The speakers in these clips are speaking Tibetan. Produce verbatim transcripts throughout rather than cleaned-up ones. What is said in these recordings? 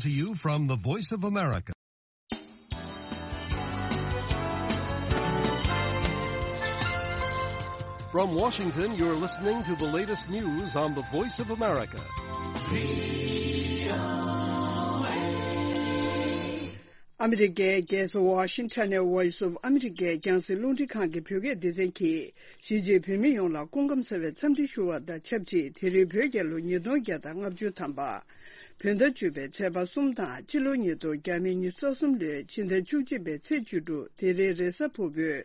To you from the Voice of America. From Washington, you're listening to the latest news on the Voice of America. ཨ་མི་རི་ཀའི་རྒྱལ་ས་ཝ་ཤིང་ཊོན་ནས་Voice of America རྒྱང་སྲིང་རླུང་འཕྲིན་ཁང་གི་བོད་སྐད་སྡེ་ཚན་གྱིས། གཞིས་བྱེས་བོད་མི་ཡོངས་ལ་སྐུ་ཁམས་བཟང་བའི་འཚམས་འདྲི་ཞུ་བ་དང་ཆབས་ཅིག་དེ་རིང་བོད་རྒྱལ་ལོ་ཉིས་སྟོང་བརྒྱ་དང་ལྔ་བཅུ་ཐམ་པ། བོད་ཟླ་བཅུ་པའི་ཚེས་པ་གསུམ་དང་། སྤྱི་ལོ་ཉིས་སྟོང་ཉི་ཤུ་རྩ་གསུམ་ལོའི་ཕྱི་ཟླ་བཅུ་གཅིག་པའི་ཚེས་བཅུ་དྲུག་དེ་རིང་རེས་གཟའ་ཕུར་བུའི་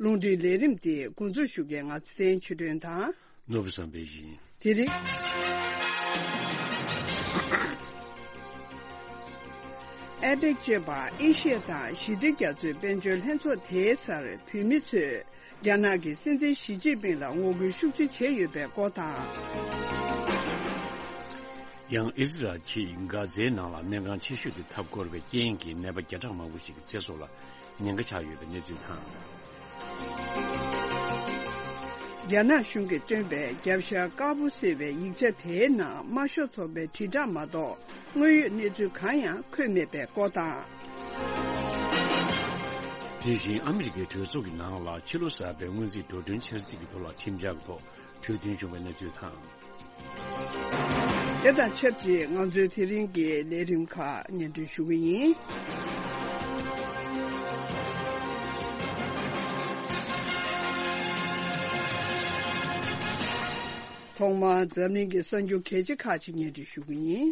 རླུང་འཕྲིན་ལས་རིམ་འདི་འགོ་འཛུགས་ཞུ་མཁན་ང་ཚེ་བརྟན་ཆོས་སྒྲོན་དང་། ནོར་བུ་བསམ་འཕེལ་ཡིན། དེ་རིང་། ཨེ་པེག་ཅེས་པ་ཨེ་ཤི་ཡ་དང་ཞི་བདེ་རྒྱ་མཚོའི་དཔལ་འབྱོར་ལྷན་ཚོགས་དེའི་སར་བོད་མི་ཚོས་རྒྱ་ནག་གི་སྲིད་འཛིན་ཞི་ཅིན་ཕིང་ལ་ངོ་རྒོལ་ཤུགས་ཆེ་བྱས་ཡོད་པའི་སྐོར་དང་། ཡང་ཨི་ཟི་རལ་གྱིས་གྷ་ཛའི་ནང་ལ་སྨན་ཁང་ཆེ་ཤོས་དེ་འཐབ་འཁོར་བའི་རྐྱེན་གྱིས་ནད་པ་བརྒྱ་ཕྲག་མང་པོ་ཞིག་གི་ཚེ་སྲོག་ལ་ཉེན་ཁ་ཆགས་ཡོད་པའི་གནས་ཚུལ་དང་། རྒྱ་ནག་གཞུང་གིས་བཏོན་པའི་རྒྱབ་ཤ་དཀར་པོ་ཟེར་བའི་ཡིག་ཆ་དེའི་ནང་དམར་ཤོག་ཚོགས་པའི་དྲིལ་བསྒྲགས་མ་གཏོགས་དངོས་ཡོད་གནས་ཚུལ་གང་ཡང་འཁོད་མེད་པའི་སྐོར་དང་། དེ་བཞིན་ཨ་མི་རི་ཀའི་གྲོས་ཚོགས་ཀྱི་ནང་ལ་ཕྱི་ལོ་གསར་པའི་སྔོན་རྩིས་འགྲོ་གྲོན་འཆར་རྩིས་ཀྱི་ཐོག་ལ་ཁྲིམས་འཆར་གྱི་ཐོག་གྲོས་མཐུན་བྱུང་བའི་གནས་ཚུལ་དང་། དེ་དང་ཆབས་ཅིག་ང་ཚོའི་དེ་རིང་གི་ལས་རིམ་ཁག་སྙན་སྒྲོན་ཞུ་གི་ཡིན། ཐོག་མར་འཛམ་གླིང་གི་གསར་འགྱུར་གལ་ཆེ་ཁག་ཅིག་སྙན་སྒྲོན་ཞུ་གི་ཡིན།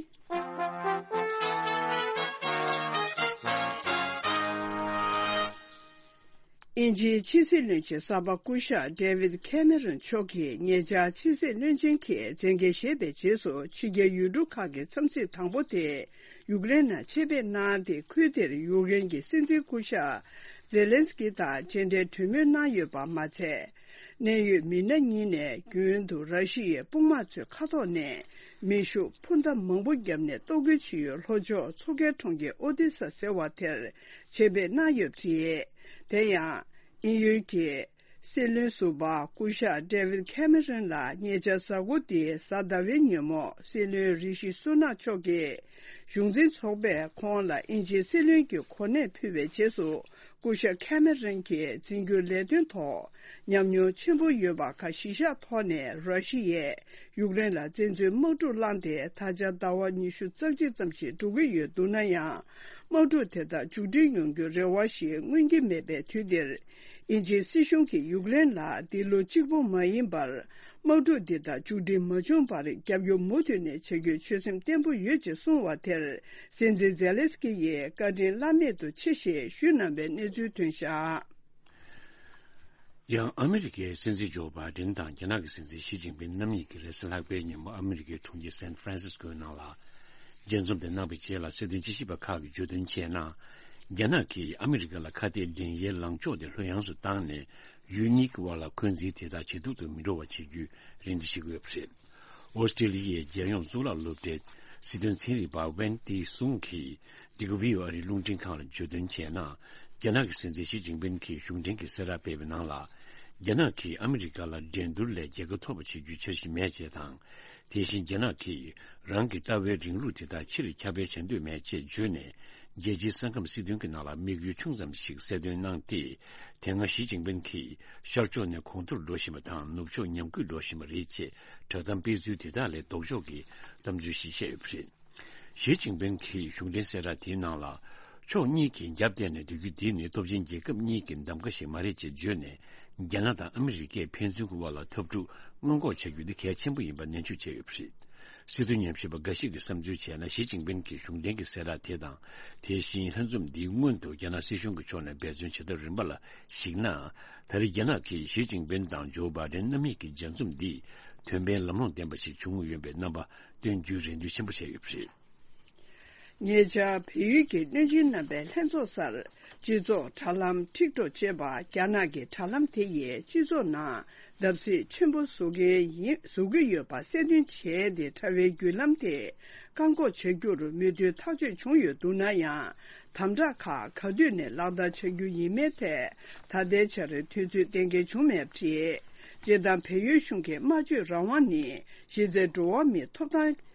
དབྱིན་ཇིའི་ཕྱི་སྲིད་བློན་ཆེན་གསར་པ་སྐུ་ཞབས་David Cameron མཆོག་གིས་ཉེ་ཆར་ཕྱི་སྲིད་བློན་ཆེན་གྱི་མཛད་འགན་བཞེས་པའི་རྗེས་སུ་ཕྱི་རྒྱལ་ཡུལ་གྲུ་ཁག་གི་འཚམས་གཟིགས་དང་པོ་དེ་ཡུཀ་རེན་ནང་ཆེད་ཕེབས་གནང་སྟེ། ཁུལ་དེར་ཡུཀ་རེན་གྱི་སྲིད་འཛིན་སྐུ་ཞབས་ཛེ་ལན་སི་ཀི་དང་མཇལ་འཕྲད་གྲོས་མོལ་གནང་ཡོད་པ་མ་ཚད། གནད་ཡོད་མི་སྣ་གཉིས་ནས་རྒྱུན་དུ་ར་ཤི་ཡའི་དཔུང་དམག་ཚོའི་ཁ་ཐོག་ནས་མེ་ཤུགས་འཕུར་མདའ་མང་པོ་བརྒྱབ་ནས་གཏོར་རྒོལ་བྱེད་ཡུལ་ལྷོ་ཕྱོགས་མཚོ་ཁའི་གྲོང་ཁྱེར་ཨོ་ཏི་ས་ཟེར་བ་དེར་ཆེད་ཕེབས་གནང་ཡོད་པ་རེད། དེ་ཡང་། དབྱིན་ཡུལ་གྱི་སྲིད་བློན་ཟུར་པ་སྐུ་ཞབས་David Cameron ལ་ཉེ་ཆར་གཟའ་འཁོར་འདིའི་གཟའ་ཟླ་བའི་ཉིན་མོ་སྲིད་བློན་རི་ཤི་སུ་ནག་མཆོག་གིས་གཞུང་འཛིན་ཚོགས་པས་ཁོང་ལ་དབྱིན་ཇིའི་སྲིད་བློན་གྱི་གོ་གནས་ཕུལ་བའི་རྗེས་སུ། སྐུ་ཞབས་ཁེ་མེ་རོན་གྱི་འཛིན་སྐྱོང་ལས་དོན་ཐོག་ཉམས་མྱོང་ཆེན་པོ་ཡོད་པ་ཁག་གཞི་བཞག་ཐོག་ནས་ར་ཤི་ཡས་ཡུཀ་རེན་ལ་བཙན་འཛུལ་དམག་འཁྲུག་བསླངས་ཏེ། ད་ཆ་ཟླ་བ་ཉི་ཤུ་རྩ་གཅིག་ཙམ་ཞིག་འགྲོ་གི་ཡོད་འདུག་ན་ཡང་། དམག་འཁྲུག་དེ་དག་མཇུག་སྒྲིལ་ཡོང་རྒྱུའི་རེ་བ་ཞིག་མངོན་གྱི་མེད་པའི་དུས་འདིར། དབྱིན་ཇིའི་སྲིད་གཞུང་གིས་ཡུཀ་རེན་ལ་འདི་ལོ་གཅིག་པོ་མ་ཡིན་པར། དམག་འཁྲུག་འདི་དག་མཇུག་སྒྲིལ་མ་བྱུང་བར་རྒྱབ་སྐྱོར་མུ་མཐུད་ནས་བྱ་རྒྱུའི་ཆོད་སེམས་བརྟན་པོ་ཡོད་ཅེས་གསུངས་པ་དེར། སྲིད་འཛིན་ཛེ་ལེན་སི་ཀི་ཡིས་བཀའ་དྲིན་བླ་མེད་དུ་ཆེ་ཞེས་ཞུས་གནང་བའི་གནས་ཚུལ་ཐོན་བཞག། ཡང་ཨ་མི་རི་ཀའི་སྲིད་འཛིན་ཇོ་བྷའི་ཌེན་དང་རྒྱ་ནག་གི་སྲིད་འཛིན་ཞི་ཅིན་ཕིན་རྣམ་གཉིས་ཀྱིས་རེས་གཟའ་ལྷག་པའི་ཉིན་མོ་ཨ་མི་རི་ཀའི་གྲོང་ཁྱེར་སན་ཧྥ་རན་སིས་ཀོའི་ནང་ལ་མཇལ་འཛོམས་དེ་གནང་བའི་རྗེས་ལ། སྲིད་དོན་དཔྱད་ཞིབ་པ་ཁག་གིས་བརྗོད་དོན་བྱས་ན། རྒྱ་ནག་གིས་ཨ་མི་རི་ཀ་ལ་ཁ་གཏད་འགྲན་ཡའི་ལངས་ཕྱོགས་དེ་ལྷོད་ཡངས་སུ་བཏང་ནས། ཡུལ་གཉིས་ཀྱི་དབར་ལ་འཁོན་འཛིན་དེ་དག་ཇེ་སྡུག་ཏུ་མི་འགྲོ་བ་བྱེད་རྒྱུའི་རེ་འདུན་བྱེད་ཀྱི་ཡོད་པ་རེད། ཨོ་སི་ཀྲི་ལི་ཡའི་རྒྱལ་ཡོངས་གཙུག་ལག་སློབ་གྲྭའི་སྲིད་དོན་ཚན་རིག་པ་ཝན་ཏི་སུང་གིས་འདི་ག་བྷི་ཨོ་ཨེ་རླུང་འཕྲིན་ཁང་ལ་བརྗོད་དོན་བྱས་ན། རྒྱ་ནག་གི་སྲིད་འཛིན་ཞི་ཅིན་ཕིན་གྱིས་གཞུང་འབྲེལ་གྱི་གསལ་བསྒྲགས་སྤེལ་བའི་ནང་ལ། རྒྱ་ནག་གིས་ཨ་མི་རི་ཀ་ལ་འགྲན་བསྡུར་ལས་རྒྱལ་ཁ་ཐོབ་པ་བྱེད་རྒྱུའི་འཆར་གཞི་མེད་ཅེས་དང་། དེ་བཞིན་རྒྱ་ནག་གིས་རང་གི་ལྟ་བའི་རིང་ལུགས་དེ་དག་ཕྱིར་ཁྱབ་སྤེལ་བྱ་འདོད་མེད་ཅེས་བརྗོད་ནས། རྒྱལ་སྤྱིའི་ས་ཁམས་སྲིད་དོན་གྱི་ནང་ལ་དམིགས་ཡུལ་ཆུང་ཙམ་ཞིག་གསལ་སྟོན་གནང་སྟེ། དེ་སྔ་ཞི་ཅིན་ཕིན་གྱིས་ཤར་ཕྱོགས་ནས་གོང་མཐོར་འགྲོ་བཞིན་པ་དང་། ནུབ་ཕྱོགས་ཉམས་རྒུད་འགྲོ་བཞིན་པ་རེད་ཅེས་བསྒྲགས་གཏམ་སྤེལ་ཚུལ་དེ་དག་ལས་ལྡོག་ཕྱོགས་ཀྱི་གཏམ་ཚུལ་ཞིག་བཤད་ཡོད་པ་རེད། ཞི་ཅིན་ཕིན་གྱིས་གཞུང་འབྲེལ་གསལ་བསྒྲགས་དེའི་ནང་ལ། ཕྱོགས་གཉིས་ཀྱིས་རྒྱབ་གཏད་ནས་སྡོད་རྒྱུ་འདི་ནི་སྟོབས་ཆེན་རྒྱལ་ཁབ་གཉིས་ཀྱི་གདམ་ག་ཞིག་མ་རེད་ཅེས་བརྗོད་ནས། རྒྱ་ནག་དང་ཨ་མི་རི་ཀས་ཕན་ཚུན་གྱི་དབར་ལ་འཐབ་འཁྲུག་སྔོན་འགོག་བྱ་རྒྱུ་འདི་གལ་ཆེན་པོ་ཡིན་པ་ནན་བརྗོད་བྱས་ཡོད་པ་རེད། སྲིད་དོན་ཉམས་ཞིབ་པ་འགའ་ཞིག་གིས་བསམ་ཚུལ་བྱས་ན། ཞི་ཅིན་ཕིན་གྱི་གཞུང་འབྲེལ་གྱི་གསལ་བསྒྲགས་དེ་དང་། དེ་བཞིན་ལྷན་འཛོམས་འདིའི་སྔོན་དུ་རྒྱ་ནག་སྲིད་གཞུང་གི་ཕྱོགས་ནས་འབད་བརྩོན་བྱེད་ཐབས་རིམ་པ་ལ་གཞིགས་ན། ད་རེས་རྒྱ་ནག་གིས་ཞི་ཅིན་ཕིན་དང་ཇོ་བྷའི་ཌེན་རྣམ་གཉིས་ཀྱི་མཇལ་འཛོམས་འདིས་དོན་ཕན་ལམ་ལྷོང་ལྡན་པ་ཞིག་བྱུང་ཡོད་པའི་རྣམ་པ་སྟོན་རྒྱུའི་རེ་འདུན་ཆེན་པོ་བྱས་ཡོད་པ་རེད། ཉེ་ཆར་བལ་ཡུལ་གྱི་བློན་ཆེན་རྣམ་པའི་ལྷན་ཚོགས་སར་སྤྱི་ཚོགས་དྲ་ལམ་ཊིག་ཊོག་ཅེས་པ། རྒྱ་ནག་གི་དྲ་ལམ་དེ་ཡིས་སྤྱི་ཚོགས་ནང་བརྡབ་གསིག་ཆེན་པོ་བཟོ་གི་ཡིན། བཟོ་གི་ཡོད་པ་གསལ་སྟོན་བྱས་ཏེ། དྲ་བའི་བརྒྱུད་ལམ་དེ་བཀག་འགོག་བྱ་རྒྱུར་མོས་མཐུན་ཐག་གཅོད་བྱུང་ཡོད་འདུག་ན་ཡང་། དམ་དྲག་ཁག་ག་དུས་ནས་ལག་བསྟར་བྱ་རྒྱུ་ཡིན་མིན་ཐད་ད་ལྟའི་ཆར་དུས་ཚོད་གཏན་འཁེལ་བྱུང་མེད་པ་རེད། སྤྱིར་བཏང་བལ་ཡུལ་གཞུང་གི་སྨྲ་བརྗོད་རང་དབང་ནི་གཞི་རྩའི་འགྲོ་བ་མིའི་ཐོབ་ཐང་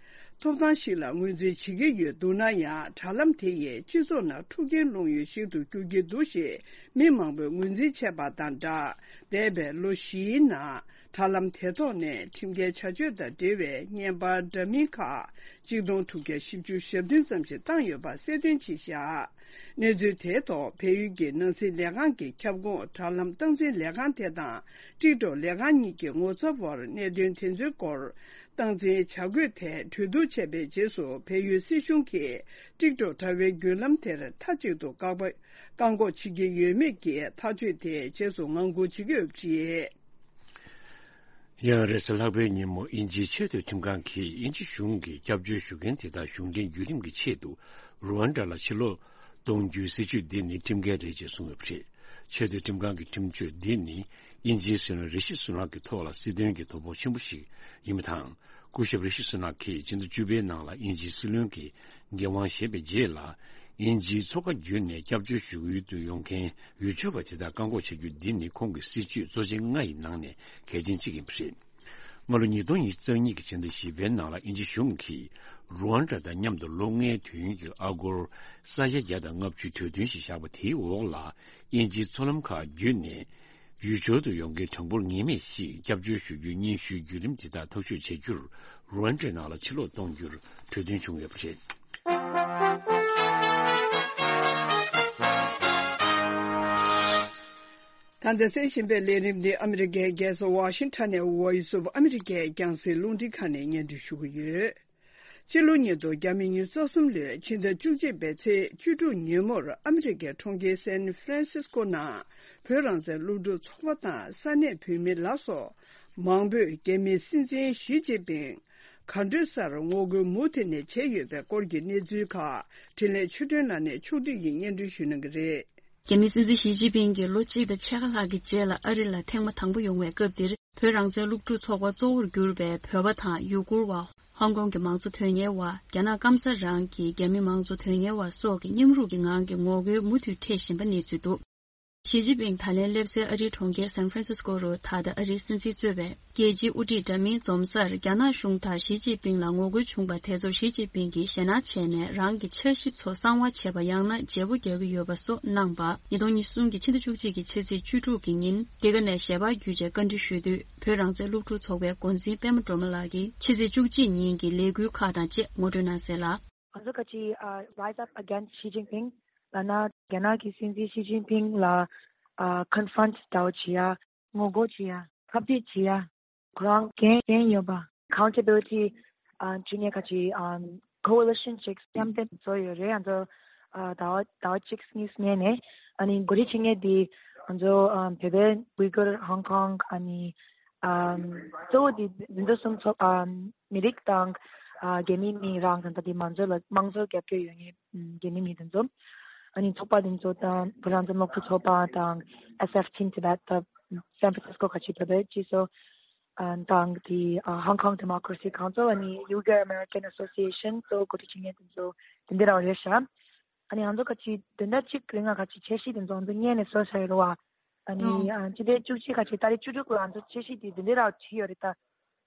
ཐོབ་ཐང་ཞིག་ལ་ངོས་འཛིན་བྱེད་ཀྱི་ཡོད་འདུག་ན་ཡང་། དྲ་ལམ་དེ་ཡིས་སྤྱི་ཚོགས་ནང་འཁྲུག་རྐྱེན་སློང་ཡུལ་ཞིག་ཏུ་འགྱུར་གྱི་འདུག་ཞེས་མི་མང་པོས་ངོས་འཛིན་བྱས་པ་དང་སྦྲགས། འདས་པའི་ལོ་བཞིའི་ནང་དྲ་ལམ་དེ་ཐོག་ནས་ཁྲིམས་འགལ་བྱ་སྤྱོད་དང་འབྲེལ་བའི་བརྙན་པར་འདྲ་མིན་ཁག་གཅིག་སྟོང་དྲུག་བརྒྱ་བཞི་བཅུ་ཞེ་བདུན་ཙམ་ཞིག་བཏང་ཡོད་པ་གསལ་སྟོན་བྱས་བཞག་གནས་ཚུལ་དེའི་ཐོག་བལ་ཡུལ་གྱི་ནང་སྲིད་ལས་ཁང་གི་ཁྱབ་ཁོངས་དྲ་ལམ་སྟངས་འཛིན་ལས་ཁང་དེ་དང་ཊིག་ཊོག་ལས་ཁང་གཉིས་ཀྱི་ངོ་ཚབ་བར་གནད་དོན་དེ་ཚོའི་སྐོར་སྟངས་འཛིན་བྱ་དགོས་ཐད་གྲོས་བསྡུར་བྱས་པའི་རྗེས་སུ། བལ་ཡུལ་སྲིད་གཞུང་གིས་ཊིག་ཊོག་དྲ་བའི་བརྒྱུད་ལམ་དེར་མཐའ་གཅིག་ཏུ་བཀག་པ་བཀག་འགོག་བྱེད་ཀྱི་ཡོད་མེད་ཀྱི་ཐག་གཅོད་དེའི་རྗེས་སུ་ངང་སྒུག་བྱེད་ཀྱི་ཡོད་པ་རེད། ཡང་རེས་གཟའ་ལྷག་པའི་ཉིན་མོ་དབྱིན་ཇིའི་ཆེས་མཐོའི་ཁྲིམས་ཁང་གིས་དབྱིན་ཇི་གཞུང་གིས་སྐྱབས་བཅོལ་ཞུ་མཁན་དེ་དག་གཞུང་འབྲེལ་བརྒྱུད་རིམ་གྱི་ཆེད་དུ་རུ་ཝན་ཌ་ལ་ཕྱིར་ལོག་གཏོང་རྒྱུའི་སྲིད་བྱུས་འདི་ནི་ཁྲིམས་འགལ་རེད་ཅེས་གསུངས་ཡོད་པ་རེད། ཆེས་མཐོའི་ཁྲིམས་ཁང་གི་ཁྲིམས་གཅོད་འདི་ནི་དབྱིན་ཇིའི་སྲིད་བློན་རི་ཤི་སུ་ནག་གི་ཐོག་ལ་སྲིད་དོན་གྱི་དོ་ཕོག་ཆེན་པོ་ཞིག་ཡིན་པ་དང་། སྐུ་ཞབས་རི་ཤི་སུ་ནག་གིས་ཕྱི་ཟླ་བཅུ་པའི་ནང་ལ་དབྱིན་ཇིའི་སྲིད་བློན་གྱི་འགན་དབང་བཞེས་པའི་རྗེས་ལ། དབྱིན་ཇིའི་མཚོ་ཁ་བརྒྱུད་ནས་སྐྱབས་བཅོལ་ཞུ་ཡུལ་དུ་ཡོང་མཁན་ཡུལ་ཆོས་པ་དེ་དག་བཀག་འགོག་བྱ་རྒྱུ་འདི་ནི་ཁོང་གི་སྲིད་བྱུས་གཙོ་ཆེ་ལྔ་ཡི་ནང་ནས་གལ་ཆེན་གཅིག་ཡིན་པ་རེད། སྔ་ལོ་ཉིས་སྟོང་ཉི་ཤུ་རྩ་གཉིས་ཀྱི་ཕྱི་ཟླ་བཞི་པའི་ནང་ལ་དབྱིན་ཇི་གཞུང་གིས་རུ་ཝན་ཌ་དང་མཉམ་དུ་ལོ་ལྔའི་དུས་ཡུན་གྱི་ཨ་སྒོར་ས་ཡ་བརྒྱ་དང་ལྔ་བཅུའི་གྲོས་མཐུན་ཞིག་བཞག་པ་དེའི་འོག་ལ། དབྱིན་ཇིའི་མཚོ་ལམ་ཁག་བརྒྱུད་ནས་ཡུལ་སྦྱོར་དུ་ཡོང་མཁན་གྲངས་འབོར་ངེས་མེད་ཞིག་སྐྱབས་བཅོལ་ཞུ་རྒྱུའི་སྙན་ཞུའི་བརྒྱུད་རིམ་དེ་དག་ཐག་གཅོད་བྱ་རྒྱུར་རུ་ཝན་ཌའི་ནང་ལ་ཕྱིར་ལོག་གཏོང་རྒྱུར་གྲོས་མཐུན་བྱུང་ཡོད་པ་རེད། ད་ལྟ་གསན་བཞིན་པའི་ལས་རིམ་འདི་ཨ་མི་རི་ཀའི་རྒྱལ་ས་ཝ་ཤིང་ཊོན་ནས་Voice of America་རྒྱང་སྲིང་རླུང་འཕྲིན་ཁང་ནས་སྙན་སྒྲོན་ཞུ་གི་ཡོད། སྤྱི་ལོ་ཉིས་སྟོང་ཉི་ཤུ་རྩ་གསུམ་ལོའི་ཕྱི་ཟླ་བཅུ་གཅིག་པའི་ཚེས་བཅུ་དྲུག་ཉིན་མོར་ཨ་མི་རི་ཀའི་གྲོང་ཁྱེར་སན་ཧྥ་རན་སིས་ཀོ་ནང་བོད་རང་བཙན་སློབ་ཕྲུག་ཚོགས་པ་དང་ས་གནས་བོད་མི་ལ་སོགས་མང་པོས་རྒྱ་མིའི་སྲིད་འཛིན་ཞི་ཅིན་ཕིང་ག་འགྲོ་སར་ངོ་རྒོལ་མུ་མཐུད་ནས་བྱས་ཡོད་པའི་སྐོར་གྱི་གནས་ཚུལ་ཁག་འཕྲིན་ལས་ཆོས་སྒྲོན་ལགས་ནས་ཕྱོགས་སྒྲིག་གིས་སྙན་སྒྲོན་ཞུ་གནང་གི་རེད། རྒྱ་མིའི་སྲིད་འཛིན་ཞི་ཅིན་ཕིང་གིས་ལོ་གཅིག་དང་ཕྱེད་ཀ་ལྷག་གི་རྗེས་ལ་ཨ་རི་ལ་ཐེངས་མ་དང་པོ་ཡོང་བའི་སྐབས་འདིར། བོད་རང་བཙན་སློབ་ཕྲུག་ཚོགས་པ་གཙོ་བོར་གྱུར་པའི་བོད་པ་དང་ཡུ་གུར་བ། ཧོང་ཀོང་གི་མང་གཙོ་དོན་གཉེར་བ། རྒྱ་ནག་སྐམ་ས་རང་གི་རྒྱ་མི་མང་གཙོ་དོན་གཉེར་བ་སོགས་ཀྱིས་མཉམ་རུབ་ཀྱི་ངང་གིས་ངོ་རྒོལ་མུ་མཐུད་འཕྲད་བཞིན་པ་གནས་ཚུལ་འདུག་ཞི་ཅིན་ཕིང་ད་ལན་སླེབས་སའི་ཨ་རིའི་གྲོང་ཁྱེར་སན་ཧྥ་རན་སིས་ཀོ་རུ་ད་ལྟ་ཨ་རིའི་སྲིད་འཛིན་གཙོས་པའི་རྒྱལ་སྤྱིའི་དབུ་ཁྲིད་འདྲ་མིན་འཛོམས་སར་རྒྱ་ནག་གཞུང་དང་ཞི་ཅིན་ཕིང་ལ་ངོ་རྒོལ་བྱུང་བ་དེ་ཚོར་ཞི་ཅིན་ཕིང་གིས་ཞེད་སྣང་བྱས་ནས་རང་གི་ཆ་ཞིབ་ཚོ་གསང་བ་བྱས་པ་ཡང་ན་བརྗེ་པོ་རྒྱག་གི་ཡོད་པ་སོགས་གནང་པ། ཉིས་སྟོང་ཉི་ཤུ་གསུམ་གྱི་ཕྱི་ཟླ་བཅུ་གཅིག་གི་ཕྱི་ཚེས་བཅུ་དྲུག་གི་ཉིན་འདི་ག་ནས་ཞལ་པར་བརྒྱུད་བྱས་བཀའ་འདྲི་ཞུས་དུས། བོད་རང་བཙན་སློབ་ཕྲུག་ཚོགས་པའི་འགོ་འཛིན་པད་མ་སྒྲོལ་མ་ལགས་ཀྱིས་ཕྱི་ཚེས་བཅུ་གཅིག་ཉིན་གྱི་ལས་འགུལ་ཁག་དང་བཅས་ངོ་སྤྲོད་གནང་གསལ་ལ། ང་ཚོ་ག་ཅི་ཨ་Rise Up Against Xi Jinping ལབ་ན། རྒྱ་ནག་གི་སྲིད་འཛིན་ཞི་ཅིན་ཕིང་ལ་ཨ་confront འདྲ་བོ་བྱེད་ཡ། ངོ་རྒོལ་བྱེད་ཡ། ཁ་གཏད་བྱེད་ཡ། ཁོ་རང་འགན་འགན་ཡོད་པ། Accountability ཨ་བྱེད་མཁན་ག་ཅི་ཨ་coalition ཅིག་མཉམ་འདེམས་བཟོ་ཡོད་རེད། ང་ཚོ་ཨ་ཟླ་བ་ཟླ་བ་གཅིག་གཉིས་སྔོན་ནས། ཨ་ནི་འགོ་ཁྲིད་བྱེད་མཁན་དེ་ང་ཚོ་ཨ་བོད་པའི་ཝི་གུར་ཧོང་ཀོང་ཨ་ནི་ཨ་གཙོ་བོ་དེ་འཛིན་གྲྭ་གསུམ་ཚོགས་ཨ་མི་རིགས་དང་ཨ་རྒྱ་མི་མི་རང་དང་ད་དེ་མང་གཙོ་ལ་དམངས་གཙོ་རྒྱབ་སྐྱོར་ཡོད་མཁན་རྒྱ་མི་མི་དེ་ཚོ། ཨ་ནི་ཚོགས་པ་དེ་ཚོ་དང་བོད་རང་བཙན་སློབ་ཕྲུག་ཚོགས་པ་དང་S F Team Tibet ད་San Francisco ག་ཅི་བོད་པའི་སྤྱི་ཚོགས་ཨ་དང་དེ་ཨ་Hong Kong Democracy Council ཨ་ནི་Uyghur American Association གཙོ་བོ་འགོ་ཁྲིད་བྱེད་མཁན་དེ་ཚོ་དེ་འདྲ་རང་རེད་ཤག་ཨ་ནི་ང་ཚོ་ག་ཅི་བདུན་ཕྲག་གཅིག་རིང་ང་ག་ཅི་འཆར་གཞི་དེ་ཚོ་ང་ཚོ་སྔོན་ནས་བཟོ་བཞག་ཡོད་རེད་བ། ཨ་ནི་ཨ་སྤྱི་ཟླ་བཅུ་གཅིག་ག་ཅི་ཏ་རིག་བཅུ་དྲུག་ལ་ང་ཚོ་འཆར་གཞི་དེ་འདི་འདྲ་རང་བྲིས་ཡོད་རེད་ད།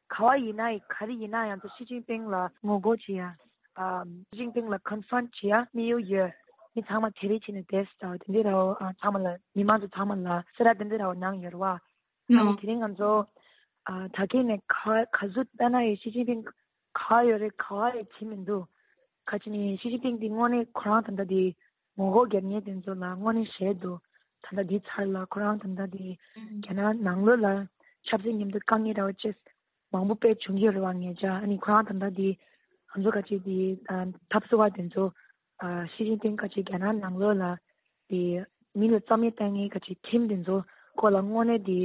ག་བ་ཡིན་ན་ཡིན་ག་རེ་ཡིན་ན་ཡང་ང་ཚོ་ཞི་ཅིན་ཕིང་ལ་ངོ་རྒོལ་བྱེད་ཡ། ཨ་ཞི་ཅིན་ཕིང་ལ་confront བྱེད་ཡ་དམིགས་ཡུལ་ཡོད། མི་ཚང་མ་གྲལ་རིམ་བྱས་ནས་བསྡད་ཟེར་བ་དེ་འདྲ་རང་ཨ་ཚང་མ་ལ་མི་མང་ཚོ་ཚང་མ་ལ་གསལ་བསྒྲགས་དེ་འདྲ་རང་གནང་ཡོད་རེད་བ། ཨ་ནི་དེ་རིང་ང་ཚོ་ཨ་ད་གིན་ནས་ག་ག་ཚོད་ལྟ་ན་ཡང་ཞི་ཅིན་ཕིང་ག་ཡོད་རེད། ག་ཡང་བྱེད་མི་འདུག་ག་ཅི་ནས་ཞི་ཅིན་ཕིང་འདི་དངོས་གནས་ཁོ་རང་ད་ལྟ་འདི་ངོ་རྒོལ་རྒྱབ་མཁན་དེ་ཚོ་ལ་དངོས་གནས་ཞེད་འདུག་ད་ལྟ་འདི་ཚར་ལ་ཁོ་རང་ད་ལྟ་འདི་རྒྱ་ནག་ནང་ལོགས་ལ་ཆབ་སྲིད་མཉམ་དུ་དཀའ་ངལ་འདྲ་བོ་ཅིག་མང་པོ་དཔེ་བྱུང་གི་ཡོད་རེད་བ། ངེད་ཅག་ཨ་ནི་ཁོ་རང་ད་ལྟ་འདི་ང་ཚོ་ག་ཅི་འདི་འཐབ་རྩོད་པ་དེ་ཚོ་ཞི་ཅིན་ཕིང་ག་ཅི་རྒྱ་ནག་ནང་ལོགས་ལ་དེ་མི་ལ་རྩ་མེད་བཏང་མཁན་ག་ཅི་ཁྲིམས་དེ་ཚོ་སྐོར་ལ་དངོས་གནས་དེ་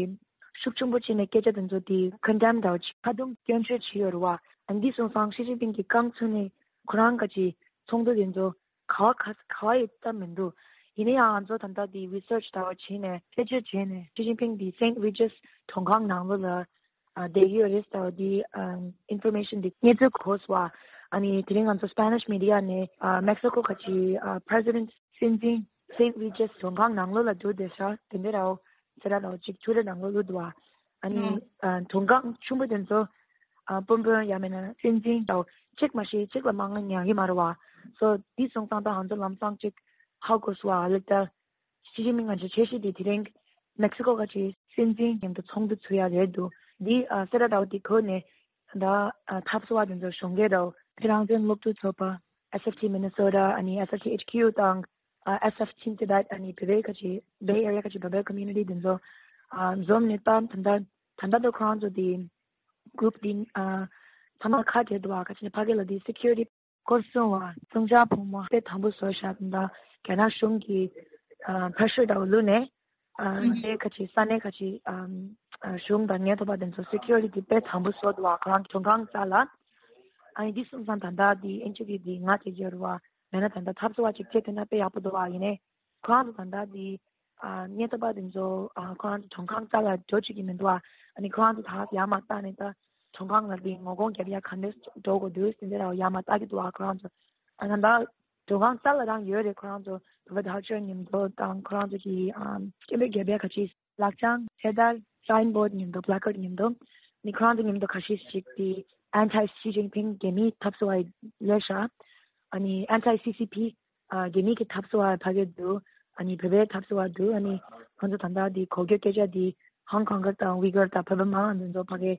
ཤུགས་ཆེན་པོ་བྱས་ནས་སྐད་ཆ་དེ་ཚོ་དེ་condemn འདྲ་བོ་ཅིག་ཁ་རྡུང་སྐྱོན་བརྗོད་བྱས་ཡོད་རེད་བ། ཨ་འདི་སོང་ཙང་ཞི་ཅིན་ཕིང་གི་རྐང་ཚུགས་ནས་ཁོ་རང་ག་ཅི་ཚོགས་འདུ་དེ་ཚོ་ག་བ་ག་ག་བ་ཡི་ལྟ་མི་འདུག་ཡིན་ན་ཡང་ང་ཚོ་ད་ལྟ་དེ་research འདྲ་བོ་བྱས་ནས་དཔེ་བརྗོད་བྱས་ནས་ཞི་ཅིན་ཕིང་དེ་Saint Regis མགྲོན་ཁང་ནང་ལོགས་ལ་ཨ་བསྡད་ཀྱི་ཡོད་རེད་ཟེར་བ་དེ་ཨ་information དེ་རྙེད་ཚུལ་གོ་སོང་བ། ཨ་ནི་དེ་རིང་ང་ཚོ་Spanish media ནས་ཨ་Mexico ག་ཅི་ཨ་President སྲིད་འཛིན་Saint Regis མགྲོན་ཁང་ནང་ལོགས་ལ་འདུག་བསྡད་ཤག་དེ་འདྲ་ར་བོ་ཟེར་ར་ལ་བོ་ཅིག་ཐུག་ར་ནང་ལོགས་ལ་འདུག་བ། ཨ་ནི་ཨ་མགྲོན་ཁང་ཆུང་པོ་དེ་ཚོ་ ཨ་དཔོན་དཔོན་ཡང་མིན་ན་སྲིད་འཛིན་དང་གཅིག་མ་ཤེས་གཅིག་ལ་མ་ང་ཉན་གི་མ་རེད་བ། སོ་འདི་སོང་ཙང་ད་ང་ཚོ་ལམ་སང་གཅིག་ཧ་གོ་སོང་བ་ལེགས་ད། ཞི་ཅིན་ཕིང་ང་ཚོ་ཆེ་ཤོས་དེ་དེ་རིང་མེག་སི་ཀོ་ག་ཅིག་སྲིད་འཛིན་མཉམ་དུ་ཚོགས་འདུ་ཚུགས་ཡ་རེད་འདུག་འདི་ཨ་སེ་ར་ཟླ་བ་དེ་གོ་ནས་ད་ཨ་འཐབ་རྩོད་པ་དེ་ཚོ་གཞུང་སྒེར་དང་ཕྱི་རང་བཙན་སློབ་ཕྲུག་ཚོགས་པ་ཨེས་ཨེཕ་ཊི་མི་ནི་སོ་ཊ་ཨ་ནི་ཨེས་ཨེཕ་ཊི་ཨེཆ་ཁྱུ་དང་ཨ་ཨེས་ཨེཕ་ཆིན་ཏི་བེད་ཨ་ནི་བེ་བེ་ག་ཅིག་བེ་ཨེ་རི་ཡ་ག་ཅིག་བེ་བེ་ཀོ་མིའུ་ནི་ཊི་དེ་ཚོ་ཨ་འཛོམས་ནས་ད་ད་ད་ད་ད་ཁོ་རང་ཚོ་དེ་གུ་རུབ་དེ་ཨ་ཚང་མ་ཁ་བྲལ་འདུག་ཨ་ག་ཅིག་ཕ་གི་ལ་དེ་སི་ཁུ་རི་ཊི་སྐོར་སྲུང་བ་སྲུང་བྱ་ཕོ་མོ་དཔེ་དམ་པོ་བཟོ་བཞག་ད་རྒྱ་ནག་གཞུང་གི་ཨ་པེ་རེ་ཤར་དང་བླུགས་ནས་ཨ་ཨུ་ཧུམ། དེ་ཁ་ཅིག་ས་གནས་ཁ་ཅིག་ཨ་ཨ་གཞུང་དང་ཉེན་རྟོག་པ་དེ་ཚོ་སི་ཁུ་རི་ཊི་དཔེ་དམ་པོ་བཟོ་འདུག་ཨ་ཁོ་རང་གི་མགྲོན་ཁང་རྩ་ལ། ཨ་ནི་འདི་སོང་ཙང་ད་ལྟ་འདི་ཨེན་ཇི་པི་འདི་ང་དེ་ཡོད་རེད་བ། མེད་ན་ད་ལྟ་འཐབ་རྩོད་པ་ཅིག་བྱེད་ཐུབ་ན་དཔེ་ཡག་པོ་འདུག་བ། ཡིན་ནའི་ཁོ་རང་ཚོ་ད་ལྟ་འདི་ཨ་ཉེན་རྟོག་པ་དེ་ཚོ་ཨ་ཁོ་རང་ཚོ་མགྲོན་ཁང་རྩ་ལ་འགྲོ་བཅུག་གི་མི་འདུག་བ། ཨ་ནི་ཁོ་རང་ཚོ་ད་ཡར་མར་བཏང་ནས་ད་མགྲོན་ཁང་ལ་འདི་ངོ་རྒོལ་རྒྱབ་ཡ་ག་འདྲས་འགྲོ་དགོས་འདུག་དེ་འདྲ་ཡར་མར་ལྟ་གི་འདུག་བ། ཁོ་རང་ཚོ་ཨ་ད་ལྟ་མགྲོན་ཁང་རྩ་ལ་རང་ཡོད་རེད། ཁོ་རང་ཚོ་བོད་པ་དར་ཆེན་མཉམ་དུ་དང་ཁོ་རང་ཚོ་གི་ཨ་སྐད་འབོད་རྒྱབ་ཡ་ག་ཅིག་ལག་བཅངས་ཚེ་ཐར་སའིན་བོར་ཌི་མཉམ་དུ་པི་ལ་ཀར་ཌི་མཉམ་དུ་ནི་ཁོ་རང་ཚོ་མཉམ་དུ་ཁ་ཤས་ཤིག་དེ་ཨན་ཊི་ཞི་ཅིན་ཕིང་རྒྱ་མིའི་འཐབ་རྩོད་པ་ལས་ཤག་ཨ་ནི་ཨན་ཊི་སི་སི་ཕི་རྒྱ་མིའི་གི་འཐབ་རྩོད་པ་ཕ་གི་འདུག་ཨ་ནི་བོད་པའི་འཐབ་རྩོད་པ་འདུག་ཨ་ནི་ཁོང་ཚོ་ད་ལྟ་དེ་གོ་རྒྱུ་སྐད་ཆ་དེ་ཧང་ཀོང་གི་དང་ཝི་གར་དང་བོད་པ་མང་ང་འདི་ཚོ་ཕ་གི་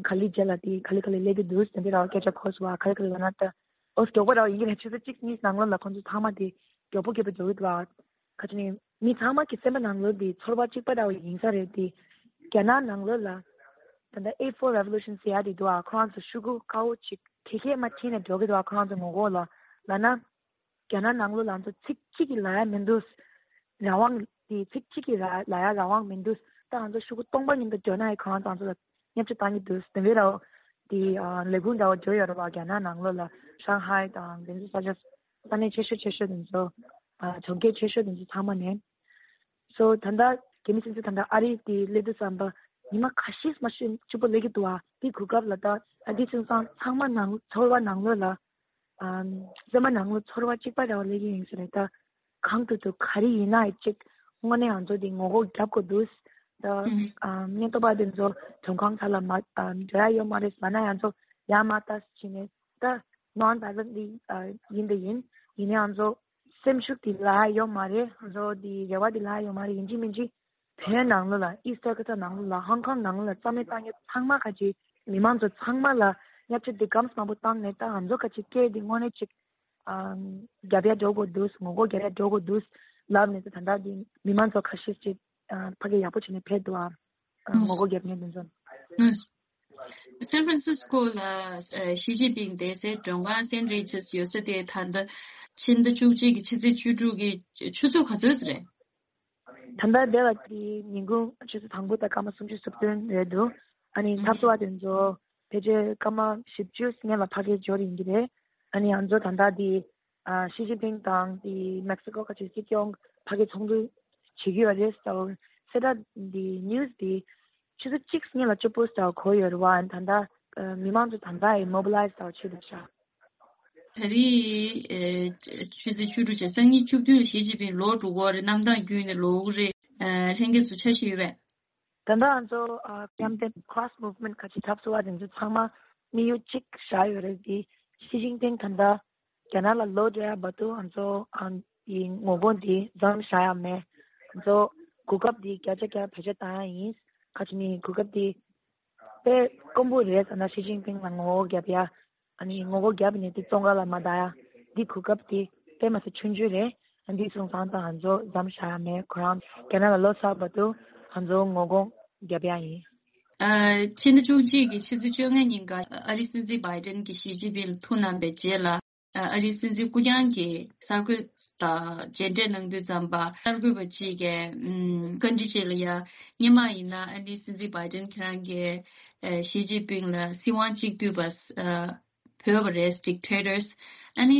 ག་ལེ་རྗེས་ལ་དེ་ག་ལེ་ག་ལེ་སླེབས་ཀྱི་འདུག་དེ་འདྲ་ར་སྐད་ཆ་གོ་སོང་བ། ག་ལེ་ག་ལེ་ལབ་ན་ད་ཨོ་མགྱོགས་པོ་ར་ཡིན་གྱི་རེད། ཆུ་ཚོད་གཅིག་གཉིས་ནང་ལོགས་ལ་ཁོང་ཚོ་ཚང་མ་དེ་མགྱོགས་པོ་མགྱོགས་པོ་འགྲོ་གི་འདུག་ཨ། ཁ་ཅིག་ནས་མི་ཚང་མ་གི་སེམས་པ་ནང་ལོགས་འདི་ཚོར་བ་གཅིག་པ་འདྲ་བོ་ཡིན་ས་རེད་དེ། རྒྱ་ནག་ནང་ལོགས་ལ་ད་ལྟ་ཨེ་ཕོར་རེ་བོ་ལུ་ཤན་ཟེར་ཡ་དེ་འདུག་ཨ། ཁོ་རང་ཚོ་ཤོག་གུ་དཀར་པོ་ཅིག་དེ་གས་མ་ཁྱེར་ནས་འགྲོ་གི་འདུག་ཨ། ཁོ་རང་ཚོ་ངོ་ལྐོག་ལ་ལབ་ན་རྒྱ་ནག་ནང་ལོགས་ལ་ང་ཚོ་ཚིག་གཅིག་གིས་ལབ་ཡ་མི་འདུག་རང་དབང་དེ་ཚིག་གཅིག་གིས་ལབ་ལབ་ཡ་རང་དབང་མི་འདུག་ད་ང་ཚོ་ཤོག་གུ་སྟོང་པ་མཉམ་དུ་འགྲོ་ན་ཡང་ཁོ་རང་ཚོ་ང་ཚོ་ལ་བརྙས་བཅོས་བཏང་གི་འདུག་དེ་འདྲ་ར་དེ་ལས་ཁུངས་འདྲ་བོ་འགྲོ་ཡོད་རེད་བ། རྒྱ་ནག་ནང་ལོགས་ལ་ཤང་ཧའེ་དང་དེ་ཚོ་ས་ཆ་ས་གནས་ཆེ་ཤོས་ཆེ་ཤོས་དེ་ཚོ་ཨ་གྲོང་ཁྱེར་ཆེ་ཤོས་དེ་ཚོ་ཚང་མ་ནས། སོ་ད་ལྟ་རྒྱ་མི་སྲིད་འཛིན་ད་ལྟ་ཨ་རི་དེ་སླེབས་དུས་ཙམ་པ་ཉི་མ་ཁ་ཤས་མ་ཤེས་སྐྱིད་པོ་སླེབས་ཀྱི་འདུག་ཨ། དེ་གོ་སྐབས་ལ་ད་ཨ་དེ་ཚོ་ཚང་ཚང་མ་ནང་ཚོར་བ་ནང་ལོགས་ལ་ཨམ་སེམས་པ་ནང་ལོགས་ཚོར་བ་གཅིག་པ་འདྲ་བོ་སླེབས་ཀྱི་ཡིན་ས་རེད་ད། གང་ཐུབ་ཐུབ་ག་རེ་ཡིན་ན་ཡང་གཅིག་དངོས་གནས་ང་ཚོ་དེ་ངོ་རྒོལ་རྒྱབ་དགོས་འདུག་ད་ཨམ་ཉེན་རྟོག་པ་དེ་ཚོ་མགྲོན་ཁང་ཁ་ལ་མ་ཨམ་འགྲོ་ཡ་ཡོད་མ་རེད་ལབ་ན་ཡང་ཚོ་ཡར་མར་ལྟ་བྱས་ནས་ད་ནོན་བྷའི་ལེན་ཊི་ལི་ཨ་ཡིན་དེ་ཡིན། ཡིན་ནའང་ཚོ་སེམས་ཤུགས་དེ་ལ་ཡོད་མ་རེད། ང་ཚོ་དེ་རེ་བ་དེ་ལ་ཡོད་མ་རེད། ཡིན་གཅིག་མིན་གཅིག་བོད་ནང་ལོགས་ལ་ཨི་སི་ཊར་ཀ་ཊ་ནང་ལོགས་ལ་ཧོང་ཀོང་ནང་ལོགས་ལ་རྩ་མེད་བཏང་ཡ་ཚང་མ་ག་ཅིག་མི་མང་ཚོ་ཚང་མ་ལ་བརྙས་བཅོས་འདི་གམ་མང་པོ་བཏང་ནས་ད་ང་ཚོ་ག་ཅིག་སྐད་འདི་དངོས་གནས་ཅིག་ཨ་རྒྱབ་ཡ་འགྲོ་དགོས་འདུག་ངོ་རྒོལ་རྒྱབ་ཡ་འགྲོ་དགོས་འདུག་ལབ་ནས་ད་ད་ལྟ་འདི་མི་མང་ཚོ་ཁ་ཤས་ཅིག་ཨ་ཕ་གི་ཡག་པོ་བྱས་ནས་ཕེབས་འདུག་ཨ། ཨ་ངོ་རྒོལ་རྒྱབ་མཁན་འདི་ཚོ། ཨུ། སན་ཧྥ་རན་སིས་ཀོ་ལ་ཨ་ཞི་ཅིན་ཕིང་བསྡད་སའི་མགྲོན་ཁང་སེན་རི་ཇིས་ཡོད་ས་དེ་ད་ལྟ་ཕྱི་ཟླ་བཅུ་གཅིག་གི་ཕྱི་ཚེས་བཅུ་དྲུག་གི་ཆུ་ཚོད་ག་ཚོད་རེད། ད་ལྟ་འདི་ལ་དེ་ཉིན་གུང་ཆུ་ཚོད་དང་པོ་དང་སྐར་མ་སུམ་ཅུ་སོ་བདུན་རེད་འདུག་ཨ་ནི་འཐབ་རྩོད་པ་དེ་ཚོ་ཕལ་ཆེར་སྐར་མ་བཞི་བཅུ་སྔོན་ལ་ཕ་གིར་འབྱོར་ཡིན་གྱི་རེད། ཨ་ནི་ང་ཚོ་ད་ལྟ་དེ་ཨ་ཞི་ཅིན་ཕིང་དང་དེ་མེག་སི་ཀོ་ཁ་ཆེ་སྲིད་སྐྱོང་ཕ་གིར་ཚོགས་འདུ་བྱེད་ཀྱི་ཡོད་རེད་ཟེར་བ་གསལ་བསྒྲགས་དེ་ནིའུ་སི་དེ་ཆུ་ཚོད་གཅིག་སྔོན་ལ་བཅུ་པོ་སི་ཊར་གོ་ཡོད་རེད་བ། ད་ལྟ་ཨ་མི་མང་ཚོ་ད་ལྟ་ཡི་མོ་བི་ལའི་ཛི་བྱས་འདུག་ཤག་ད་རེས་ཨེ་ཆུ་ཚོད་བཅུ་དྲུག་བྱས་སང་ཉིན་བཅུ་བདུན་ལ་ཞི་ཅིན་ཕིང་ལོག་འགྲོ་གི་རེད། གནམ་ཐང་བརྒྱུད་ནས་ལོག་གི་རེད། ཨ་ལྷན་རྒྱས་ཚོ་འཆར་གཞི་ཡོད་པས། ད་ལྟ་ང་ཚོ་ཨ་མཉམ་འབྲེལ་ཁོ་ར་སི་མུབ་མེན་ཊི་ཁ་ཆེ་འཐབ་རྩོད་པ་དེ་ཚོ་ཚང་མ་དམིགས་ཡུལ་གཅིག་བཞག་ཡོད་རེད། དེ་ཞི་ཅིན་ཕིང་ད་ལྟ་རྒྱ་ནག་ལ་ལོག་འགྲོ་ཡ་བར་དུ་ང་ཚོ་ཨ་ཡི་ངོ་རྒོལ་འདི་མཚམས་བཞག་ཡ་མེད། ང་ཚོ་གོ་སྐབས་འདི་བརྒྱ་ཆ་བརྒྱ་བེད་སྤྱོད་བཏང་ཡ་ཡིན། ཁ་ཆེ་ནི་གོ་སྐབས་འདི་དཔེ་དཀོན་པོ་རེད་ཟེར་ན་ཞི་ཅིན་ཕིང་ལ་ངོ་རྒོལ་རྒྱབ་ཡ། ཨ་ནི་ངོ་རྒོལ་རྒྱབ་ནས་དེ་བཙོན་ཁང་ལ་མ་བསྡད་ཡ། འདི་གོ་སྐབས་དེ་དཔེ་མ་སྲིད་ཆུང་ཆུང་རེད། ཨ་འདི་སོང་ཙང་ད་ང་ཚོ་མཚམས་བཞག་ཡ་མེད། ཁོ་རང་རྒྱ་ནག་ལ་ལོག་ཚར་བར་དུ་ང་ཚོ་ངོ་རྒོལ་རྒྱབ་ཡ་ཡིན། ཨ་ཕྱི་ཟླ་བཅུ་གཅིག་གི་ཕྱི་ཚེས་བཅོ་ལྔ་ཉིན་ཀ་ཨ་རིའི་སྲིད་འཛིན་བྷའི་ཌེན་གྱིས་ཞི་ཅིན་ཕིང་ལ་ཐུགས་གནང་བའི་རྗེས་ལ། ཨ་རིའི་སྲིད་འཛིན་སྐུ་རྐྱང་གིས་གསར་འགོད་དང་མཇལ་འཕྲད་གནང་དུས་ཙམ་པ་གསར་འགོད་པ་གཅིག་གིས་ཨམ་བཀའ་འདྲི་ཅིག་ལ་ཡ། སྔོན་མ་ཡིན་ན་ཨ་ནི་སྲིད་འཛིན་བྷའི་ཌེན་ཁྱེད་རང་གིས་ཨ་ཞི་ཅིན་ཕིང་ལ་སྲིད་དབང་གཅིག་སྡུད་པ་ཨ་བོས་པ་རེད། Dictators། ཨ་ནི་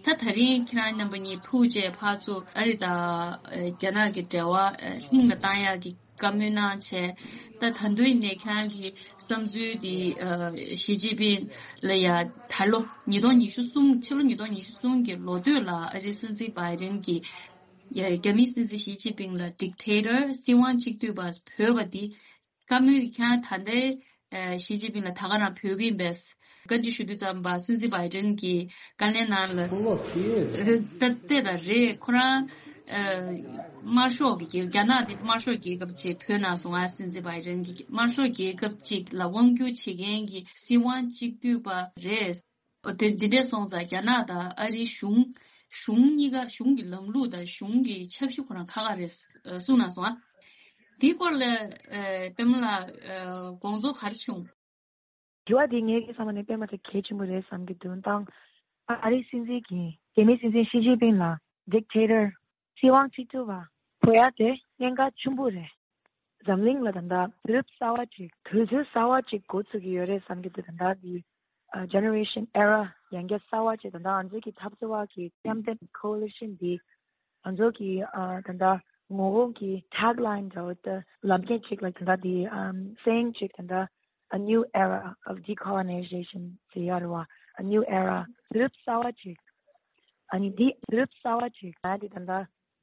ད་ད་རིང་ཁྱེད་རང་རྣམ་པ་གཉིས་ཐུག་རྗེས་ཕར་ཚུར་ཨ་རི་དང་ཨ་རྒྱ་ནག་གི་འབྲེལ་བ་ཨ་ཧིང་ལ་བཏང་ཡག་གི་བཀའ་མོལ་གནང་བྱས། ད་ད་དུང་ནས་ཁྱེད་རང་གི་བསམ་ཚུལ་འདི་ཨ་ཞི་ཅིན་ཕིང་ལ་ཡ་ད་ལོ་ཉིས་སྟོང་ཉི་ཤུ་གསུམ་ཕྱི་ལོ་ཉིས་སྟོང་ཉི་ཤུ་གསུམ་གྱི་ལོ་སྟོད་ལ་ཨ་རིའི་སྲིད་འཛིན་བྷའི་ཌེན་གྱིས་ཡ་རྒྱ་མིའི་སྲིད་འཛིན་ཞི་ཅིན་ཕིང་ལ་Dictator། སྲིད་དབང་གཅིག་སྡུད་པ་བོས་པ་འདི་བཀའ་མོལ་གྱི་ཁྱེད་རང་ད་ལྟའི་ ཞི་ཅིན་ཕིང་ལ་ད་ག་རང་བོས་ཀྱི་ཡིན་པས། བཀའ་འདྲི་ཞུ་དུས་ཙམ་པ་སྲིད་འཛིན་བྷའི་ཌེན་གྱི་བཀའ་ལན་ནང་ལ་ལོ་ཁེ་ད་ལྟ་ད་རེད། ཁོ་རང་དམར་ཤོག་གི་རྒྱལ་རྒྱ་ནག་འདི་དམར་ཤོག་རྒྱལ་ཁབ་ཅིག་བོད་ནང་སོང་ཨ། སྲིད་འཛིན་བྷའི་ཌེན་གྱི་དམར་ཤོག་རྒྱལ་ཁབ་ཅིག་ལ་དབང་བསྒྱུར་བྱེད་མཁན་གྱི་སྲིད་དབང་གཅིག་སྡུད་པ་རེད། འོ་དེ་འདི་འདྲས་སོང་ཙང་རྒྱ་ནག་དང་ཨ་རིའི་གཞུང་གཞུང་གཉིས་ཀ་གཞུང་གི་ལམ་ལུགས་དང་གཞུང་གི་ཆབ་སྲིད་ཁོ་རང་ཁ་ཁ་རེད་གསུངས་གནང་སོང་ཨ། དེའི་སྐོར་ལ་པདྨ་ལགས་དགོངས་ཚུལ་ག་རེ་བྱུང་། དྲི་བ་འདི་ངའི་གི་བསམ་པ་ནས་དཔེ་མ་ཚད་གལ་ཆེན་པོ་རེད་བསམ་གྱི་འདུག་དང་། ཨ་རིའི་སྲིད་འཛིན་གྱིས་རྒྱ་མིའི་སྲིད་འཛིན་ཞི་ཅིན་ཕིང་ལ་ཌིག་ཊེ་ཊར་སྲིད་དབང་གཅིག་སྡུད་པ་བོ་ཡ་དེ་གནད་འགག་ཆེན་པོ་རེད། འཛམ་གླིང་ལ་ད་ལྟ་དུས་རབས་གསར་བ་ཅིག་དུས་ཚོད་གསར་བ་ཅིག་འགོ་ཚུགས་ཀྱི་ཡོད་རེད་བསམ་གྱི་འདུག་ད་ལྟ་འདི་ཇེ་ནེ་རེ་ཤན་ཨེ་ར་ཡང་བསྐྱར་གསར་བ་ཅིག་ད་ལྟ་ང་ཚོ་གི་འཐབ་རྩོད་པ་གི་མཉམ་འབྲེལ་ཀོ་ལི་ཤན་འདི་ང་ཚོ་གི་ད་ལྟ་ངོ་རྒོལ་གྱི་ཊེག་ལའིན་འདྲ་བོ་ད་ལམ་ཁྱེར་ཅིག་ལ་ད་ལྟ་འདི་སེ་ཡིང་ཅིག་ད་ལྟ། A new era of decolonization ཟེར་ཡ་རེད་བ། A new era དུས་རབས་གསར་བ་ཅིག་ཨ་ནི་འདི་དུས་རབས་གསར་བ་ཅིག་ང་འདི་ད་ལྟ་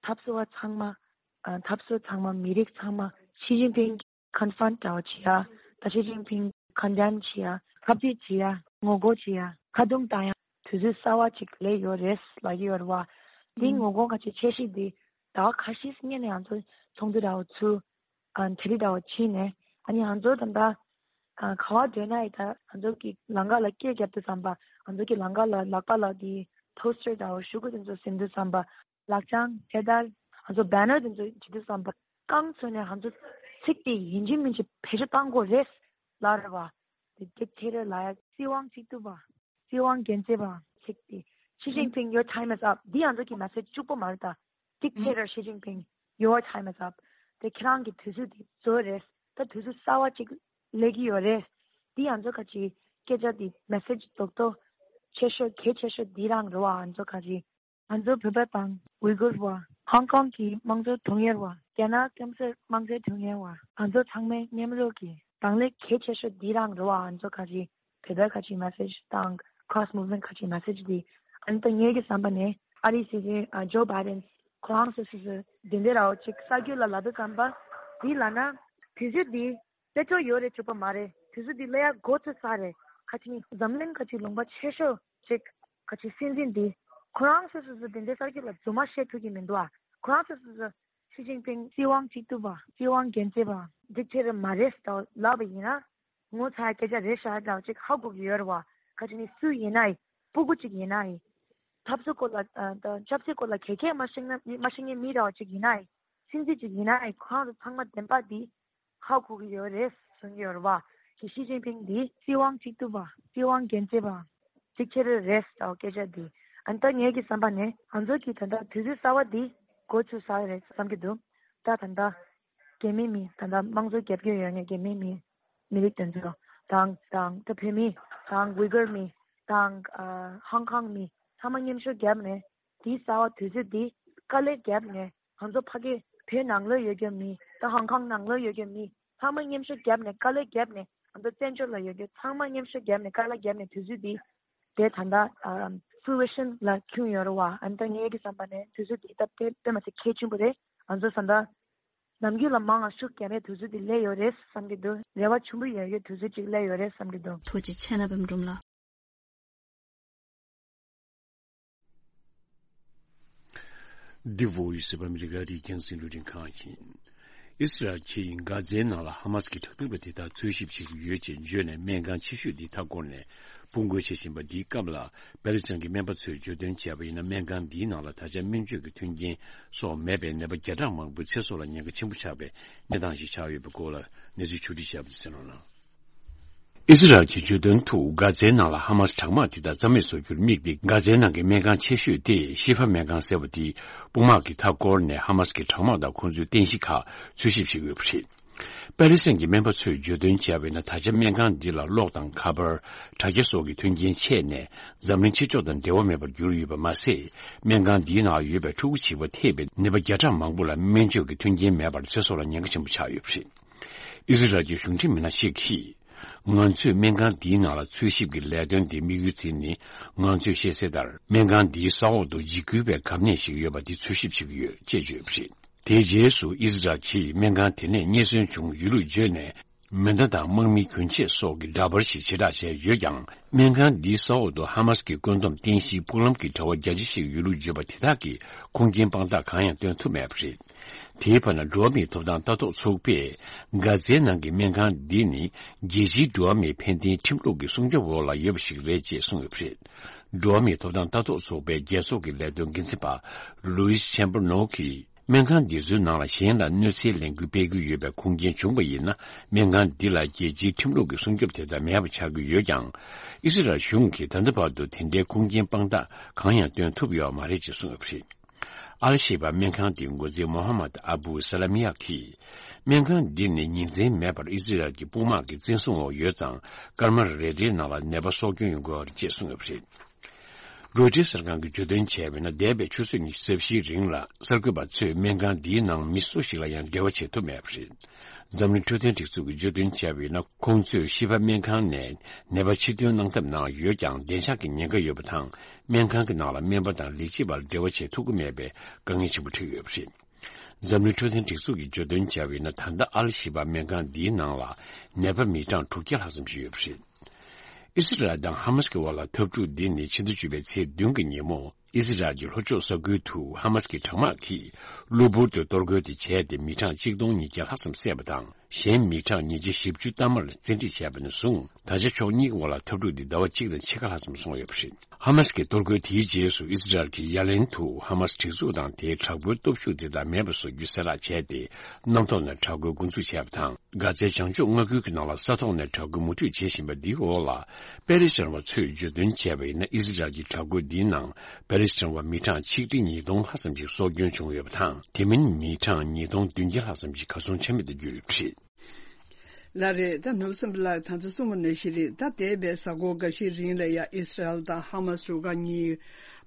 འཐབ་རྩོད་པ་ཚང་མ་ཨ་འཐབ་རྩོད་ཚང་མ་མི་རིགས་ཚང་མ་ཞི་ཅིན་ཕིང་ཀོན་ཕྲོན་འདྲ་བོ་བྱེད་ཡ། ད་ཞི་ཅིན་ཕིང་ཀོན་ཌེམ་བྱེད་ཡ། ཁ་གཏད་བྱེད་ཡ། ངོ་རྒོལ་བྱེད་ཡ། ཁ་རྡུང་བཏང་ཡ། དུས་ཚོད་གསར་བ་ཅིག་སླེབས་ཡོད་རེད་ལབ་ཀྱི་ཡོད་རེད་བ། འདི་ངོ་རྒོལ་ཁ་ཆེ་འཆར་གཞི་འདི་ཟླ་བ་ཁ་ཤས་སྔོན་ནས་ང་ཚོ་ཚོགས་འདུ་འདྲ་བོ་ཚུགས། ཨ་ནི་དེ་རིང་འདྲ་བོ་ཕྱིན་ནས་ཨ་ནི་ང་ཚོ་ད་ལྟ་ཨ་ག་བ་སྡོད་ན་ཡི་ད་ང་ཚོ་གི་ལམ་ཁ་ལ་སྐད་རྒྱབ་དུས་ཙམ་པ་ང་ཚོ་གི་ལམ་ཁ་ལ་ལག་པ་ལ་དེ་པོ་སི་ཊར་འདྲ་བོ་ཤོག་གུ་དེ་ཚོ་ཟིན་དུས་ཙམ་པ་ལག་བཅངས་ཐད་ཀར་ང་ཚོ་བེ་ནར་དེ་ཚོ་བྱེད་དུས་ཙམ་པ་རྐང་བཙུགས་ནས་ང་ཚོ་ཚིག་དེ་ཡིན་གཅིག་མིན་གཅིག་བེད་སྤྱོད་བཏང་དགོས་རེད་ལབ་རེད་བ། དེ་དེ་ཐད་རེད་ལ་ཡ་སྲིད་དབང་གཅིག་སྡུད་པ། སྲིད་དབང་རྒྱལ་མཚན་པ་ཚིག་དེ། Xi Jinping, your time is up. འདི་ང་ཚོ་གི་མེ་སེ་ཇི་གཅིག་པོ་མ་རེད་ད། Dictator Xi Jinping, your time is up. དེ་ཁྱེད་རང་གི་དུས་ཚོད་དེ་རྫོགས་རེད། ད་དུས་ཚོད་གསར་བ་ཅིག་སླེབས་ཀྱི་ཡོད་རེད། འདི་ང་ཚོ་ཁ་ཅིག་སྐད་ཆ་འདི་མེ་སེ་ཇི་རྡོག་རྡོག་ཆེ་ཤོས་གལ་ཆེ་ཤོས་འདི་རང་རེད་བ། ང་ཚོ་ཁ་ཅིག་ང་ཚོ་བོད་པ་དང་ཝི་གུར་བ། ཧོང་ཀོང་གི་དམངས་གཙོ་དྲུང་ཡོལ་བ། རྒྱ་ནག་སྐམ་སར་དམངས་གཙོའི་དྲུང་ཡོལ་བ། ང་ཚོ་ཚང་མའི་མཉམ་རུབ་ཀྱི་གདོང་ལེན་གལ་ཆེ་ཤོས་འདི་རང་རེད་བ། ང་ཚོ་ཁ་ཅིག་བོད་པའི་ཁ་ཅིག་མེ་སེ་ཇི་དང་cross movement ཁ་ཅིག་མེ་སེ་ཇི་འདི། ཨ་ནི་ད་ངེད་ཀྱི་བསམ་པ་ནས་ཨ་རིའི་སྲིད་འཛིན་ཨ་ཇོ་བྷའི་ཌེན་ཁོ་རང་སོ་སོ་སོ་དེ་འདྲ་ར་བ་ཅིག་གསར་འགྱུར་ལ་ལབ་དུས་ཙམ་པ་འདི་ལབ་ན་དུས་ཚོད་འདི་དཔེ་ཚོར་ཡོད་རེད་ཅུག་པ་མ་རེད། དུས་ཚོད་འདི་སླེབས་ཡ་འགོ་ཚུགས་ཚར་རེད། ཁ་ཅིག་འཛམ་གླིང་ཁ་ཅིག་ལུང་པ་ཆེ་ཤོས་ཅིག་ཁ་ཅིག་སྲིད་འཛིན་འདི་ཁོ་རང་སོ་སོ་སོ་དེ་འདྲའི་གསར་འགྱུར་ལ་རྫུན་མ་བཤད་ཐུབ་ཀྱི་མི་འདུག་ཨ། ཁོ་རང་སོ་སོ་སོ་ཞི་ཅིན་ཕིང་སྲིད་དབང་གཅིག་སྡུད་པ། སྲིད་དབང་རྒྱལ་མཚན་པ། ཌིག་ཊེ་ཊར་མ་རེད་ཟེར་ལབ་པ་ཡིན་ན། ངོ་ཚ་སྐད་ཆ་རེད་ཤག་འདྲ་བོ་ཅིག་ཧ་གོ་གི་ཡོད་རེད་བ། ཁ་ཅིག་ནི་སུ་ཡིན་ན་ཡི། སྤུ་གུ་ཅིག་ཡིན་ན་ཡི། འཐབ་རྩོད་སྐོར་ལ་ཨ་ད་ཆབ་སྲིད་སྐོར་ལ་ག་གས་མ་ཤེས་ན་མ་ཤེས་མཁན་མི་འདྲ་བོ་ཅིག་ཡིན་ན་ཡི། སྲིད་འཛིན་ཅིག་ཡིན་ན་ཡི་ཁོ་རང་ཚོ་ཚང་མ་བདེན་པ་འདི་ཧ་གོ་གི་ཡོད་རེད་གསུང་གི་ཡོད་རེད་བ། ཞི་ཞི་ཅིན་ཕིང་འདི་སྲིད་དབང་གཅིག་སྡུད་པ། སྲིད་དབང་རྒྱལ་མཚན་པ། གཅིག་ཁྱེར་རེད་ཟེར་བ་སྐད་ཆ་འདི། ཨ་ནི་ད་ངེད་ཀྱི་བསམ་པ་ནས་ང་ཚོ་གི་ད་ལྟ་དུས་ཚོད་གསར་བ་འདི་འགོ་ཚུགས་ས་རེད་བསམ་གྱི་འདུག་ད་ད་ལྟ་རྒྱ་མི་མི་ད་ལྟ་དམངས་གཙོ་རྒྱབ་སྐྱོར་ཡོད་མཁན་རྒྱ་མི་མི་མི་རིགས་དེ་ཚོ་དང་དང་ད་བོད་མི་དང་ཝི་གུར་མི་དང་ཨ་ཧོང་ཀོང་མི་ཚང་མ་མཉམ་ཞུགས་བརྒྱབ་ནས་འདི་གསར་བ་དུས་ཚོད་འདི་དཀའ་ལས་བརྒྱབ་ནས། ང་ཚོ་ཕ་གི་བོད་ནང་ལོགས་ཡོད་མཁན་མི་ད་ཧོང་ཀོང་ནང་ལོགས་ཡོད་མཁན་མི་ཚང་མ་མཉམ་ཞུགས་བརྒྱབ་ནས་དཀའ་ལས་བརྒྱབ་ནས་ང་ཚོ་བཙན་བྱོལ་ལ་ཡོད་མཁན་ཚང་མ་མཉམ་ཞུགས་བརྒྱབ་ནས་དཀའ་ལས་བརྒྱབ་ནས་དུས་ཚོད་འདི་དེ་ད་ལྟ་ཨ་fruition ལ་འཁྱོལ་ཡོད་རེད་བ། ཨ་ནི་ད་ངེད་ཀྱི་བསམ་པ་ནས་དུས་ཚོད་འདི་སྟབས་བདེ་དཔེ་མ་ཚད་གལ་ཆེན་པོ་རེད། ང་ཚོ་ད་ལྟ་ནམ་རྒྱུན་ལ་མང་ང་ཤུགས་རྒྱག་ཡས་དུས་ཚོད་འདི་སླེབས་ཡོད་རེད་བསམ་གྱི་འདུག་རེ་བ་ཆེན་པོ་ཡོད་ཡོད་དུས་ཚོད་ཅིག་སླེབས་ཡོད་རེད་བསམ་གྱི་འདུག་ཐུགས་རྗེ་ཆེ་ན་བེམ་སྒྲུང་ལགས། འདི་བོ་ཡི་སི་བྷ་མི་རི་ཀ་རིག་རྒྱང་སྲིང་རླུང་འཕྲིན་ཁང་ཡིན། ཨི་སི་རལ་གྱིས་གྷ་ཛའི་ནང་ལ་ཧ་མ་སི་ཀྱི་དྲག་འཐབ་པ་དེ་དག་འཚོལ་ཞིབ་བྱེད་ཀྱི་ཡོད་ཅེས་བརྗོད་ནས་སྨན་ཁང་ཆེ་ཤོས་འདི་མཐའ་བསྐོར་ནས་སྤོ་འགུལ་བྱེད་བཞིན་པ་འདིའི་སྐབས་ལ་པེ་རི་སི་གི་སྨན་པ་ཚོས་བརྗོད་དོན་བྱས་པ་ཡིན་ན། སྨན་ཁང་འདིའི་ནང་ལ་ད་ཆ་སྨན་བཅོས་ཀྱི་མཐུན་རྐྱེན་སོགས་མེད་པའི་ནད་པ་བརྒྱ་ཕྲག་མང་པོའི་ཚེ་སྲོག་ལ་ཉེན་ཁ་ཆེན་པོ་ཆགས་པའི་གནས་སྟངས་ཤིག་ཆགས་ཡོད་པའི་སྐོར་ལ་གནས་ཚུལ་ཕྱོགས་སྒྲིག་བྱས་པ་དེ་གསན་རོགས་གནང་། ཨི་སི་རལ་གྱིས་བརྗོད་དོན་དུ་གྷ་ཛའི་ནང་ལ་ཧ་མ་སི་དྲག་དམག་དེ་དག་རྩ་མེད་བཟོ་རྒྱུར་དམིགས་ཏེ། གྷ་ཛའི་ནང་གི་སྨན་ཁང་ཆེ་ཤོས་དེ་ཤི་ཧྥ་སྨན་ཁང་ཟེར་བ་དེ་དཔུང་དམག་གིས་མཐའ་བསྐོར་ནས་ཧ་མ་སི་ཀྱི་དྲག་དམག་དང་ཁོང་ཚོའི་རྟེན་གཞི་ཁག་འཚོལ་ཞིབ་བྱེད་ཀྱི་ཡོད་པ་རེད། པེ་རི་སི་གི་སྨན་པ་ཚོས་བརྗོད་དོན་བྱས་པ་ཡིན་ན། ད་ཆ་སྨན་ཁང་འདི་ལ་གློག་དང་ཁ་པར། དྲ་རྒྱ་སོགས་ཀྱི་མཐུན་རྐྱེན་ཆད་ནས་འཛམ་གླིང་ཕྱི་ཕྱོགས་དང་འབྲེལ་བ་མེད་པར་གྱུར་ཡོད་པ་མ་ཟད། སྨན་ཁང་འདིའི་ནང་ཡོད་པའི་ཕྲུ་གུ་བྱིས་པ་ཐེ་བའི་ནད་པ་བརྒྱ་ཕྲག་མང་པོ་ལ་སྨན་བཅོས་ཀྱི་མཐུན་རྐྱེན་མེད་པར་ཚེ་སྲོག་ལ་ཉེན་ཁ་ཆེན་པོ་ཆགས་ཡོད་པ་རེད། ཨི་སི་རལ་གྱི་གཞུང་འབྲེལ་མི་སྣ་ཞིག་གིས། ང་ཚོས་སྨན་ཁང་འདིའི་ནང་ལ་འཚོལ་ཞིབ་ཀྱི་ལས་དོན་དེ་དམིགས་ཡུལ་བརྩིས་ནས། ང་ཚོས་ཤེས་གསལ་ལྟར། སྨན་ཁང་འདིའི་ས་འོག་ཏུ་འཇིགས་སྐུལ་བའི་གབ་གནས་ཤིག་ཡོད་པ་འདི་འཚོལ་ཞིབ་བྱེད་ཀྱི་ཡོད་ཅེས་བརྗོད་པ་རེད། དེའི་རྗེས་སུ་ཨི་སི་རལ་གྱིས་སྨན་ཁང་དེ་ནས་རྙེད་སོན་བྱུང་ཡོད་ལུགས་བརྗོད་ནས། མེ་མདའ་དང་དམག་མི་གྱོན་ཆས་སོགས་ཀྱི་འདྲ་པར་ཞིག་ཕྱིར་བསྒྲགས་བྱས་ཡོད་ཀྱང་། སྨན་ཁང་འདིའི་ས་འོག་ཏུ་ཧ་མ་སི་ཀྱི་བཀོད་འདོམས་རྟེན་གཞིའི་ཕུག་ལམ་གྱི་དྲ་བ་རྒྱ་ཆེ་ཞིག་ཡོད་ལུགས་བརྗོད་པ་དེ་དག་གིས་ཁུངས་སྐྱེལ་དཔང་རྟགས་གང་ཡང་སྟོན་ཐུབ་མེད་པ་རེད། དེའི་བར་ན་འགྲོ་བ་མིའི་ཐོབ་ཐང་ལྟ་རྟོག་ཚོགས་པས། གྷ་ཛའི་ནང་གི་སྨན་ཁང་འདི་ནི་རྒྱལ་སྤྱིའི་འགྲོ་བ་མིའི་ཕན་བདེའི་ཁྲིམས་ལུགས་ཀྱི་སྲུང་སྐྱོབ་འོག་ལ་ཡོད་པ་ཞིག་རེད་ཅེས་གསུངས་ཡོད་པ་རེད། འགྲོ་བ་མིའི་ཐོབ་ཐང་ལྟ་རྟོག་ཚོགས་པའི་རྒྱལ་ཚོགས་ཀྱི་ལས་དོན་འགན་འཛིན་པ་ལུའིས་ཆེམ་པར་ནོ་གིས། སྨན་ཁང་འདི་ཚོའི་ནང་ལ་གཞན་ལ་གནོད་འཚེའི་ལས་འགུལ་སྤེལ་གྱི་ཡོད་པའི་ཁུངས་སྐྱེལ་བྱུང་བ་ཡིན་ན། སྨན་ཁང་འདི་ལ་རྒྱལ་སྤྱིའི་ཁྲིམས་ལུགས་ཀྱི་སྲུང་སྐྱོབ་དེ་ལྟར་མེད་པ་ཆགས་ཀྱི་ཡོད་ཀྱང་། ཨི་སི་རལ་གཞུང་གིས་ད་ལྟ་བར་དུ་དེ་འདྲའི་ཁུངས་སྐྱེལ་དཔང་རྟགས་གང་ཡང་སྟོན་ཐུབ་ཡོད་མ་རེད་ཅེས་གསུངས་ཡོད་པ་རེད། ཨལ་ཤེ་བ་སྨན་ཁང་དེའི་འགོ་འཛིན་མོ་ཧ་མད་ཨ་བུ་ས་ལ་མི་ཡ་གིས། སྨན་ཁང་འདི་ནི་ཉིན་མཚན་མེད་པར་ཨི་སི་རལ་གྱི་དཔུང་དམག་གི་བཙན་བཟུང་འོག་ཡོད་ཙང་། སྐར་མ་རེ་རེའི་ནང་ལ་ནད་པ་སྲོག་སྐྱོན་ཡོང་གི་ཡོད་རེད་ཅེས་གསུངས་ཡོད་པ་རེད། རོའི་ཊར་གསར་ཁང་གིས་བརྗོད་དོན་བྱས་པ་ཡིན་ན། འདས་པའི་ཆུ་ཚོད་ཉི་ཤུ་རྩ་བཞིའི་རིང་ལ་གསར་འགོད་པ་ཚོས་སྨན་ཁང་འདིའི་ནང་མི་སུ་ཞིག་ལ་ཡང་འབྲེལ་བ་བྱེད་ཐུབ་མེད་པ་རེད། འཛམ་གླིང་འཕྲོད་བསྟེན་སྒྲིག་འཛུགས་ཀྱིས་བརྗོད་དོན་བྱས་པ་ཡིན་ན། ཁོང་ཚོས་ཤི་བ་སྨན་ཁང་ནས་ནད་པ་ཕྱིར་ཐོན་གནང་ཐབས་གནང་ཡོད་ཀྱང་། བདེ་འཇགས་ཀྱི་ཉེན་ཁ་ཡོད་པ་དང་། སྨན་ཁང་གི་ནང་ལ་སྨན་པ་དང་ལས་བྱེད་པར་འབྲེལ་བ་བྱེད་ཐུབ་ཀྱི་མེད་པའི་དཀའ་ངལ་ཆེན་པོ་འཕྲད་ཡོད་པ་རེད། འཛམ་གླིང་འཕྲོད་བསྟེན་སྒྲིག་འཛུགས་ཀྱིས་བརྗོད་དོན་བྱས་པ་ཡིན་ན། ད་ལྟ་ཨལ་ཤི་བ་སྨན་ཁང་འདིའི་ནང་ལ་ནད་པ་མི་གྲངས་དྲུག་བརྒྱ་ལྷག་ཙམ་ཞིག་ཡོད་པ་རེད། ཨི་སི་རལ་དང་ཧ་མ་སི་ཀྱི་དབར་ལ་འཐབ་འཁྲུག་འདི་ནི་ཕྱི་ཟླ་བཅུ་པའི་ཚེས་བདུན་གྱི་ཉིན་མོ། ཨི་སི་རལ་གྱི་ལྷོ་ཕྱོགས་ས་ཁུལ་དུ་ཧ་མ་སི་ཀྱི་དྲག་དམག་གིས་གློ་བུར་དུ་གཏོར་རྒོལ་དེ་བྱས་ཏེ། མི་གྲངས་གཅིག་སྟོང་ཉིས་བརྒྱ་ལྷག་ཙམ་བསད་པ་དང་། གཞན་མི་གྲངས་ཉིས་བརྒྱ་བཞི་བཅུ་ཐམ་པར་བཙན་ཁྲིད་བྱས་པ་ནས་བཟུང་། ད་ཆ་ཕྱོགས་གཉིས་ཀྱི་དབར་ལ་འཐབ་འཁྲུག་འདི་ཟླ་བ་གཅིག་དང་ཕྱེད་ཀ་ལྷག་ཙམ་སོང་ཡོད་པ་རེད། ཧ་མ་སི་ཀྱི་གཏོར་རྒོལ་དེའི་རྗེས་སུ། ཨི་སི་རལ་གྱིས་ཡ་ལན་དུ་ཧ་མ་སི་སྒྲིག་འཛུགས་དང་དེའི་དྲག་པོའི་སྟོབས་ཤུགས་དེ་དག་མེད་པ་བཟོ་རྒྱུའི་གསལ་བསྒྲགས་བྱས་ཏེ། གནམ་ཐོག་ནས་དྲག་རྒོལ་འགོ་འཛུགས་བྱས་པ་དང་། གྷ་ཛའི་བྱང་ཕྱོགས་མངའ་ཁུལ་གྱི་ནང་ལ་ས་ཐོག་ནས་དྲག་རྒོལ་མུ་མཐུད་བྱེད་བཞིན་པ་འདིའི་འོག་ལ། པེ་ལི་སི་ཐན་བ་ཚོས་བརྗོད་དོན་བྱས་པ་ཡིན་ན། ཨི་སི་རལ་གྱི་དྲག་རྒོལ་འདིའི་ནང་པེ་ལི་སི་ཐན་བ་མི་གྲངས་ཆིག་ཁྲི་ཉིས་སྟོང་ལྷག་ཙམ་ཞིག་སྲོག་སྐྱོན་བྱུང་ཡོད་པ་དང་། དེ་མིན་མི་གྲངས་ཉིས་སྟོང་བདུན་བརྒྱ་ལྷག་ཙམ་ཞིག་གར་སོང་ཆ་མེད་དུ་གྱུར་ཡོད་པ་རེད། ལགས་རེད། ད་ནོར་སེམས་ལགས་ད་ཚོ་གསུངས་པ་ནང་བཞིན་རེད། ད་འདས་པའི་གཟའ་འཁོར་འགའ་ཤས་རིང་ལ་ཡ་ཨི་སི་རལ་དང་ཧ་མ་སི་རུ་ཁག་གཉིས་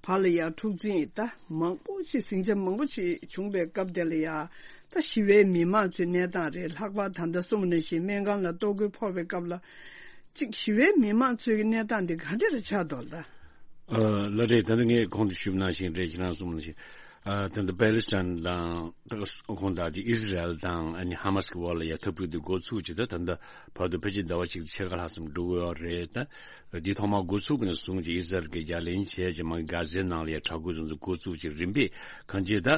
བར་ལ་ཡ་འཁྲུག་འཛིང་ད་མང་པོ་ཞིག་ཟིང་ཆ་མང་པོ་ཞིག་བྱུང་པའི་སྐབས་དེ་ལ་ཡ། ད་ཞི་བའི་མི་མང་ཚོའི་གནས་སྟངས་རེད། ལྷག་པར་ད་ལྟ་གསུངས་པ་ནང་བཞིན་སྨན་ཁང་ལ་གཏོར་རྒོལ་ཕོག་པའི་སྐབས་ལ། གཅིག་ཞི་བའི་མི་མང་ཚོའི་གནས་སྟངས་འདི་ག་འདྲ་རེ་ཆགས་འདུག་ད། ཨ་ལགས་རེད། ད་ལྟ་ངས་གོང་དུ་ཞུས་པ་ནང་བཞིན་རེད། ཁྱེད་རང་གསུངས་པ་ནང་བཞིན། ཨ་ད་ལྟ་པེ་ལི་སི་ཐན་དང་ད་ཁོང་དང་དེ་ཨི་སི་རལ་དང་ཨ་ནི་ཧ་མ་སི་གི་དབར་ལ་ཡ་འཐབ་རྩོད་དེ་འགོ་ཚུགས་ཀྱི། ད་ད་ལྟ་བར་དུ་ཕལ་ཆེར་ཟླ་བ་གཅིག་ཕྱེད་ཀ་ལྷག་ཙམ་འགྲོ་གི་ཡོད་རེད། ད་དེ་ཐོག་མར་འགོ་ཚུགས་པ་ནས་བཟུང་ཅིག་ཨི་སི་རལ་གྱིས་ཡ་ལན་བྱས་ཅིག་མ་གྷ་ཛའི་ནང་ལ་ཡ་དྲག་རྒོལ་དེ་ཚོ་འགོ་བཙུགས་ཅིག་རིམ་པས་གང་ཅི་ད།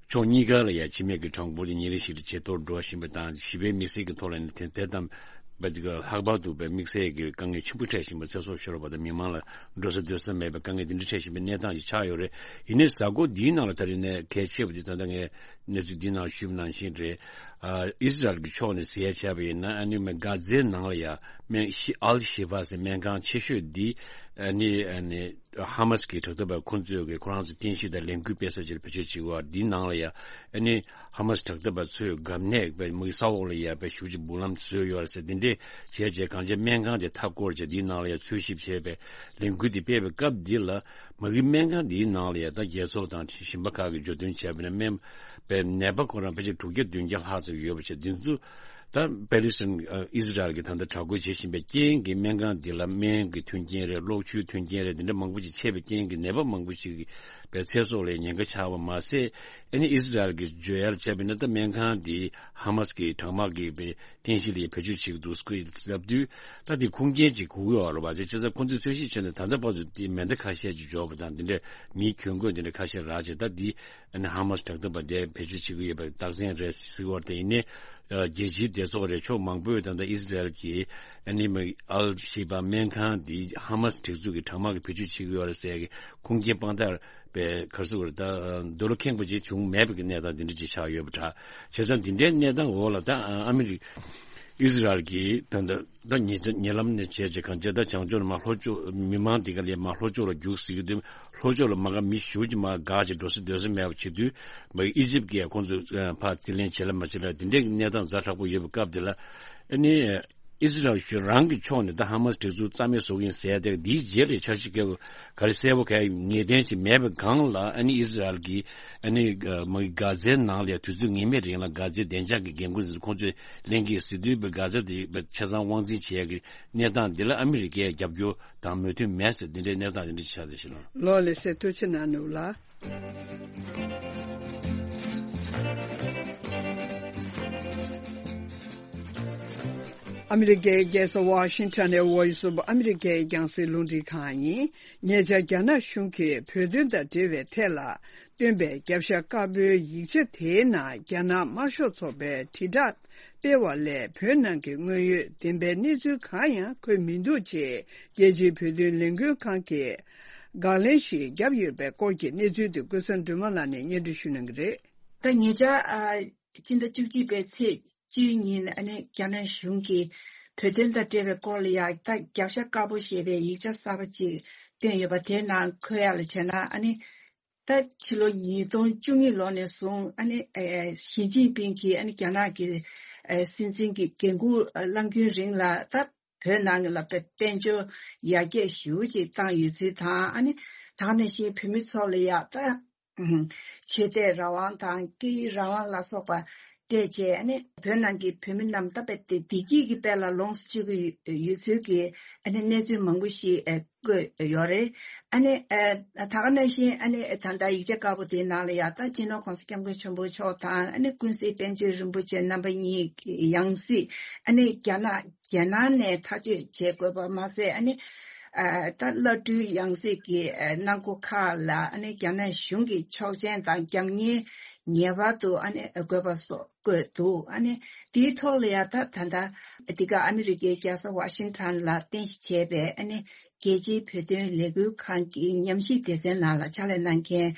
ཕྱོགས་གཉིས་ཀ་ལ་ཡང་འཆི་མེད་ཀྱི་གྲངས་འབོར་དེ་ཉིན་རེ་བཞིན་དུ་ཇེ་མཐོར་འགྲོ་བཞིན་པ་དང་། ཞི་བའི་མི་སེར་གྱི་ཐོག་ལ་ནི་དེ་དེ་དང་བ་དེ་ག་ལྷག་པར་དུ་བའི་དམིགས་བསལ་གྱི་དཀའ་ངལ་ཆེན་པོ་འཕྲད་བཞིན་པ། ཚེ་སྲོག་ཤོར་བ་དང་མི་མང་ལ་འགྲོ་ས་སྡོད་ས་མེད་པའི་དཀའ་ངལ་འདི་འདྲ་འཕྲད་བཞིན་པའི་གནས་སྟངས་ཤིག་ཆགས་ཡོད་རེད། ཡིན་ནའི་གཟའ་འཁོར་འདིའི་ནང་ལ་ད་རེས་ནས་གལ་ཆེ་བ་དེ་ད་ལྟ་ངས་གནས་ཚུལ་འདིའི་ནང་ཞུས་པ་ནང་བཞིན་རེད། ཨ་ཨི་སི་རལ་གྱི་ཕྱོགས་ནས་ཟེར་ཡ་བྱས་པ་ཡིན་ན། ཨ་ནི་མ་གྷ་ཛའི་ནང་ལ་ཡ་སྨན་ཤི་ཨལ་ཤི་ཕ་ཟེར་སྨན་ཁང་ཆེ་ཤོས་འདི་ཨ་ནི་ཨ་ནི། ཧ་མ་སི་ཀྱི་དྲག་འཐབ་པ་ཁོ་ཚོས་ཀྱི་ཁོ་རང་ཚོ་རྟེན་གཞི་དང་ལས་འགུལ་སྤེལ་ས་ཅིག་ལ་བེད་སྤྱོད་བྱེད་ཀྱི་ཡོད་པ་འདིའི་ནང་ལ་ཡ། ཨ་ནི་ཧ་མ་སི་དྲག་འཐབ་པ་ཚོས་འགབ་གནས་པའི་མི་ས་འོག་ལ་ཡ་པའི་ཞུ་ཅིག་སྦུག་ལམ་བཟོས་ཡོད་རེད་ཟེར། འདི་འདྲས་བྱས་རྗེས་གང་ཅི་སྨན་ཁང་དེ་མཐའ་བསྐོར་བྱས་འདིའི་ནང་ལ་ཡ་འཚོལ་ཞིབ་བྱས་པའི་ལས་འགུལ་དེ་སྤེལ་བའི་སྐབས་འདི་ལ། མ་གི་སྨན་ཁང་འདིའི་ནང་ལ་ཡ་ད་རྒྱལ་ཚོགས་དང་གཞན་པ་ཁག་གིས་བརྗོད་དོན་བྱས་པ་ན། སྨན་པའི་ནད་པ་ཁོ་རང་ཕལ་ཆེར་དྲུག་བརྒྱ་བདུན་བརྒྱ་ལྷག་ཙམ་ཡོད་པ་བྱས། འདི་ཚོ། ད་པེ་ལི་སི་ཐན་ཨི་སི་རལ་གྱིས་ད་ལྟ་དྲག་རྒོལ་བྱེད་བཞིན་པའི་རྐྱེན་གྱིས་སྨན་ཁང་འདི་ལ་སྨན་གྱི་མཐུན་རྐྱེན་རེད། གློག་ཆུའི་མཐུན་རྐྱེན་རེད། འདི་འདྲ་མང་པོ་ཞིག་ཆད་པའི་རྐྱེན་གྱིས་ནད་པ་མང་པོ་ཞིག་གི་པའི་ཚེ་སྲོག་ལ་ཉེན་ཁ་ཆགས་པ་མ་ཟད། ཨ་ནི་ཨི་སི་རལ་གྱིས་བརྗོད་ཡར་བྱས་པ་ཡིན་ན། ད་སྨན་ཁང་འདི་ཧ་མ་སི་གི་དྲག་དམག་གིས་པའི་རྟེན་གཞི་ལ་བེད་སྤྱོད་བྱེད་ཀྱི་འདུག་ཟེར་ལབ་དུས། ད་འདི་ཁུངས་སྐྱེལ་ཅིག་དགོས་ཀྱི་ཡོད་རེད་པ། དེ་བྱས་ཙང་ཁོང་ཚོས་འཚོལ་ཞིབ་བྱས་ནས་ད་ལྟ་བར་དུ་འདི་མེ་མདའ་ཁ་ཤས་ཅིག་འབྱོར་བ་དང་། འདི་འདྲའི་མིའི་གྱོན་གོས་འདི་འདྲ་ཁ་ཤས་རག་བྱས། ད་འདི། ཨ་ནི་ཧ་མ་སི་དྲག་འཐབ་པ་དེ་བེད་སྤྱོད་བྱེད་ཀྱི་ཡོད་པའི་རྟགས་མཚན་རེད་ཟེར་བ་དེ་ཡིན་ནའི། ཨ་རྒྱལ་སྤྱིའི་སྡེ་ཚོགས་རེད། ཕྱོགས་མང་པོས་ད་ལྟ་ཨི་སི་རལ་གྱིས་ཨ་ནི་མ་ཨལ་ཤི་བ་སྨན་ཁང་འདི་ཧ་མ་སི་སྒྲིག་འཛུགས་ཀྱི་དྲག་དམག་གིས་བེད་སྤྱོད་བྱེད་ཀྱི་ཡོད་རེད་ཟེར་གྱི་ཁུངས་སྐྱེལ་དཔང་རྟགས་པའི་ག་རེ་ཟེར་དགོས་རེད། ད་འདོད་བློ་ཁེངས་པ་ཅིག་བྱུང་མེད་པའི་གནས་སྟངས་འདི་འདྲ་ཅིག་ཆགས་ཡོད་པ་འདྲ། བྱས་ཙང་འདི་འདྲའི་གནས་སྟངས་འོག་ལ་ད་ཨ་མི་རི་ཨི་སི་རལ་གྱིས་ད་ལྟ། ད་ཉེ་ཉེ་ལམ་ནས་བྱས་རྗེས་གང་ཅི་ད་བྱང་ཕྱོགས་ནས་མར་ལྷོ་ཕྱོགས་མི་མང་འདི་ག་ལས་མར་ལྷོ་ཕྱོགས་ལ་རྒྱུགས་ཟེར་གྱི་འདུག་ལྷོ་ཕྱོགས་ལ་མ་ག་མི་ཞུ་གི་མ་ག་ཅིག་འགྲོ་ས་སྡོད་ས་མེད་པ་བྱེད་དུས། མ་ཨི་ཇིབ་ཀྱིས་ཁོང་ཚོ་ཕར་རྩིས་ལེན་བྱེད་ལ་མ་བྱེད་ལ་འདི་འདྲའི་གནས་སྟངས་ཛ་དྲག་པོ་ཡོད་པའི་སྐབས་འདི་ལ། ཨ་ནི་ཨི་སི་རལ་གཞུང་རང་གི་ཕྱོགས་ནས་ད་ཧ་མ་སི་སྒྲིག་འཛུགས་རྩ་མེད་བཟོ་གི་ཡིན་ཟེར་ཏེ། འདིའི་རྗེས་ལ་འཆར་གཞི་ག་རེ་གསལ་པོ་ག་ངེས་གཏན་ཅིག་མེད་པའི་སྒང་ལ། ཨ་ནི་ཨི་སི་རལ་གྱིས་ཨ་ནི་མ་ག་ཛའི་ནང་ལ་དུས་ཚོད་ངེས་མེད་རིང་ལ་ག་ཛའི་བདེ་འཇགས་ཀྱི་འགན་འཁུར་འདི་ཚོ་ཁོང་ཚོས་ལེན་གྱི་ཟེར་དུས། ག་ཛ་དེ་ཆ་ཚང་དབང་འཛིན་བྱེད་ཡག་གི་གནས་སྟངས་འདི་ལ་ཨ་མི་རི་ཀའི་རྒྱབ་སྐྱོར་དང་མོས་མཐུན་མེད་ཟེར། འདི་འདྲའི་གནས་སྟངས་འདི་འདྲ་ཆགས་བསྡད་ཤག་ལགས། ལགས་སོ། ཐུགས་རྗེ་གནང་ནུག་ལགས། ཨ་མི་རི་ཀའི་རྒྱལ་ས་ཝ་ཤིང་ཊོན་ནས་Voice of America་ཡི་རྒྱང་སྲིང་རླུང་འཕྲིན་ཁང་ཡིན། ཉེ་ཆར་རྒྱ་ནག་གཞུང་གིས་བོད་དོན་དང་འབྲེལ་བའི་ཐད་ལ་བཏོན་པའི་རྒྱབ་ཤ་དཀར་པོའི་ཡིག་ཆ་དེའི་ནང་རྒྱ་ནག་དམར་ཤོག་ཚོགས་པའི་དྲིལ་བསྒྲགས་སྤེལ་བ་ལས་བོད་ནང་གི་དངོས་ཡོད་བདེན་པའི་གནས་ཚུལ་གང་ཡང་འཁོད་མི་འདུག་ཅེས་རྒྱལ་སྤྱིའི་བོད་དོན་ལས་འགུལ་ཁང་གིས་དགག་ལན་ཞིག་བརྒྱབ་ཡོད་པའི་སྐོར་གྱི་གནས་ཚུལ་དེ་ཀུན་བཟང་སྒྲོལ་མ་ལགས་ནས་སྙན་སྒྲོན་ཞུ་གནང་གི་རེད། ད་ཉེ་ཆར་ཨ། སྤྱི་ཟླ་བཅུ་གཅིག་པའི་ཚེས་བཅུའི་ཉིན་ཨ་ནི་རྒྱ་ནག་གཞུང་གིས་བོད་དོན་དང་འབྲེལ་བའི་སྐོར་ལ་ཡང་ད་རྒྱབ་ཤ་དཀར་པོ་ཞེས་པའི་ཡིག་ཆ་གསར་པ་ཅིག་བཏོན་ཡོད་པ་དེའི་ནང་འཁོད་ཡག་ལ་བྱས་ན་ཨ་ནི་ད་ཕྱི་ལོ་ཉིས་སྟོང་བཅུ་གཉིས་ལོ་ནས་བཟུང་ཨ་ནི་ཨེ་ཞི་ཅིན་ཕིང་གིས་ཨ་ནི་རྒྱ་ནག་གི་ཨེ་སྲིད་འཛིན་གྱི་འགན་འཁུར་བླང་རྒྱུན་རིང་ལ་ད་བོད་ནང་གི་ལ་དཔལ་འབྱོར་ཡར་རྒྱས་ཞེ་པོ་ཅིག་བཏང་ཡོད་ཚུལ་དང་ཨ་ནི་ད་ག་ནང་བཞིན་བོད་མི་ཚོ་ལ་ཡང་ད། ཆོས་དད་རང་དབང་དང་སྐད་ཡིག་རང་དབང་ལ་སོགས་པ་སྤྲད་བྱས་ཨ་ནི་བོད་ནང་གི་བོད་མི་རྣམས་ད་དཔེ་དེ་བདེ་སྐྱིད་ཀྱི་དཔལ་ལ་ལོངས་སུ་སྤྱོད་ཀྱི་ཡོད་ཚུལ་གྱི་ཨ་ནི་གནས་ཚུལ་མང་པོ་ཞིག་ཨ་བཀོད་ཡོད་རེད། ཨ་ནི་ཨ་ད་ག་ནང་བཞིན་ཨ་ནི་ད་ལྟ་ཡིག་ཆ་དཀར་པོ་དེའི་ནང་ལ་ཡང་ད་སྤྱི་ནོར་༸གོང་ས་༸སྐྱབས་མགོན་ཆེན་པོ་མཆོག་དང་ཨ་ནི་ཀུན་གཟིགས་པཎ་ཆེན་རིན་པོ་ཆེ་རྣམ་པ་གཉིས་ཀྱི་ཡང་སྲིད་ཨ་ནི་རྒྱ་ནག་རྒྱལ་ནང་ནས་ཐག་གཅོད་བྱེད་དགོས་པ་མ་ཟད་ཨ་ནི་ཨ་ད་བླ་སྤྲུལ་ཡང་སྲིད་ཀྱི་ཨ་གནང་སྒོ་ཁག་ལ་ཨ་ནི་རྒྱ་ནག་གཞུང་གི་ཆོག་མཆན་དང་རྒྱབ་གཉེར་ངེས་པར་དུ་ཨ་ནི་དགོས་པ་སོགས་བཀོད་འདུག་ཨ་ནི་དེའི་ཐོག་ལ་ཡང་ད་ད་ལྟ་འདི་ག་ཨ་མི་རི་ཀའི་རྒྱལ་ས་ཝ་ཤིང་ཊོན་ལ་རྟེན་གཞི་བྱས་པའི་ཨ་ནི་རྒྱལ་སྤྱིའི་བོད་དོན་ལས་འགུལ་ཁང་གི་ཉམས་ཞིབ་སྡེ་ཚན་ནང་ལ་ཕྱག་ལས་གནང་མཁན་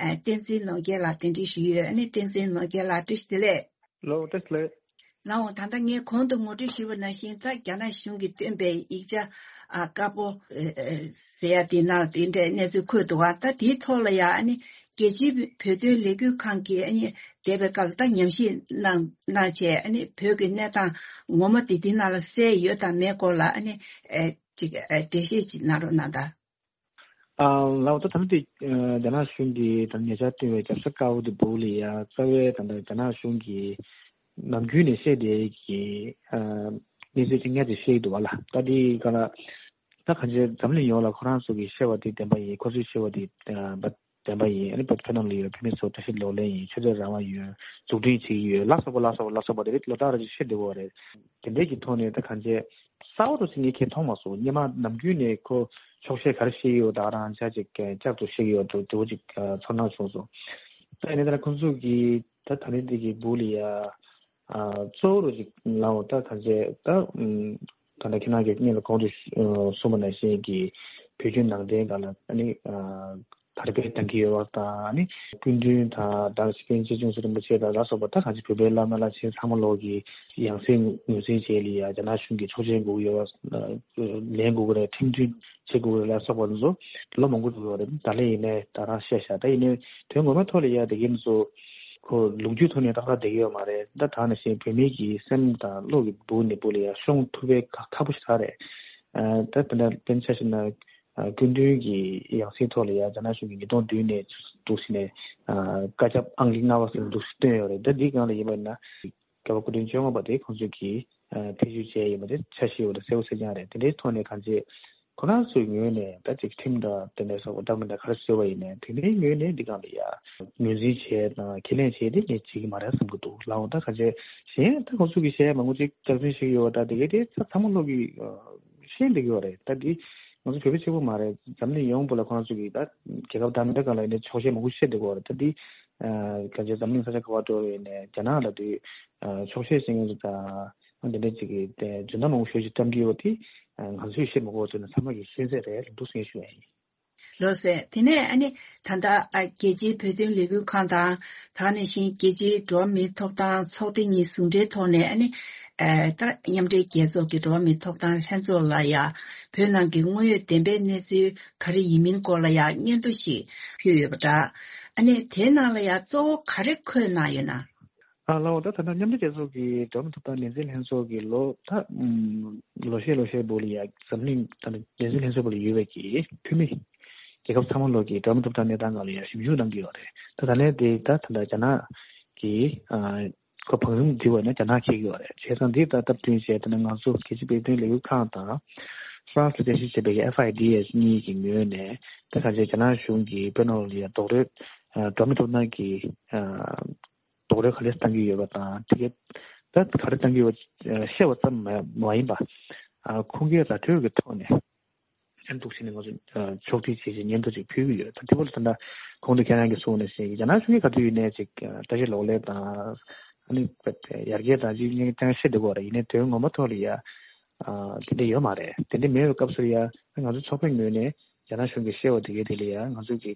ཨ་བསྟན་འཛིན་ནོར་རྒྱས་ལགས་གདན་འདྲེན་ཞུས་ཡོད། ཨ་ནི་བསྟན་འཛིན་ནོར་རྒྱས་ལགས་བཀྲ་ཤིས་བདེ་ལེགས། ལོ་བཀྲ་ཤིས་བདེ་ལེགས། ལགས་འོང་། ད་ལྟ་ངས་གོང་དུ་ངོ་སྤྲོད་ཞུས་པ་ནང་བཞིན་ད་རྒྱ་ནག་གཞུང་གིས་བཏོན་པའི་ཡིག་ཆ་ཨ་དཀར་པོ་ཨེ་ཨེ་ཟེར་ཡ་དེའི་ནང་ལ་དེ་འདྲའི་གནས་ཚུལ་འཁོད་འདུག་ག་ད་དེའི་ཐོག་ལ་ཡང་ཨ་ནི་རྒྱལ་སྤྱིའི་བོད་དོན་ལས་འགུལ་ཁང་གིས་ཨ་ནི་འདས་པའི་སྐབས་ལ་ད་ཉམས་ཞིབ་གནང་གནང་བྱས་ཨ་ནི་བོད་ཀྱི་གནས་སྟངས་ངོ་མ་དེ་དེའི་ནང་ལ་གསལ་ཡོད་དང་མེད་སྐོར་ལ་ཨ་ནི་ཨེ་ཅིག་ཨེ་འགྲེལ་བཤད་ཅིག་གནང་རོགས་གནང་དང་། ཨ་ལའོ་ད་ད་ལྟ་དེ་ཨ་རྒྱ་ནག་གཞུང་གིས་ད་ཉེ་ཆར་བཏོན་པའི་རྒྱབ་ཤ་དཀར་པོ་དེ་སྦུག་ལ་ཡ་རྩ་བའི་ད་ལྟ་རྒྱ་ནག་གཞུང་གིས་ནམ་རྒྱུན་ནས་བཤད་བསྡད་ཀྱི་ཨ་གནས་ཚུལ་ཅིག་སྔར་ནས་བཤད་ཀྱི་འདུག་བ་ལ། ད་དེ་ག་ལ་ད་གང་ཅི་འཛམ་གླིང་ཡོངས་ལ་ཁོ་རང་ཚོ་གིས་བཤད་པ་དེ་བདེན་པ་ཡིན། ཁོ་ཚོས་བཤད་པ་དེ་ཨ་བདེན་པ་ཡིན། ཨ་ནི་བོད་ནང་ལ་ཡོད་བོད་མི་ཚོ་བཀྲ་ཤིས་ལོག་ལེན་ཡིན། ཆོས་དད་རང་དབང་ཡོད། འཛུགས་སྐྲུན་བྱེད་ཀྱི་ཡོད། ལ་སོགས་པ་ལ་སོགས་པ་ལ་སོགས་པ་དེ་རིགས་ལོ་ལྟར་རེ་བཤད་བསྡད་ཡོད་རེད། དེ་འདྲས་ཀྱི་ཐོག་ནས་ད་གང་ཅི་གསལ་པོ་རུ་ཞིག་ངས་ཁྱེད་མཐོང་མ་སོང་། སྔོན་མ་ནམ་རྒྱུན་ནས་ཁོ་ཆོག་ཤེས་ག་རེ་བཤད་ཡོད་ད་རང་ཆ་ཅིག་བསྐྱར་དུ་བཤད་ཡོད་འགྲོ་འགྲོ་ཅིག་ཚོར་སྣང་བྱུང་སོང་། ད་ཡིན་ནའི་ད་ཁོང་ཚོ་གིས་ད་ད་ནི་འདི་གི་སྦུག་ལ་ཡ་གཙོ་བོ་རུ་ཅིག་ལའོ་ད་གང་ཅི་ད་ད་ནི་ཁྱེད་རང་གིས་སྔོན་ལ་གོང་དུ་གསུངས་པ་ནང་བཞིན་གྱི་བོད་བརྒྱུད་ནང་བསྟན་སྒང་ལ་ཨ་ནི། དར་སྤེལ་གཏང་གི་ཡོད་པ་དང་ཨ་ནི་སྐུ་མདུན་དང་ད་སྤྱི་དཔོན་ཆེ་ཆུང་ཚེ་རིན་པོ་ཆེ་དང་ལ་སོགས་པ་ད་གང་ཅི་བོད་པའི་བླ་མ་བླ་ཆེན་ཚང་མ་ལོག་གི་ཡང་སྲིད་ངོས་འཛིན་བྱས་ལ་ཡ་རྒྱ་ནག་གཞུང་གི་ཆོག་མཆན་དགོས་ཀྱི་ཡོད་པ། ལེན་དགོས་ཀྱི་རེད། ཁྲིམས་མཐུན་བྱེད་དགོས་ཀྱི་རེད་ལ་སོགས་པ་ཚོ་ལོ་མང་པོ་འགྲོ་གི་ཡོད་རེད། ད་ལན་ཡིན་ནའི་ད་རང་བཤད་བཞག་ད་ཡིན་ནའི་དོན་ངོ་མའི་ཐོག་ལ་ཡ་དེ་གིན་ཚོ་ཁོ་ལོ་རྒྱུས་ཐོག་ནས་ཏག་ཏག་བསྡད་ཀྱི་ཡོད་མ་རེད། ད་ད་ནང་བཞིན་བོད་མི་གི་སེམས་དང་བློ་གི་སྦུག་ནས་སྦུག་ལ་ཡ་ཤོང་ཐུབ་པའི་ཁག་ཁག་པོ་ཞིག་རེད། ད་དེ་འདྲ་དཔེར་ན་ཆ་བཞག་ན། སྐུ་མདུན་གྱི་ཡང་སྲིད་ཐོག་ལ་ཡང་རྒྱ་ནག་གཞུང་གིས་ཉིས་སྟོང་བདུན་ནས་འདུག་སེ་ནས་བཀའ་ཁྱབ་ཨང་ཀི་ལྔ་པ་ཟེར་འདུག་སེ་བཏོན་ཡོད་རེད། ད་འདིའི་སྒང་ལ་ཡིན་པ་ཡིན་ན་རྒྱལ་བ་སྐུ་ཕྲེང་བཅོ་ལྔ་པ་དེ་ཁོང་ཚོས་ཀྱིས་ཐེ་བྱུས་བྱས་ཡོད་པ་དེ་ཆ་ཤེས་ཡོད་པ་དེ་གསལ་པོ་གསལ་རྐྱང་རེད། དེ་འདྲའི་ཐོག་ནས་གང་ཅི་ཁོ་རང་ཚོའི་ངོས་ནས་ད་ཅིག་ཁྲིམས་དང་དེ་འདྲ་སོགས་པ་འདྲ་མི་འདྲ་ག་རེ་བཟོས་པ་ཡིན་ནའི་དེ་འདྲའི་ངོས་ནས་འདི་སྒང་ལ་ཡང་ངོས་འཛིན་བྱས་དང་ཁས་ལེན་བྱས་ཏེ་ངས་བྱེད་ཀྱི་མ་རེད་བསམ་གྱི་འདུག་ལའོ། ད་གང་ཅི་གཞན་ད་ཁོང་ཚོ་གིས་བཤད་ཡ་མང་པོ་ཅིག་སྐྱག་རྫུན་བཤད་ཀྱི་ཡོད་པ་ད་དེ་གའི་དེ་ཚང་མ་ལོག་གི་ཤེས་བསྡད་ཀྱི་ཡོད་རེད། ད་འདི་ང་ཚོ་བོད་པ་གཅིག་པུ་མ་རེད། འཛམ་གླིང་ཡོངས་པོ་ལ་ཁོ་རང་ཚོ་གིས་ད་རྒྱལ་ཁབ་དང་མི་འདྲ་གང་ལ་ཡིན་ནའི་ཆོག་ཤེས་མང་པོ་བཤད་བསྡད་ཀྱི་ཡོད་རེད། ད་འདི་ག་ཚོད་འཛམ་གླིང་ས་ཆ་ག་པར་འགྲོ་ཡིན་ནའི་རྒྱ་ནག་ལ་དུས་ཆོག་ཤེས་བྱེད་མཁན་ཚོ་དང་འདི་འདྲ་ཅིག་གིས་དེ་རྫུན་མ་མང་པོ་ཤོད་ཅིག་བཀྲམ་གྱི་ཡོད་པ་དེ་ང་ཚོས་བཤད་མ་དགོས་ཚོད་ནས་ཚང་མ་གིས་ཤེས་གསལ་རེད་འདུག་སེ་ཞུ་ཡ་ཡིན། ལགས་སོ། དེ་ནས་ཨ་ནི་ད་ལྟ་ཨ་རྒྱལ་སྤྱིའི་བོད་དོན་ལས་འགུལ་ཁང་དང་ད་ག་ནང་བཞིན་རྒྱལ་སྤྱིའི་འགྲོ་བ་མིའི་ཐོབ་ཐང་ཚོགས་སྡེ་གཉིས་ཟུང་འབྲེལ་ཐོག་ནས་ཨ་ནི་ཨ་ད་མཉམ་འབྲེལ་རྒྱལ་ཚོགས་ཀྱི་འགྲོ་བ་མིའི་ཐོབ་ཐང་ལྷན་ཚོགས་ལ་ཡ་བོད་ནང་གི་དངོས་ཡོད་བདེན་པའི་གནས་ཚུལ་ག་རེ་ཡིན་མིན་སྐོར་ལ་ཡ་སྙན་ཐོ་ཞིག་ཕུལ་ཡོད་པ་འདྲ། ཨ་ནི་དེའི་ནང་ལ་ཡ་གཙོ་བོ་ག་རེ་འཁོད་གནང་ཡོད་ན། ཨ་ལའོ། ད་ད་ལྟ་མཉམ་འབྲེལ་རྒྱལ་ཚོགས་ཀྱི་འགྲོ་བ་མིའི་ཐོབ་ཐང་ལས་འཛིན་ལྷན་ཚོགས་ཀྱི་ལོ་ད་ཨུམ་ལོ་ཤས་ལོ་ཤས་བོ་ལ་ཡ་འཛམ་གླིང་ད་ལྟ་ལས་འཛིན་ལྷན་ཚོགས་བོ་ལ་ཡོད་པའི་གི་འཐུས་མི་རྒྱལ་ཁབ་ཚང་མ་ལོག་གི་འགྲོ་བ་མིའི་ཐོབ་ཐང་གནས་སྟངས་སྒང་ལ་ཡ་ཞིབ་འཇུག་གནང་གི་ཡོད་རེད། ད་ད་ལན་དེ་ད་ད་ལྟ་རྒྱ་ནག་གི་ཨ་ཁོ་བང་རིམ་འདི་བ་ནས་རྒྱ་ནག་འཁེལ་གི་ཡོད་རེད། བྱས་ཙང་འདི་ད་སྟབས་བསྟུན་བྱས་ད་ནི་ང་ཚོ་རྒྱལ་སྤྱིའི་བོད་དོན་ལས་འགུལ་ཁང་དང་ཧྥ་རན་སི་ལ་རྟེན་གཞི་བྱས་པའི་གི་ཨེཕ་ཨའི་ཌི་ཨེས་གཉིས་ཀྱི་ངོས་ནས་ད་ག་ཚོད་རྒྱ་ནག་གཞུང་གིས་བོད་ནང་ལ་ཡ་རྡོག་རོལ་འགྲོ་བ་མིའི་ཐོབ་ཐང་གི་རྡོག་རོལ་ག་ལེར་བཏང་གི་ཡོད་པ་དང་དེ་གའི་ ད་ག་རེ་བཏང་གི་ཡོད་བཤད་པ་ཙམ་མ་ཡིན་པ། ཨ་ཁུངས་སྐྱེལ་ར་སྤྲོད་ཀྱི་ཐོག་ནས་ཨ་འདུག་བྱས་ནས་ང་ཚོ་ཕྱོགས་སྒྲིག་བྱས་བྱས་སྙན་ཐོ་ཅིག་ཕུལ་གྱི་ཡོད། ད་དེ་བོ་ལ་ད་ལྟ་གོང་དུ་ཁྱེད་རང་གིས་གསུངས་ནང་བཞིན་རྒྱ་ནག་གཞུང་གིས་ག་དུས་ཡིན་ནའི་ཅིག་བཀྲ་ཤིས་གློག་ཀླད་དང་ཨ་ནི་ཡར་རྒྱས་དང་ཅིག་ཉེན་ཀྱང་བཤད་བསྡད་ཀྱི་ཡོད་རེད། ཡིན་ནའི་དོན་ངོ་མ་ཐོག་ལ་ཡ་དེ་འདྲ་ཡོད་མ་རེད། དེ་འདྲ་མེད་པའི་སྐབས་སུ་ཡ་ང་ཚོ་ཚོགས་པའི་ངོས་ནས་རྒྱ་ནག་གཞུང་གིས་བཤད་པ་དེ་གའི་དེ་ལ་ཡ་ང་ཚོ་གི་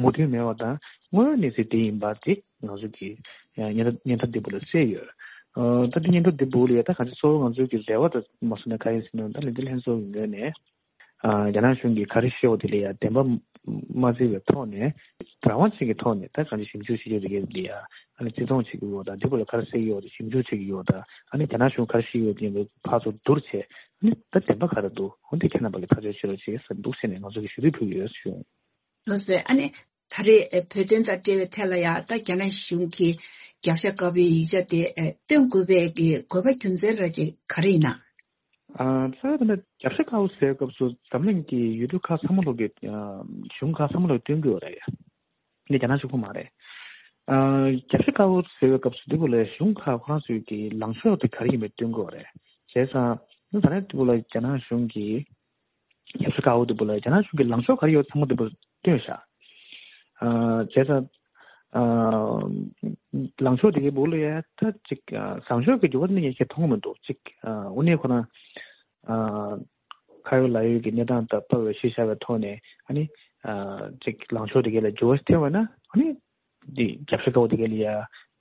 མོས་མཐུན་མེད་པ་དང་དངོས་ཡོད་གནས་ཚུལ་དེ་ཡིན་པ་དེ་ང་ཚོ་གི་སྙན་ཐོ་སྙན་ཐོ་འདི་བུ་ལ་གསལ་ཡོད། ད་དེ་སྙན་ཐོ་འདི་བུ་ལ་ཡ་ད་ག་ཚོད་གཙོ་བོ་ང་ཚོ་གི་རེ་བ་དང་མ་སོང་ན་ག་ཡིན་ཟེར་ན་ད་ལས་འཛིན་ལྷན་ཚོགས་ཀྱི་ངོས་ནས་རྒྱ་ནག་གཞུང་གིས་ག་རེ་བཤད་པ་དེ་ལ་ཡ་བདེན་པ་མ་བརྩི་བའི་ཐོག་ནས་རང་དབང་ཅན་གྱི་ཐོག་ནས་ད་གང་ཅི་ཞིབ་འཇུག་བྱེད་རྒྱུ་དེ་གའི་ལ་ཡ་ཨ་ནི་བརྩི་མཐོང་བྱེད་ཀྱི་ཡོད་དང་འདི་བུ་ལ་ག་རེ་གསལ་གྱི་ཡོད་དང་ཞིབ་འཇུག་བྱེད་ཀྱི་ཡོད་དང་ཨ་ནི་རྒྱ་ནག་གཞུང་ག་རེ་བཤད་ཡོད་དེ་ཕར་ཚུར་བསྡུར་བྱས་ཨ་ནི་ད་བདེན་པ་ག་རེ་འདུག་འོ་འདི་ཁྱེད་རྣམ་པ་གིས་ཐག་གཅོད་བྱེད་རོགས་བྱེད་ཟེར་འདུག་ཟེར་ནས་ང་ཚོ་གིས་ཞུ་གཏུག་ཕུལ་གྱི་ཡོད་ཞུ། ལགས་སོ། ཨ་ནི་ད་རེས་བོད་དོན་དང་འབྲེལ་བའི་ཐད་ལ་ཡང་ད་རྒྱ་ནག་གཞུང་གིས་རྒྱབ་ཤ་དཀར་པོའི་ཡིག་ཆ་དེ་སྟོན་དགོས་པའི་གི་དགོས་པ་རྒྱུ་མཚན་ར་ཅིག་ག་རེ་ཡིན་ན། ཨ་རྩ་བའི་ཐོག་ནས་རྒྱབ་ཤ་དཀར་པོ་ཟེར་བའི་སྐབས་སུ་འཛམ་གླིང་གི་ཡུལ་གྲུ་ཁག་ཚང་མ་ལོག་གི་གཞུང་ཁག་ཚང་མ་ལོག་སྟོན་དགོས་རེད། འདི་རྒྱ་ནག་གཞུང་ཁོ་མ་རེད། ཨ་རྒྱབ་ཤ་དཀར་པོ་ཟེར་བའི་སྐབས་སུ་འདི་བོ་ལ་གཞུང་ཁག་ཁོ་རང་ཚོའི་གི་ལངས་ཕྱོགས་དེ་ག་རེ་ཡིན་པའི་སྟོན་དགོས་རེད། བྱས་ཙང་ད་རེས་འདི་བོ་ལ་རྒྱ་ནག་གཞུང་གིས་རྒྱབ་ཤ་དཀར་པོ་དེ་བོ་ལ་རྒྱ་ནག་གཞུང་གི་ལངས་ཕྱོགས་ག་རེ་ཡོད་ཚང་མ་དེ་བོ་སྟོན་ཤག་ཨ་བྱས་ཙང་ཨ་ལངས་ཕྱོགས་དེ་གའི་བོ་ལ་ཡ་ད་ཅིག་ཨ་བཟང་ཕྱོགས་ཀྱི་འགྱུར་བ་ནི་ངས་ཁྱེད་མཐོང་གི་མི་འདུག་ཅིག་ཨ་དངོས་གནས་ཁོ་ན་ཨ་ཁ་ཡོད་ལག་ཡོད་ཀྱི་གནས་སྟངས་དང་བབ་པའི་གཞི་བཞག་པའི་ཐོག་ནས་ཨ་ནི་ཨ་ཅིག་ལངས་ཕྱོགས་དེ་གའི་ལ་འགྱུར་བ་ཐེབས་པ་ན་ཨ་ནི། འདི་རྒྱབ་ཤ་དཀར་པོ་དེ་ག་ལ་ཡ་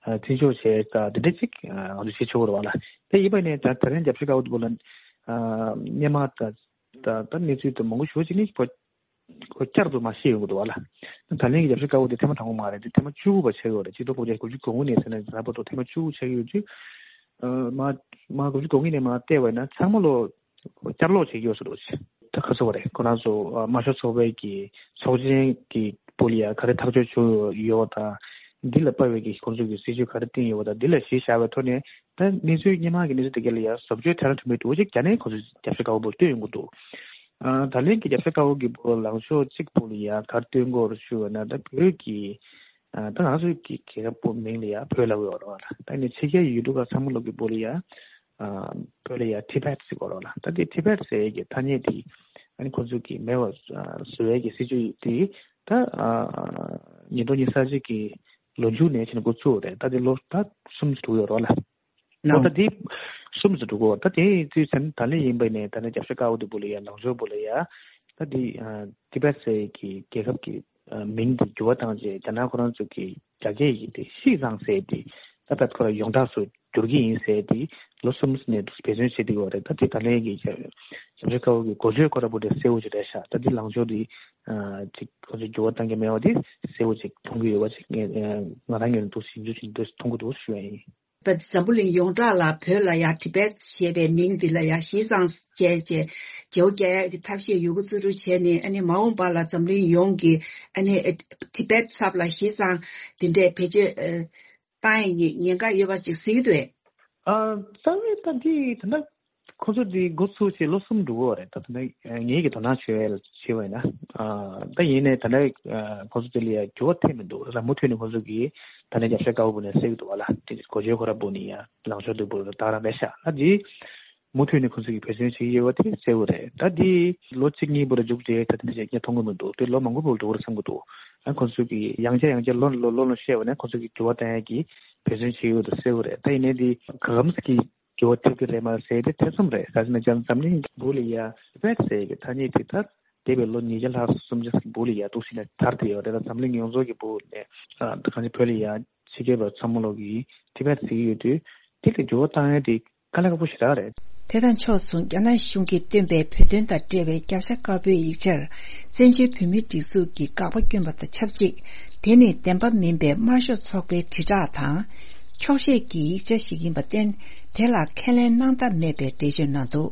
བརྩི་འཇོག་བྱས་ཙང་དེ་འདྲ་ཅིག་ང་ཚོ་བྱེད་ཆོག་གི་རེད་བ་ལ། དེ་ཡིན་པ་ནས་ད་ད་རིང་རྒྱབ་ཤ་དཀར་པོ་དེ་བོ་ལ་སྔོན་མ་ད་ད་ད་གནས་ཚུལ་དེ་མང་པོ་ཞེ་པོ་ཅིག་ནི་ཁོ་ཁོ་བསྐྱར་དུ་མར་བཤད་ཡོང་གི་འདུག་བ་ལ། ད་ལན་གྱི་རྒྱབ་ཤ་དཀར་པོ་དེ་ཐེངས་མ་དང་པོ་མ་རེད། དེ་ཐེངས་མ་བཅུ་དགུ་པ་ཆགས་ཡོད་རེད། ཆིག་སྟོང་དགུ་བརྒྱ་དགུ་བཅུ་གོ་དགུ་ནས་ཟེར་ན་ད་བར་དུ་ཐེངས་མ་བཅུ་དགུ་ཆགས་ཡོད་དུས་མར་མར་དགུ་བཅུ་གོ་གཉིས་ནས་མར་བལྟས་པ་ཡིན་ན་ཚང་མ་ལོ། བསྐྱར་ལོག་བྱེད་ཀྱི་ཡོད་ས་རེད། ད་ག་ཚོད་རེད། ཁོ་རང་ཚོ་དམར་ཤོག་ཚོགས་པའི་གི་ཚོགས་ཆེན་གྱི་སྦུག་ལ་ཡ་ག་རེ་ཐག་གཅོད་བྱུང་ཡོད་དང་། འདི་ལ་དཔག་པའི་གི་ཁོང་ཚོ་གི་སྲིད་ཇུས་ག་རེ་བཏིང་ཡོད་དང་། འདི་ལ་གཞི་བཞག་པའི་ཐོག་ནས་ད་གནས་ཚུལ་སྔོན་མ་གི་གནས་ཚུལ་དེ་ག་ལ་ཡ་བཟོ་བཅོས་ཐེངས་རེ་ཐུབ་མེད་འདུག་ཅིག་རྒྱ་ནག་ཁོང་ཚོས་རྒྱབ་ཤ་དཀར་པོ་བོ་སྟོན་ཡོང་གི་འདུག་ཨ་ད་ལན་གྱི་རྒྱབ་ཤ་དཀར་པོ་གི་བོ་ལངས་ཕྱོགས་གཅིག་པོ་ལ་ཡ་ག་རེ་སྟོན་དགོས་རེད་ཞུ་བ་ན་ད་བོད་ཀྱི་ཨ་ད་ང་ཚོ་གི་རྒྱལ་ཁབ་པོ་མིང་ལ་ཡ་བོད་ལབ་ཡོད་རེད་བ་ལ། ད་ནི་ཕྱི་རྒྱལ་ཡུལ་གྲུ་ཁག་ཚང་མ་ལོག་གི་བོ་ལ་ཡ། ཨ་བོད་ལ་ཡ་ཊི་བེད་ཟེར་གོ་རོགས་ལ། ད་དེ་ཊི་བེད་ཟེར་ཡས་ཀྱི་ཐ་སྙད་དེ་ཨ་ནི་ཁོ་ཚོ་གིས་མེད་པ་བཟོ་ཡས་ཀྱི་སྲིད་ཇུས་དེ་ད་ཨ་ཉིས་སྟོང་ཉི་ཤུ་རྩ་གཅིག་གི་ལོ་མཇུག་ནས་ཕྱིན་འགོ་བཙུགས་རེད། ད་དེ་ལོ་ད་གསུམ་ཙམ་འགྲོ་གི་ཡོད་རོགས་ལ། ལོ་ད་དེ་གསུམ་ཙམ་འགྲོ་གི་ཡོད། ད་དེ་དུས་ཚོད་ད་ལན་ཡིན་པ་ནས་ད་ནི་རྒྱབ་ཤ་དཀར་པོ་དེ་བོ་ལ་ཡ་ལངས་ཕྱོགས་བོ་ལ་ཡ་ད་དེ་ཨ་ཊི་བེད་ཟེར་ཡས་ཀྱི་རྒྱལ་ཁབ་ཀྱི་ཨ་མིང་དེ་འགྱུར་བ་བཏང་རྗེས་རྒྱ་ནག་ཁོ་རང་ཚོ་གི་རྒྱ་སྐད་ཡིག་དེ་ཤིས་ཙང་ཟེར་དེ་ད་ཕར་ཁོ་རང་ཡོངས་གྲགས་སུ་བསྒྱུར་གྱི་ཡིན་ཟེར་དེ་ལོ་གསུམ་ནས་འབད་བརྩོན་བྱེད་བསྡད་ཡོད་རེད། ད་དེ་ད་ལན་གྱི་རྒྱབ་ཤ་དཀར་པོ་གི་འགོ་བརྗོད་ཁོ་ར་པོ་དེ་གསལ་པོ་ཅིག་རེད་ཤག་ད་དེ་ལངས་ཕྱོགས་དེ་ཨ་ཅིག་ཁོ་ཚོས་འགྱུར་བ་བཏང་གི་མེད་པ་དེ་གསལ་པོ་ཅིག་མཐོང་གི་ཡོད་པ་ཅིག་ང་ང་རང་ངོས་ནས་འདུག་ཞིབ་འཇུག་བྱེད་འདུག་མཐོང་གི་འདུག་ཞུ་ཡ་ཡིན། ད་འཛམ་བུ་གླིང་ཡོངས་གྲགས་ལ་བོད་ལ་ཡ་ཊི་བེད་ཞེས་པའི་མིང་འདི་ལ་ཡ་ཤིས་ཙང་བྱས་བྱས་བརྗེ་པོ་རྒྱག་ཡ་གི་ཐབས་ཤེས་ཡོད་རྒུ་ཚུད་རུ་བྱས་ནས་ཨ་ནི་མ་འོངས་པ་ལ་འཛམ་གླིང་ཡོངས་ཀྱི་ཨ་ནི་ཊི་བེད་ཚབ་ལ་ཤིས་ཙང་འདི་འདྲའི་བེད་སྤྱོད་ཨ་བཏང་ཡས་ཀྱི་ཉེན་ཁ་ཡོད་པ་ཅིག་གཟིགས་འདུག་ཨ་རྩ་བའི་ད་འདི་ད་ལྟ་ཁོ་ཚོ་འདི་འགོ་ཚུགས་བྱས་ལོ་གསུམ་འགྲོ་གི་ཡོད་རེད། ད་ད་ལྟ་ངེད་ཀྱི་དོ་སྣང་བྱས་བྱས་པ་ཡིན་ན་ཨ་ད་ཡིན་ནའི་ད་ལྟ་ཨ་ཁོ་ཚོ་དེ་ལ་ཡ་འགྱུར་བ་ཐེབས་མི་འདུག་ད་མུ་མཐུད་ནས་ཁོ་ཚོ་གིས་ད་ལྟ་རྒྱབ་ཤ་དཀར་པོ་ནས་བསད་ཀྱི་འདུག་བ་ལ། དེ་འགོ་བརྗོད་ཁོ་ར་པོ་ནས་ཡ་ལངས་ཕྱོགས་དེ་བོ་ད་རང་རེད་ཤག་ད་འདི་མུ་མཐུད་ནས་ཁོ་ཚོ་གིས་འབད་བརྩོན་བྱེད་ཀྱི་ཡོད་པ་དེ་གསལ་པོ་རེད། ད་འདི་ལོ་གཅིག་གཉིས་པོ་ལ་མཇུག་བསྒྲིལ་ད་དེ་འདྲ་ཞིག་ངས་མཐོང་གི་མི་འདུག་དེ་ལོ་མང་པོ་བོ་འགྲོ་གི་རེད་བསམ་གྱི་འདུག་ཨ་ཁོ་ཚོ་གིས་ཡང་བསྐྱར་ཡང་བསྐྱར་ལོ་ལོ་ལོ་ལོ་བཤད་པ་ནས་ཁོ་ཚོ་གིས་འགྱུར་བ་གཏོང་ཡ་གི་འབད་བརྩོན་བྱེད་ཀྱི་ཡོད་པ་གསལ་པོ་རེད། ད་ཡིན་ནའི་འདི་ག་གམ་ཟིག་གིས་འགྱུར་བ་ཐེབས་ཀྱི་རེད་མ་རེད་ཟེར་དེ་ཐེ་ཚོམ་རེད། ག་ཟེར་ན་ཅང་འཛམ་གླིང་སྦུག་ལ་ཡ་ཊི་བེད་ཟེར་གྱི་ཐ་སྙད་དེ་ད་འདས་པའི་ལོ་ཉིས་བརྒྱ་ལྷག་སུམ་བརྒྱ་ཟིག་སྦུག་ལ་ཡ་འདུག་ཟེར་ནས་དར་བསྡད་ཡོད་རེད། ད་འཛམ་གླིང་ཡོངས་རྫོགས་ཀྱི་སྦུག་ནས་ཨ་ད་གང་ཅི་བོད་ལ་ཡ་ཕྱི་རྒྱལ་བ་ཚང་མ་ལོག་གིས་ཊི་བེད་ཟེར་གྱི་ཡོད་དུས་དེ་ལ་འགྱུར་བ་བཏང་ཡ་དེ་དཀའ་ལས་ཁག་པོ་ཞེ་དྲག་རེད། དེ་དང་ཕྱོགས་མཚུངས་རྒྱ་ནག་གཞུང་གིས་བཏོན་པའི་བོད་དོན་དང་འབྲེལ་བའི་རྒྱབ་ཤ་དཀར་པོའི་ཡིག་ཆར་བཙན་བྱོལ་བོད་མིའི་སྒྲིག་འཛུགས་ཀྱིས་དགག་པ་བསྐྱོན་པ་དང་ཆབས་ཅིག་དེ་ནི་བདེན་པ་མིན་པའི་དམར་ཤོག་ཚོགས་པའི་དྲིལ་བསྒྲགས་དང་། འཁྱོག་བཤད་ཀྱི་ཡིག་ཆ་ཞིག་ཡིན་པར་བརྟེན། དེ་ལ་ཁས་ལེན་གནང་ཐབས་མེད་པའི་འགྲེལ་བརྗོད་གནང་འདུག་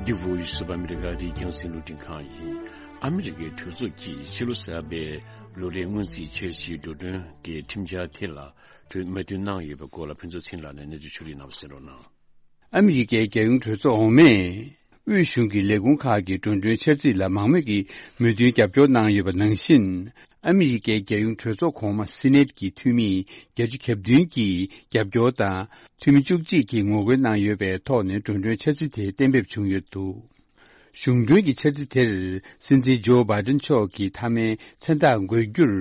འདི་Voice of America རེད། རྒྱང་སྲིང་རླུང་འཕྲིན་ཁང་ཡིན། ཨ་མི་རི་ཀའི་གྲོས་ཚོགས་ཀྱིས་ཕྱི་ལོ་གསར་པའི་ལོ་རེའི་སྔོན་རྩིས་འཆར་གཞིའི་འགྲོ་གྲོན་གྱི་ཁྲིམས་འཆར་དེ་ལ་གྲོས་མོས་མཐུན་གནང་ཡོད་པའི་སྐོར་ལ་ཕུན་ཚོགས་ཚེ་རིང་ལགས་ནས་གནས་ཚུལ་ཕྱོགས་སྒྲིག་གནང་བ་གསན་རོགས་གནང་། ཨ་མི་རི་ཀའི་རྒྱལ་ཡོངས་གྲོས་ཚོགས་འོག་མས་ དབུས་གཞུང་གི་ལས་ཁུངས་ཁག་གི་འགྲོ་གྲོན་འཆར་རྩིས་ལ་མང་མོས་ཀྱིས་མོས་མཐུན་རྒྱབ་སྐྱོར་གནང་ཡོད་པ་ནང་བཞིན། ཨ་མི་རི་ཀའི་རྒྱལ་ཡོངས་གྲོས་ཚོགས་གོང་མ་སི་ནེད་ཀྱི་འཐུས་མི་བརྒྱད་ཅུ་གྱ་བདུན་གྱིས་རྒྱབ་སྐྱོར་དང་། འཐུས་མི་བཅུ་གཅིག་གིས་ངོ་རྒོལ་གནང་ཡོད་པའི་ཐོག་ནས་འགྲོ་གྲོན་འཆར་རྩིས་དེ་གཏན་འབེབས་བྱུང་ཡོད་འདུག་གཞུང་གྲོན་གྱི་འཆར་རྩིས་དེར་སྲིད་འཛིན་ཇོ་བྷའི་ཏན་མཆོག་གིས་མཐའ་མའི་མཚན་རྟགས་འགོད་རྒྱུར།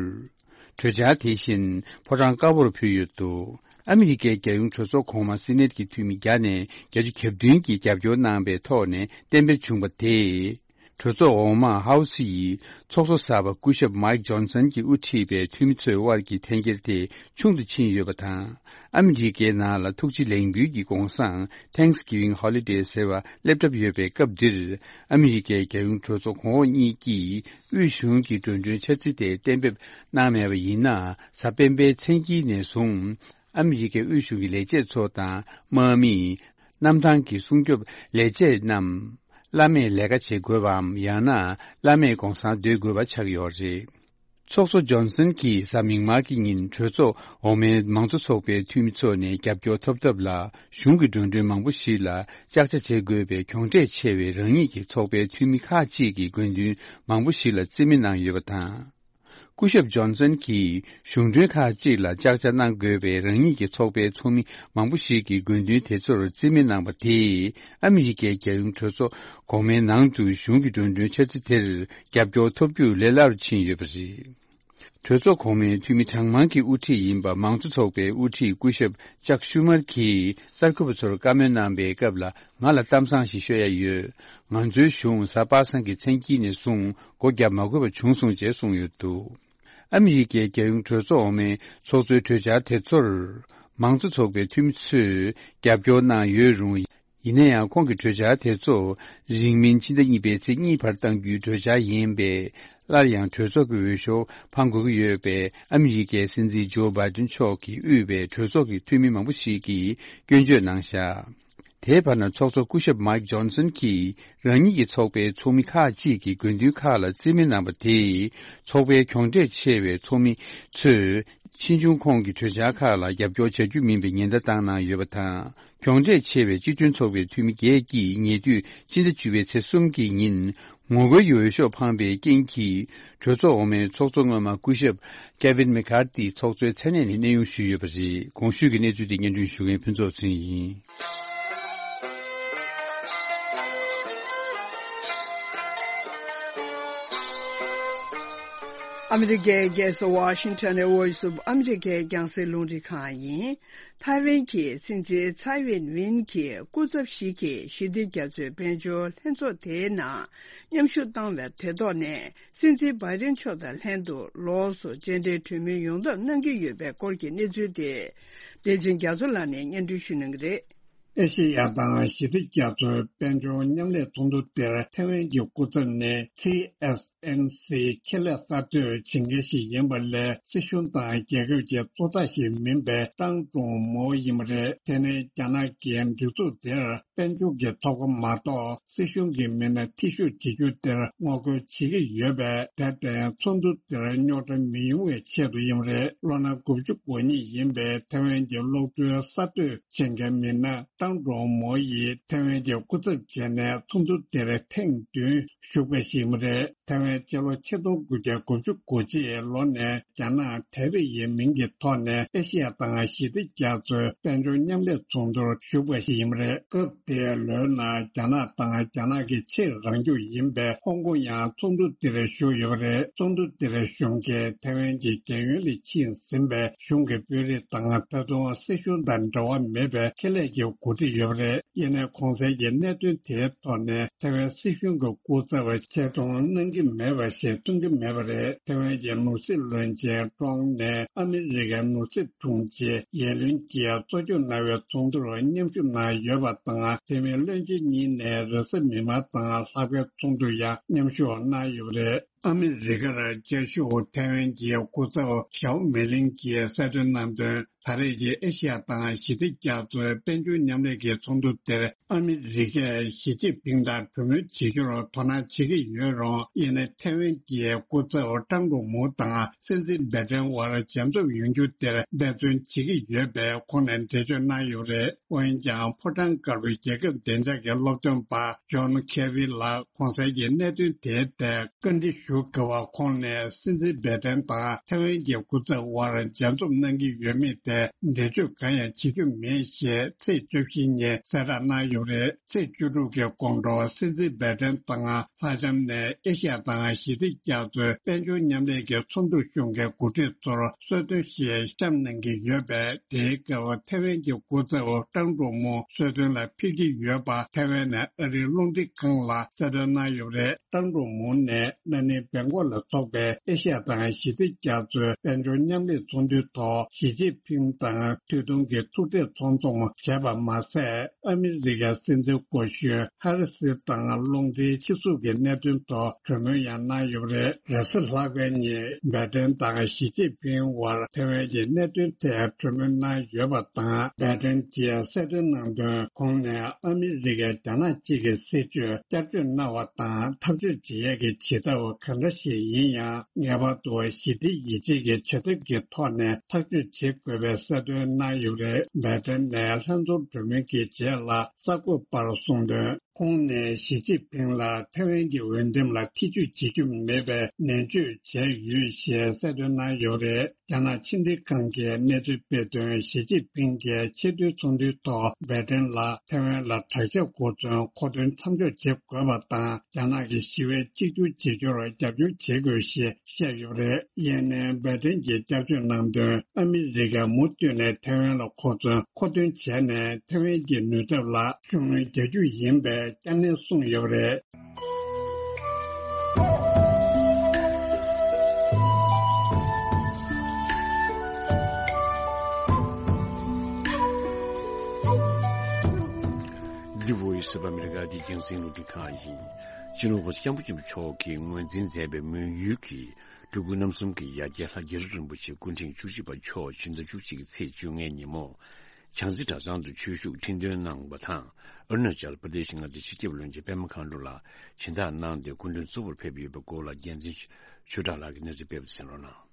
གྲོས་འཆར་དེ་བཞིན་ཕོ་བྲང་དཀར་པོར་ཕུལ་ཡོད་འདུག་ཨ་མི་རི་ཀའི་རྒྱལ་ཡོངས་གྲོས་ཚོགས་གོང་མ་སི་ནེད་ཀྱི་འཐུས་མི་བརྒྱ་ནས་བརྒྱད་ཅུ་གྱ་བདུན་གྱིས་རྒྱབ་སྐྱོར་གནང་པའི་ཐོག་ནས་གཏན་འབེབས་བྱུང་བ་དེས། གྲོས་ཚོགས་འོག་མ་ཧའུ་སི་ཡི་ཚོགས་གཙོ་གསར་པ་སྐུ་ཞབས་མའིག་ཇོན་སན་གྱིས་དབུ་ཁྲིད་པའི་འཐུས་མི་ཚོའི་དབར་གྱི་འཐེན་འཁྱེར་དེ་ཆུང་དུ་ཕྱིན་ཡོད་པ་དང་། ཨ་མི་རི་ཀའི་ནང་ལ་ཐུགས་རྗེ་ལེགས་འབུལ་གྱི་གུང་སེང་Thanksgiving Holiday ཟེར་བ་སླེབས་གྲབས་ཡོད་པའི་སྐབས་འདིར། ཨ་མི་རི་ཀའི་རྒྱལ་ཡོངས་གྲོས་ཚོགས་གོང་འོག་གཉིས་ཀྱིས་དབུས་གཞུང་གི་འགྲོ་གྲོན་འཆར་རྩིས་དེ་གཏན་འབེབས་གནང་མེད་པ་ཡིན་ན། གཟའ་སྤེན་པའི་མཚན་དཀྱིལ་ནས་བཟུང་། ཨ་མི་རི་ཀའི་དབུས་གཞུང་གི་ལས་བྱེད་ཚོ་དང་། དམག་མི། གནམ་ཐང་གི་སྲུང་སྐྱོབ་ལས་བྱེད་རྣམས། བླ་མེད་ལས་ཀ་བྱེད་དགོས་པའམ། ཡང་ན། བླ་མེད་གུང་སེང་སྡོད་དགོས་པ་ཆགས་ཡོད་རེད། ཚོགས་གཙོ་ཇོན་སན་གྱིས་གཟའ་མིག་དམར་གྱི་ཉིན་གྲོས་ཚོགས་འོག་མའི་མང་གཙོ་ཚོགས་པའི་འཐུས་མི་ཚོ་ནས་རྒྱབ་སྐྱོར་ཐོབ་ཐབས་ལ། གཞུང་གི་འགྲོ་གྲོན་མང་པོ་ཞིག་ལ་ཅག་ཅག་བྱེད་དགོས་པའི་གྱོང་ཁྲལ་ཆེ་བའི་རང་ཉིད་ཀྱི་ཚོགས་པའི་འཐུས་མི་ཁག་ཅིག་གི་དགོས་འདུན་མང་པོ་ཞིག་ལ་རྩིས་མེད་གནང་ཡོད་པ་དང་། སྐུ་ཞབས་ཇོན་སན་གྱིས་གཞུང་གྲོན་ཁག་ཅིག་ལ་ཅག་ཅག་གནང་དགོས་པའི་རང་ཉིད་ཀྱི་ཚོགས་པའི་ཚོགས་མི་མང་པོ་ཞིག་གི་དགོས་འདུན་དེ་ཚོར་རྩིས་མེད་གནང་པ་དེས། ཨ་མི་རི་ཀའི་རྒྱལ་ཡོངས་གྲོས་ཚོགས་གོང་མའི་ནང་དུ་གཞུང་གི་འགྲོ་གྲོན་འཆར་རྩིས་དེར་རྒྱབ་སྐྱོར་ཐོབ་རྒྱུ་ལས་སླ་རུ་ཕྱིན་ཡོད་པ་རེད། གྲོས་ཚོགས་གོང་མའི་འཐུས་མི་གྲངས་མང་གི་དབུ་ཁྲིད་ཡིན་པ་མང་གཙོ་ཚོགས་པའི་དབུ་ཁྲིད་སྐུ་ཞབས་ཅག་ཤུ་མར་གྱིས་གསར་འགོད་པ་ཚོར་བཀའ་མོལ་གནང་པའི་སྐབས་ལ། ང་ལ་གཏམ་བཟང་ཞིག་ཤོད་ཡ་ཡོད། ང་ཚོའི་གཞུང་གཟའ་པ་སངས་ཀྱི་མཚན་དཀྱིལ་ནས་བཟུང་སྒོ་བརྒྱབ་མ་དགོས་པ་བྱུང་སོང་ཅེས་གསུངས་ཡོད་འདུག་ཨ་མི་རི་ཀའི་རྒྱལ་ཡོངས་གྲོས་ཚོགས་འོག་མའི་ཚོགས་གཙོའི་གྲོས་འཆར་དེ་ཚོར། མང་གཙོ་ཚོགས་པའི་འཐུས་མི་ཚོས་རྒྱབ་སྐྱོར་གནང་ཡོད་རུང་། ཡིན་ན་ཡང་། ཁོང་གི་གྲོས་འཆར་དེ་ཚོ་རིང་མིན་ཕྱི་ཟླ་གཉིས་པའི་ཚེས་གཉིས་བར་གཏང་རྒྱུའི་གྲོས་འཆར་ཡིན་པས། སླར་ཡང་གྲོས་ཚོགས་ཀྱི་འོས་ཤོག་འཕང་དགོས་ཀྱི་ཡོད་པས། ཨ་མི་རི་ཀའི་སྲིད་འཛིན་ཇོ་བྷའི་ཏིན་མཆོག་གིས་དབུས་པའི་གྲོས་ཚོགས་ཀྱི་འཐུས་མི་མང་པོ་ཞིག་གིས་སྐྱོན་བརྗོད་གནང་བཞག་དེའི་བར་ན། ཚོགས་གཙོ་སྐུ་ཞབས་མའིག་ཇོན་སན་གྱིས་རང་ཉིད་ཀྱི་ཚོགས་པའི་ཚོགས་མི་ཁག་ཅིག་གི་དགོས་འདུན་ཁག་ལ་རྩིས་མེད་གནང་པ་དེས། ཚོགས་པའི་གྱོང་ཁྲལ་ཆེ་བའི་ཚོགས་མི་ཚོས་ཕྱིས་འབྱུང་ཁོང་གི་གྲོས་འཆར་ཁག་ལ་རྒྱབ་སྐྱོར་བྱ་རྒྱུ་མིན་པའི་ཉེན་བརྡ་བཏང་གནང་ཡོད་པ་དང་། གྱོང་ཁྲལ་ཆེ་བའི་སྤྱི་མཐུན་ཚོགས་པའི་འཐུས་མི་བརྒྱད་ཀྱིས་ཉེ་དུས་ཕྱི་ཟླ་བཅུ་པའི་ཚེས་གསུམ་གྱི་ཉིན་ངོ་རྒོལ་གྱི་འོས་ཤོག་འཕངས་པའི་རྐྱེན་གྱིས། གྲོས་ཚོགས་འོག་མའི་ཚོགས་གཙོ་སྔོན་མ་སྐུ་ཞབས་ཀེ་ཝིན་མེ་ཁར་ཏི་ཚོགས་གཙོའི་མཚན་གནས་ནས་གནས་དབྱུང་ཞུས་ཡོད་པ་རེད། གོང་ཞུས་ཀྱི་གནས་ཚུལ་འདི་སྙན་སྒྲོན་ཞུ་མཁན་ཕུན་ཚོགས་ཚེ་རིང་ཡིན། ཨ་མི་རི་ཀའི་རྒྱལ་ས་ཝ་ཤིང་ཊོན་ནས་Voice of America རྒྱང་སྲིང་རླུང་འཕྲིན་ཁང་ཡིན། ཐའེ་ཝན་གྱི་སྲིད་འཛིན་ཚའེ་ཝེན་ཝིན་གྱི་སྐུ་ཚབ་ཞིག་གིས་ཞི་བདེ་རྒྱ་མཚོའི་དཔལ་འབྱོར་ལྷན་ཚོགས་དེའི་ནང་མཉམ་ཞུགས་བཏང་བའི་དེ་ཐོག་ནས། སྲིད་འཛིན་བྷའི་ཌེན་མཆོག་དང་ལྷན་དུ་ལོགས་སུ་མཇལ་འཕྲད་གྲོས་མོལ་ཡོང་ཐབས་གནང་གི་ཡོད་པའི་སྐོར་གྱི་གནས་ཚུལ་དེ། བདེ་ཆེན་རྒྱ་མཚོ་ལགས་ནས་སྙན་སྒྲོན་ཞུ་གནང་གི་རེད། ཨེ་ཤེ་ཡ་དང་ཞི་བདེ་རྒྱ་མཚོའི་དཔལ་འབྱོར་མཉམ་ལས་ཚོགས་འདུ་དེར་ཐའེ་ཝན་གྱི་སྐུ་ཚབ་ནས་ཊི་ཨེས་ཨེན་སི་ཁེ་ལས་གསར་གཏོད་བྱེད་མཁན་ཞིག་ཡིན་པ་ལས། སྲིད་གཞུང་དང་རྒྱལ་ཁབ་ཀྱི་གཙོ་བདག་ཞིག་མིན་པའི་ཀྲང་ཀྲུང་མོ་ཡིན་པ་རེད། དེ་ནི་རྒྱ་ནག་གི་སྒྲིག་འཛུགས་དེར་དཔལ་འབྱོར་གྱི་ཐོབ་ཁོ་མ་གཏོགས། སྲིད་གཞུང་གི་མི་སྣ་འཐུས་ཤོར་བྱེད་རྒྱུ་དེར་ངོ་རྒོལ་བྱེད་ཀྱི་ཡོད་པས། དེར་བརྟེན་ཚོགས་འདུ་དེར་རྙོག་དྲ་མི་ཡོང་བའི་ཆེད་དུ་ཡིན་པ་རེད། ལོ་ན་དགུ་བཅུ་གོ་གཉིས་ཡིན་པའི་ཐའེ་ཝན་གྱི་གློག་རྡུལ་གསར་གཏོད་བྱེད་མཁན་མི་སྣ་ཀྲང་ཀྲུང་མོ་ཡིས་ཐའེ་ཝན་གྱི་སྐུ་ཚབ་བྱས་ནས་ཚོགས་འདུ་དེར་ཐེངས་བདུན་ཞུགས་པ་ཞིག་ཡིན་པ་རེད། ཐའེ་ཝན་སྤྱི་ལོ་ཆིག་སྟོང་དགུ་བརྒྱ་དགུ་བཅུ་གོ་གཅིག་ལོ་ནས་རྒྱ་ནག་དེ་རེ་ཡི་མིང་གི་ཐོག་ནས་ཨེ་ཤེ་ཡ་དང་ཞི་བདེ་རྒྱ་མཚོའི་དཔལ་འབྱོར་མཉམ་ལས་ཚོགས་འདུར་ཞུགས་པ་ཞིག་ཡིན་པ་རེད། སྐབས་དེའི་ལོའི་ནང་རྒྱ་ནག་དང་རྒྱ་ནག་གི་ཕྱིར་རང་རྒྱུད་ཡིན་པའི་ཧོང་ཀོང་ཡང་ཚོགས་འདུ་དེར་ཞུགས་ཡོད་པ་རེད། ཚོགས་འདུ་དེར་ཞུགས་མཁན་ཐའེ་ཝན་གྱི་རྒྱལ་ཡོངས་ལས་ཕྱིན་ཟིན་པའི་གཞུང་གི་དཔོན་རིགས་དང་། ད་དུང་སྲིད་གཞུང་དང་འབྲེལ་བ་མེད་པའི་ཁེ་ལས་ཀྱི་འགོ་ཁྲིད་ཡོད་པ་རེད། ཡིན་ནའི་གོང་གསལ་གྱི་གནད་དོན་དེའི་ཐོག་ནས་ཐའེ་ཝན་སྲིད་གཞུང་གི་སྐུ་ཚབ་ཆེ་མཐོང་གནང་གི་མེད་པ་ཞིག་མཐོང་གི་མེད་པ་རེད། ཐའེ་ཝན་གྱི་ནོར་སྲིད་བློན་ཆེན་ཀྲོང་ནས་ཨ་མི་རི་ཀའི་ནོར་སྲིད་དྲུང་ཆེ་ཡེ་ལུན་གྱིས་གཙོ་སྐྱོང་གནང་བའི་ཚོགས་འདུར་མཉམ་ཞུགས་གནང་ཡོད་པ་དང་། དེ་མིན་བློན་ཆེན་གཉིས་ནས་རེས་གཟའ་མིག་དམར་དང་ལྷག་པའི་ཚོགས་འདུར་ཡང་མཉམ་ཞུགས་གནང་ཡོད་པ་རེད། ཨ་མི་རི་ཀར་བཅའ་བཞུགས་ཐའེ་ཝན་གྱི་སྐུ་ཚབ་ཞའོ་མེ་ལིང་གིས་གསལ་སྟོན་གནང་དོན། ད་རེས་ཀྱི་ཨེ་ཤི་ཡ་དང་ཞི་བདེ་རྒྱ་མཚོའི་དཔལ་འབྱོར་མཉམ་ལས་ཀྱི་ཚོགས་འདུ་དེར་ཨ་མི་རི་ཀས་ཞི་ཅིན་ཕིང་དང་གྲོས་མོལ་བྱེད་རྒྱུར་དོ་སྣང་བྱེད་ཀྱི་ཡོད་རུང་། ཡིན་ནའི་ཐའེ་ཝན་གྱི་སྐུ་ཚབ་ཀྲང་ཀྲུང་མུའུ་དང་སྲིད་འཛིན་བྷའི་ཏན་དབར་མཇལ་འཛོམས་ཡོང་རྒྱུ་དེར་འབད་བརྩོན་བྱེད་ཀྱི་ཡོད་པའི་ཁོང་ནས་འགྲེལ་བརྗོད་གནང་ཡོད་རེད། འོན་ཀྱང་ཕོ་བྲང་དཀར་པོའི་རྒྱལ་ཁབ་བདེ་འཇགས་ཀྱི་སློབ་སྟོན་པ་ཇོན་ཁེ་ཝི་ལགས་གོང་གསལ་གྱི་གནད་དོན་དེའི་ཐད་བཀའ་འདྲི་ཞུ་དགོས་པ། ཁོང་ནས་སྲིད་འཛིན་བྷའི་ཏན་དང་ཐའེ་ཝན་གྱི་སྐུ་ཚབ་དབར་མཇལ་འཛོམས་གནང་གི་ཡོད་མེད་ཐད་འགྲེལ་བརྗོད་གང་ཡང་བྱེད་རྒྱུ་མེད་ཞེས་ཚེས་བཅུ་བཞི་ཉིན་གསལ་བསྒྲགས་གནང་ཡོད་རེད། ཚེས་བཅུ་དྲུག་གི་དགོང་དྲོ་སྲིད་འཛིན་བྷའི་ཏན་དང་ལྷ་ལྕམ་ནས་ཨེ་ཤ་ཡ་དང་ཞི་བདེ་རྒྱ་མཚོའི་དཔལ་འབྱོར་མཉམ་ལས་ཀྱི་ཚོགས་འདུར་ཞུགས་མཁན་འགོ་ཁྲིད་ཚོར་གསོལ་སྟོན་ཞིག་བཤམས་གནང་གི་ཡོད་པས། དེའི་སྐབས་ཐའེ་ཝན་གྱི་སྐུ་ཚབ་ཀྲང་ཀྲུང་མུའུ་གསོལ་སྟོན་ལ་ཕེབས་ཀྱི་ཡོད་པ་ཐའེ་ཝན་ནས་ཨ་རིའི་རླུང་འཕྲིན་ཁང་ལ་གསལ་སྟོན་གནང་ཡོད་པ་རེད། ཀྲང་ཀྲུང་མུའུ་ནས་ན་ནིང་སྦེང་ཀོག་ལ་འཚོགས་པའི་ཨེ་ཤ་ཡ་དང་ཞི་བདེ་རྒྱ་མཚོའི་དཔལ་འབྱོར་མཉམ་ལས་ཚོགས་འདུའི་ཐོག་ཞི་ཅིན་ཕིང་དང་ཐུགས་མཐུན་གྱི་ཐུག་འཕྲད་ཚོགས་འཛོམས་བྱས་པ་མ་ཟད། ཨ་མི་རི་ཀའི་སྲིད་འཛིན་སྐུ་ཞབས་ཧ་རི་སི་དང་རླུང་འཕྲིན་ཕྱིར་ཚུར་གྱི་གནད་དོན་ཐོག་གྲོས་མོལ་ཡང་གནང་ཡོད་པ་རེད། རེས་གཟའ་ལྷག་པའི་ཉིན་བྷའི་ཏན་དང་ཞི་ཅིན་ཕིང་དབར་ཐའེ་ཝན་གྱི་གནད་དོན་ཐད་གྲོས་མོལ་གནང་ཡོད་པ་དང་། བྷའི་ཏན་གྱིས་གསལ་སྟོན་གནང་དོན། ཁོང་ནས་ཨ་མི་རི་ཀས་རྒྱ་ནག་གཅིག་གི་སྲིད་བྱུས་བསྐྱར་བཅོས་གནང་བ་དང་འཐབ་རྩོད་བྱེད་ཡས་ཀྱི་བྱེད་ཐབས་གང་འདྲ་ཞིག་ཡིན་ཡང་། ངེས་པར་དུ་ཞི་བདེ་ཡིད་ཆེས་ཀྱི་བྱེད་ཐབས་ཀྱི་ཐོག་ནས་ཐག་གཅོད་བྱེད་དགོས་པའི་གསལ་སྟོན་གནང་ཡོད་པ་རེད། བྷའི་ཏན་ནས་ལྷན་ཚོགས་གྲོས་མོལ་གྱི་རྗེས་ལ་གསར་འགོད་པར་གསུངས་དོན། ཁོང་ནས་ཞི་ཅིན་ཕིང་ལ་ཐའེ་ཝན་གྱི་འོས་འདེམས་ལ་ཐེ་ཇུས་བྱེད་རྒྱུ་མེད་པའི་ནན་བརྗོད་བྱས་ཡོད་ཞེས་གསལ་སྟོན་གནང་ཡོད་པ་རེད། རྒྱ་ནག་ཕྱི་འབྲེལ་ཁང་གིས་གནས་ཚུལ་སྤེལ་དོན། ཞི་ཅིན་ཕིང་གིས་ཆེས་མཐོའི་ཚོགས་འདུའི་ཐོག་བྷའི་ཏན་ལ་ཐའེ་ཝན་ལ་དྲག་ཆས་འགོ་འཛིན་མཁོ་འདོན་མཚམས་འཇོག་བྱེད་དགོས་པ་དང་། རྒྱ་ནག་གི་ཞི་བའི་གཅིག་གྱུར་བྱེད་རྒྱུར་རྒྱབ་སྐྱོར་བྱེད་དགོས་ཞེས་བཤད་ཡོད་པ་རེད། ཡིན་ནའི་བྷའི་ཏན་གྱིས་བསྐྱར་བཅོས་གནང་དོན། ཨ་མི་རི་ཀས་མུ་མཐུད་ནས་ཐའེ་ཝན་ལ་མཁོ་མཚོན་མཁོ་འདོན་བྱས་ནས་ཐའེ་ཝན་གྱི་ནུས་སྟོབས་ལ་ཤུགས་སྣོན་རྒྱག་རྒྱུ་ཡིན་པའི་བསྐྱར་ནན་གསུངས་ཡོད་པ་རེད། འདི་Voice of America འདི་རྒྱང་སྲིང་རླུང་འཕྲིན་ཁང་ཡིན། སྤྱི་ནོར་༸གོང་ས་༸སྐྱབས་མགོན་ཆེན་པོ་མཆོག་གིས་ངོས་འཛིན་མཛད་པའི་མོན་ཡུལ་གྱི་སྤྲུལ་སྐུ་རྣམ་གསུམ་གྱི་ཡ་གྱལ་ལྷ་རྒྱ་རི་རིན་པོ་ཆེ་སྐུ་ཕྲེང་བཅུ་གཅིག་པ་མཆོག་ཕྱི་ཟླ་བཅུ་གཅིག་གི་ཚེས་བཅོ་ལྔའི་ཉིན་མོ། བྱང་རྩེ་གྲྭ་ཚང་དུ་ཆོས་ཞུགས་ཁྲི་འདོན་གནང་བ་དང་། ཨ་རུ་ན་ཅལ་པར་དེ་ཤི་མངའ་སྡེའི་སྤྱི་ཁྱབ་བློན་ཆེན་པད་མ་མཁའ་འགྲོ་ལ་སྦྱིན་བདག་གནང་སྟེ་སྐུ་མགྲོན་གཙོ་བོར་ཕེབས་ཡོད་པའི་སྐོར་ལ་རྒྱལ་མཚན་ཆོས་གྲགས་ལགས་ཀྱིས་གནས་ཚུལ་སྤེལ་བ་གསན་རོགས་གནང་།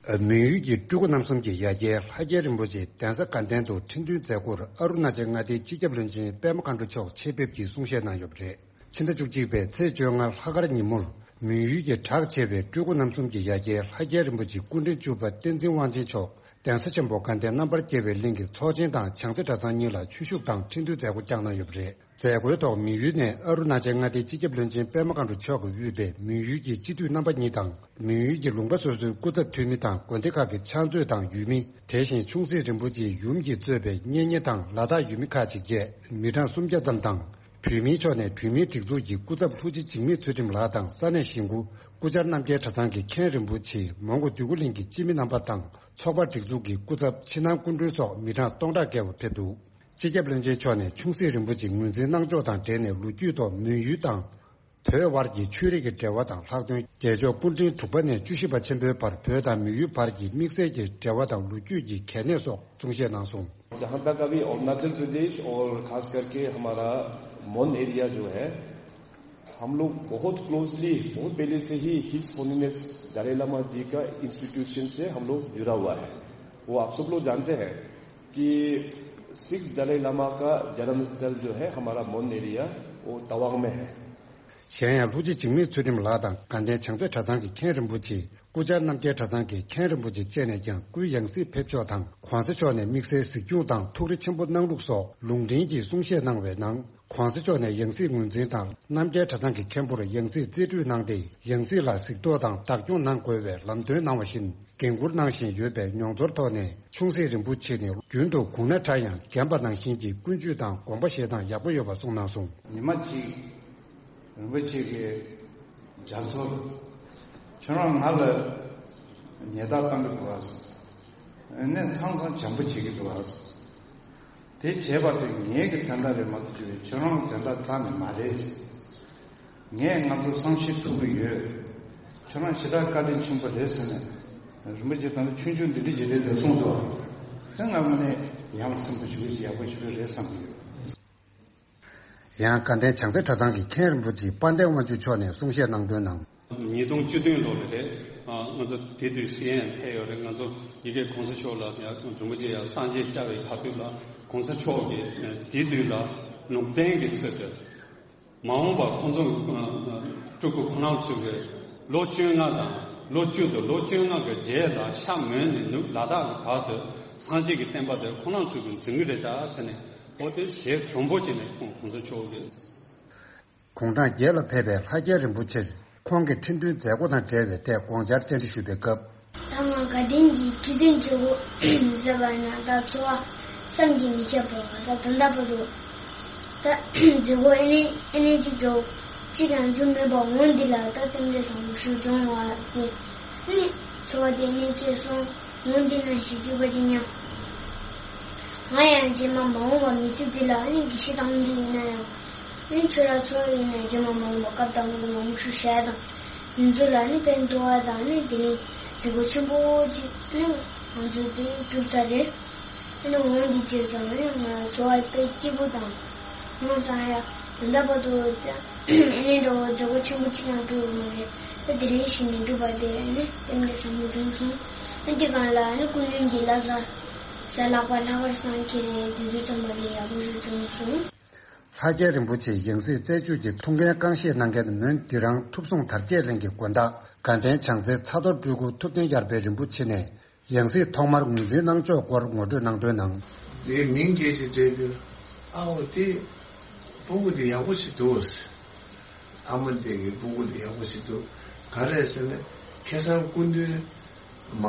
མོན་ཡུལ་གྱི་སྤྲུལ་སྐུ་རྣམ་གསུམ་གྱི་ཡ་གྱལ་ལྷ་རྒྱལ་རིན་པོ་ཆེ་གདན་ས་དགའ་ལྡན་དུ་ཁྲི་འདོན་མཛད་སྒོར་ཨ་རུ་ན་ཅལ་མངའ་སྡེའི་སྤྱི་ཁྱབ་བློན་ཆེན་པད་མ་མཁའ་འགྲོ་མཆོག་ཆེད་ཕེབས་ཀྱིས་གསུང་བཤད་གནང་ཡོད་པ་རེད། ཕྱི་ཟླ་བཅུ་གཅིག་པའི་ཚེས་བཅོ་ལྔ་ལྷག་དཀར་ཉིན་མོར་མོན་ཡུལ་གྱི་གྲགས་ཆེ་བའི་སྤྲུལ་སྐུ་རྣམ་གསུམ་གྱི་ཡ་གྱལ་ལྷ་རྒྱལ་རིན་པོ་ཆེ་སྐུ་ཕྲེང་བཅུ་པ་བསྟན་འཛིན་དབང་ཆེན་མཆོག་གདན་ས་ཆེན་པོ་དགའ་ལྡན་རྣམ་པར་རྒྱལ་བའི་གླིང་གི་ཚོགས་ཆེན་དང་བྱང་རྩེ་གྲྭ་ཚང་གཉིས་ལ་ཆོས་ཞུགས་དང་ཁྲི་འདོན་མཛད་སྒོ་བསྐྱངས་གནང་ཡོད་པ་རེད། མཛད་སྒོའི་ཐོག་མོན་ཡུལ་ནས་ཨ་རུ་ན་ཅལ་མངའ་སྡེའི་སྤྱི་ཁྱབ་བློན་ཆེན་པད་མ་མཁའ་འགྲོ་མཆོག་གིས་དབུས་པའི་མོན་ཡུལ་གྱི་སྤྱི་འཐུས་རྣམ་པ་གཉིས་དང་། མོན་ཡུལ་གྱི་ལུང་པ་སོ་སོའི་སྐུ་ཚབ་འཐུས་མི་དང་། དགོན་སྡེ་ཁག་གི་ཕྱག་མཛོད་དང་ཡུལ་མི། དེ་བཞིན་ཆུང་སྲིད་རིན་པོ་ཆེའི་ཡུམ་གྱིས་གཙོས་པའི་གཉེན་ཉེ་དང་ལ་དྭགས་ཡུལ་མི་ཁག་ཅིག་བཅས་མི་གྲངས་སུམ་བརྒྱ་ཙམ་དང་། བོད་མིའི་ཕྱོགས་ནས་བོད་མིའི་སྒྲིག་འཛུགས་ཀྱི་སྐུ་ཚབ་ལྷུ་ཆེ་འཇིགས་མེད་ཚུལ་ཁྲིམས་ལགས་དང་། ས་གནས་གཞིས་འགོ་སྐུ་བཅར་རྣམ་རྒྱལ་གྲྭ་ཚང་གི་མཁན་རིན་པོ་ཆེ། མོན་གྷོ་འདོད་རྒུ་གླིང་གི་སྤྱི་མི་རྣམ་པ་དང་། ཚོགས་པ་སྒྲིག་འཛུགས་ཀྱི་སྐུ་ཚབ་ཕྱི་ནང་སྐུ་མགྲོན་སོགས་མི་གྲངས་སྟོང་ཕྲག་བརྒལ་བ་ཕེབས་འདུག་སྤྱི་ཁྱབ་བློན་ཆེན་མཆོག་ནས་ཆུང་སྲིད་རིན་པོ་ཆེ་ངོས་འཛིན་གནང་ཕྱོགས་དང་འབྲེལ་ནས་ལོ་རྒྱུས་ཐོག་མོན་ཡུལ་དང་། བོད་དབར་གྱི་ཆོས་རིག་གི་འབྲེལ་བ་དང་ལྷག་དོན་རྒྱལ་མཆོག་སྐུ་ཕྲེང་དྲུག་པ་ནས་བཅུ་བཞི་པ་ཆེན་པོའི་བར་བོད་དང་མོན་ཡུལ་བར་གྱི་དམིགས་བསལ་གྱི་འབྲེལ་བ་དང་ལོ་རྒྱུས་ཀྱི་གལ་གནད་སོགས་གསུང་བཤད་གནང་སོང་། जहाँ तक अभी अरुणाचल प्रदेश और खास करके हमारा मोन एरिया जो है, हम लोग बहुत क्लोजली, बहुत पहले से ही हिज होलिनेस दलाई लामा जी का इंस्टीट्यूशन से हम लोग जुड़ा हुआ है। वो आप सब लोग जानते हैं कि सिख दलाई लामा का जन्मस्थल जो है हमारा मोन एरिया, वो तवांग में है। གཞན་ཡང་ལྷུ་ཆེ་འཇིགས་མེད་ཚུལ་ཁྲིམས་ལགས་དང་དགའ་ལྡན་བྱང་རྩེ་གྲྭ་ཚང་གི་མཁན་རིན་པོ་ཆེ། སྐུ་བཅར་རྣམ་རྒྱལ་གྲྭ་ཚང་གི་མཁན་རིན་པོ་ཆེ་བཅས་ནས་ཀྱང་སྐུའི་ཡང་སྲིད་ཕེབས་ཕྱོགས་དང་། གོང་ས་མཆོག་ནས་དམིགས་བསལ་གཟིགས་སྐྱོང་དང་ཐུགས་རེ་ཆེན་པོ་གནང་ལུགས་སོགས་ལུང་འདྲེན་གྱིས་གསུང་བཤད་གནང་བའི་ནང་། གོང་ས་མཆོག་ནས་ཡང་སྲིད་ངོས་འཛིན་དང་། རྣམ་རྒྱལ་གྲྭ་ཚང་གི་མཁན་པོར་ཡང་སྲིད་རྩིས་སྤྲོད་གནང་སྟེ། ཡང་སྲིད་ལ་གཟིགས་རྟོག་དང་བདག་སྐྱོང་གནང་དགོས་པའི་ལམ་སྟོན་གནང་བ་བཞིན། འགན་འཁུར་གནང་བཞིན་ཡོད་པའི་མྱོང་ཚོར་ཐོག་ནས། ཆུང་སྲིད་རིན་པོ་ཆེ་ནི་རྒྱུན་དུ་གུང་ན་ཕྲ་ཡང་རྒན་པ་ནང་བཞིན་གྱི་ཀུན་སྤྱོད་དང་དགོངས་པ་བཞེས་སྟངས་ཡག་པོ་ཡོད་པ་གསུངས་གནང་སོང་། ཉི་མ་གཅིག་རིན་པོ་ཆེ་གི་རྒྱ་མཚོར་ཁྱོད་རང་ང་ལ་ཉེས་རྡུང་བཏང་གི་འདུག་ཨ། ནས་ཚང་ཚང་བྱམས་པོ་བྱེད་ཀྱི་འདུག་ཨ། དེ་བྱས་པ་དེ་ངའི་གི་དོན་དག་རེད་མ་གཏོགས་ཁྱོད་རང་གི་དོན་དག་རྩ་ནས་མ་རེད། ངས་ང་ཚོ་བསམ་ཤེས་ཐུབ་ཀྱི་ཡོད། ཁྱོད་རང་ཞེ་དྲག་བཀའ་དྲིན་ཆེན་པོ་རེད་ཟེར་ནས། རིན་པོ་ཆེ་དང་ཆུང་ཆུང་འདི་འདྲ་ཅིག་རེད་ཟེར་གསུངས་འདུག་དེ་ང་དངོས་གནས་ཡ་མཚན་པོ་ཞིག་ཡག་པོ་ཞིག་རེད་བསམ་གྱི་ཡོད། ཡང་དགའ་ལྡན་བྱང་རྩེ་གྲྭ་ཚང་གི་མཁན་རིན་པོ་ཆེ་དཔལ་ལྡན་དབང་ཕྱུག་མཆོག་ནས་གསུང་བཤད་གནང་དོན་ནང་། ཉིས་སྟོང་བཅུ་བདུན་ལོ་ལ་རེད། ང་ཚོ་དེ་དུས་སི་ཨེན་ཨེན་ཕེབས་ཡོད་རེད། ང་ཚོ་ཡ་གི་གོང་ས་མཆོག་ལ་ཡ་རིན་པོ་ཆེ་ཡ་སངས་རྒྱས་བཅར་བའི་བར་དུ་ལ་གོང་ས་མཆོག་གིས་དེ་དུས་ལ་ལུང་བསྟན་གྱི་ཚུལ་དུ། མ་འོངས་པ་ཁོང་ཚོ་སྤྲུལ་སྐུ་ཁོ་རང་ཚོ་གི་ལོ་བཅོ་ལྔ་དང་ལོ་བཅུ་དང་ལོ་བཅོ་ལྔ་གི་རྗེས་ལ་ཤ་མོན་ནས་ནུབ་ལ་དྭགས་ཀྱི་བར་དུ་སངས་རྒྱས་ཀྱི་བསྟན་པ་དེ་ཁོ་རང་ཚོ་གི་འཛིན་གྱི་རེད་ད་ཟེར་ནས། འོ་དེ་ཞེ་དྲོན་པོ་བྱས་ནས་ཁོང་གོང་ས་མཆོག་གིས། དགུང་གྲངས་བརྒྱད་ལ་ཕེབས་པའི་ལྷ་རྒྱལ་རིན་པོ་ཆེར་ཁོང་གི་ཁྲི་འདོན་མཛད་སྒོ་དང་འབྲེལ་བའི་ཐད་དགོངས་འཆར་བཅར་འདྲི་ཞུས་པའི་སྐབས། ད་ང་དགའ་ལྡན་གྱི་ཁྲི་འདོན་བྱེད་དགོས་ཟེར་བ་ན་ད་འཚོ་བ་བསམ་གྱིས་མི་ཁྱབ་པ་ད་ད་ལྟ་བར་དུ་ད་མཛད་སྒོ་ཨེ་ནས་ཨེ་ནས་གཅིག་འགྲོ་གཅིག་ཀྱང་བྱུང་མེད་པ་འོང་འདི་ལ་ད་རྟེན་འབྲེལ་བཟང་པོ་ཞིག་བྱུང་བ་ཡིན། ཨེ་ནས་འཚོ་བ་དེ་ཨེ་ནས་སྐྱེལ་སོང་། འོང་འདི་ན་ཞིག་གཅིག་པ་ཅིག་སྙམ། ང་ཡང་རྗེས་མ་མ་འོངས་པ་མི་ཚེ་འདི་ལ་ཨེ་ནས་དགེ་བཤེས་དམ་འདུས་ཡིན་ན་ཡང་། ཨེ་ཆོས་ར་ཚོགས་ཡིན་ན་རྗེས་མ་མ་འོངས་པ་སྐབས་དང་པོ་ལ་མུ་ཤུ་ཤ་དང་། དེ་ཚོ་ལ་ནི་ཕན་ཐོགས་པ་དང་ནི་དེ་ནི་མཛད་སྒོ་ཆེན་པོ་ཅིག་ནི་ང་ཚོ་དེ་གྲུབ་ཚར་རེད། ཨེ་ནི་འོང་འདི་བྱས་ཙང་ནི་ང་འཚོ་བ་དཔེ་སྐྱིད་པོ་དང་། ང་སང་ཡ་ད་ལྟ་བར་དུ་ཨེ་ནི་འདྲ་བོ་མཛད་སྒོ་ཆེན་པོ་ཅིག་ཡང་གྲུབ་ཡོད་མ་རེད། ད་དེ་རིང་ཞིག་ནས་གྲུབ་པ་དེ་ནི་རྟེན་འབྲེལ་བཟང་པོ་བྱུང་སོང་། ཨེ་འདི་གང་ལ་ནི་སྐུ་མདུན་གྱི་བླ་གཟའ་ཟ་ལག་པ་ལྷག་པར་སང་ཁྱེད་རེད་དུས་ཚོད་ཙམ་པ་ལས་ཡག་པོ་ཞིག་བྱུང་སོང་། ལྷ་རྒྱལ་རིན་པོ་ཆེའི་ཡང་སྲིད་རྩད་གཅོད་ཀྱི་ཐུགས་འགན་རྐང་བཞེས་གནང་མཁན་མོན་དྷི་རང་ཐུབ་བསྲུང་དར་རྒྱས་གླིང་གི་དགོན་བདག་དགའ་ལྡན་བྱང་རྩེ་ཚ་རྡོར་སྤྲུལ་སྐུ་ཐུབ་བསྟན་ཡར་འཕེལ་རིན་པོ་ཆེ་ནས་ཡང་སྲིད་ཐོག་མར་ངོས་འཛིན་གནང་ཕྱོགས་སྐོར་ངོ་སྤྲོད་གནང་དོན་ནང་། དེའི་མིང་སྐད་ཆ་དྲིས་དུས་ཨ་འོ་དེ་སྤུ་གུ་དེ་ཡག་པོ་ཞིག་འདུག་ཨ་མ་དེ་གི་སྤུ་གུ་དེ་ཡག་པོ་ཞིག་འདུག་ག་རེ་ཟེར་ན་ཁ་སང་སྐུ་མདུན། མ།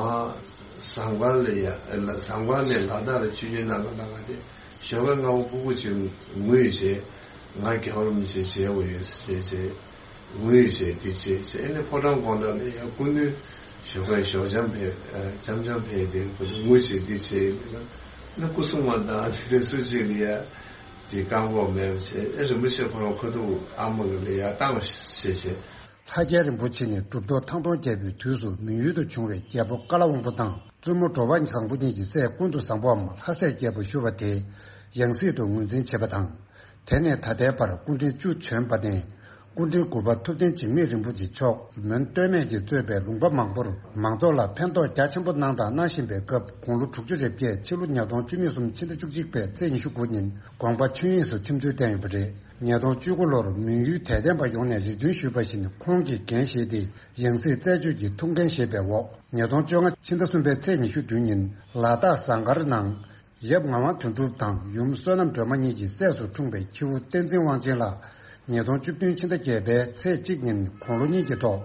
ཟངས་དཀར་ལ་ཡ། ཟངས་དཀར་ནས་ལ་དྭགས་ལ་ཆོས་ཞུ་གནང་ག་གནང་ག་དེ་ཞོགས་ཀ་སྔ་པོ་སྤུ་གུ་ཅིག་ངུས་བྱས། ང་རྒྱལ་བ་རིན་པོ་ཆེ་མཇལ་དགོས་ཡོད་ཟེར་བྱས། ངུས་བྱས་འདི་བྱས་བྱས་ཨེ་ནས་ཕོ་བྲང་དགོང་དག་ལ་ཡ་སྐུ་མདུན་ཞོགས་ཀ་ཞོགས་འཆམ་ཕེབས་འཆམ་འཆམ་ཕེབས་དེ་ཁོ་ཚོ་ངུས་བྱས་འདི་བྱས་ཡིན་ན་སྐུ་སྲུང་མ་དང་དེ་འདྲ་སུ་གཅིག་ལ་ཡ་དེ་བཀག་འགོག་མེད་པ་བྱས་ཨེ་རིན་པོ་ཆེ་ཁོ་རང་ཁ་ཐུག་ཨ་མ་གི་ལ་ཡ་བཏང་བ་བྱས་བྱས། ལྷ་རྒྱལ་རིན་པོ་ཆེ་ནི་གྲུབ་ཐོབ་ཐང་སྟོང་རྒྱལ་པོའི་དུས་སུ་མི་ཡུལ་དུ་བྱུང་བའི་རྒྱལ་པོ་ཀ་ལ་དབང་པོ་དང་བཙུན་མོ་འགྲོ་བ་བཟང་པོ་གཉིས་ཀྱི་སྲས་ཀུན་ཏུ་བཟང་པོའམ་ལྷ་སྲས་རྒྱལ་པོ་ཞུ་བ་དེ་ཡང་སྲིད་དུ་ངོས་འཛིན་བྱས་པ་དང་། དེ་ནས་ད་ལྟའི་བར་སྐུ་ཕྲེང་བཅུ་བྱོན་པ་ནས་སྐུ་ཕྲེང་དགུ་པ་ཐུབ་བསྟན་འཇིགས་མེད་རིན་པོ་ཆེ་མཆོག་མོན་སྟོད་སྨད་ཀྱིས་གཙོས་པའི་ལུང་པ་མང་པོར་མང་ཚོགས་ལ་ཕན་ཐོགས་རྒྱ་ཆེན་པོ་གནང་དང་གནང་བཞིན་པའི་སྐབས་དགུང་ལོ་དྲུག་ཅུ་རེ་བརྒྱད་ཕྱི་ལོ་ཉིས་སྟོང་བཅུ་གཉིས་གསུམ་ཕྱི་ཟླ་བཅུ་གཅིག་པའི་ཚེས་ཉི་ཤུ་དགུ་ཉིན་དགོངས་པ་ཆོས་དབྱིངས་སུ་ཐིམ་ཚུལ་བསྟན་ཡོད་པ་རེད། ཉིས་སྟོང་བཅུ་དགུ་ལོར་མོན་ཡུལ་དད་ལྡན་པ་ཡོངས་ནས་རེ་འདུན་ཞུས་པ་བཞིན་ཁོང་གིས་འགན་བཞེས་ཏེ་ཡང་སྲིད་རྩད་གཅོད་ཀྱི་ཐུགས་འགན་བཞེས་པའི་འོག་ཉིས་སྟོང་བཅོ་ལྔ་ཕྱི་ཟླ་གསུམ་པའི་ཚེས་ཉི་ཤུ་བདུན་ཉིན་ལ་དྭགས་ཟངས་དཀར་ནང་ཡབ་ངག་དབང་དོན་གྲུབ་དང་ཡུམ་བསོད་ནམས་སྒྲོལ་མ་གཉིས་ཀྱི་སྲས་སུ་འཁྲུངས་པའི་ཁྱེའུ་བསྟན་འཛིན་དབང་ཆེན་ལགས་ཉིས་སྟོང་བཅུ་བདུན་ཕྱི་ཟླ་བརྒྱད་པའི་ཚེས་གཅིག་ཉིན་དགུང་ལོ་གཉིས་ཀྱི་ཐོག་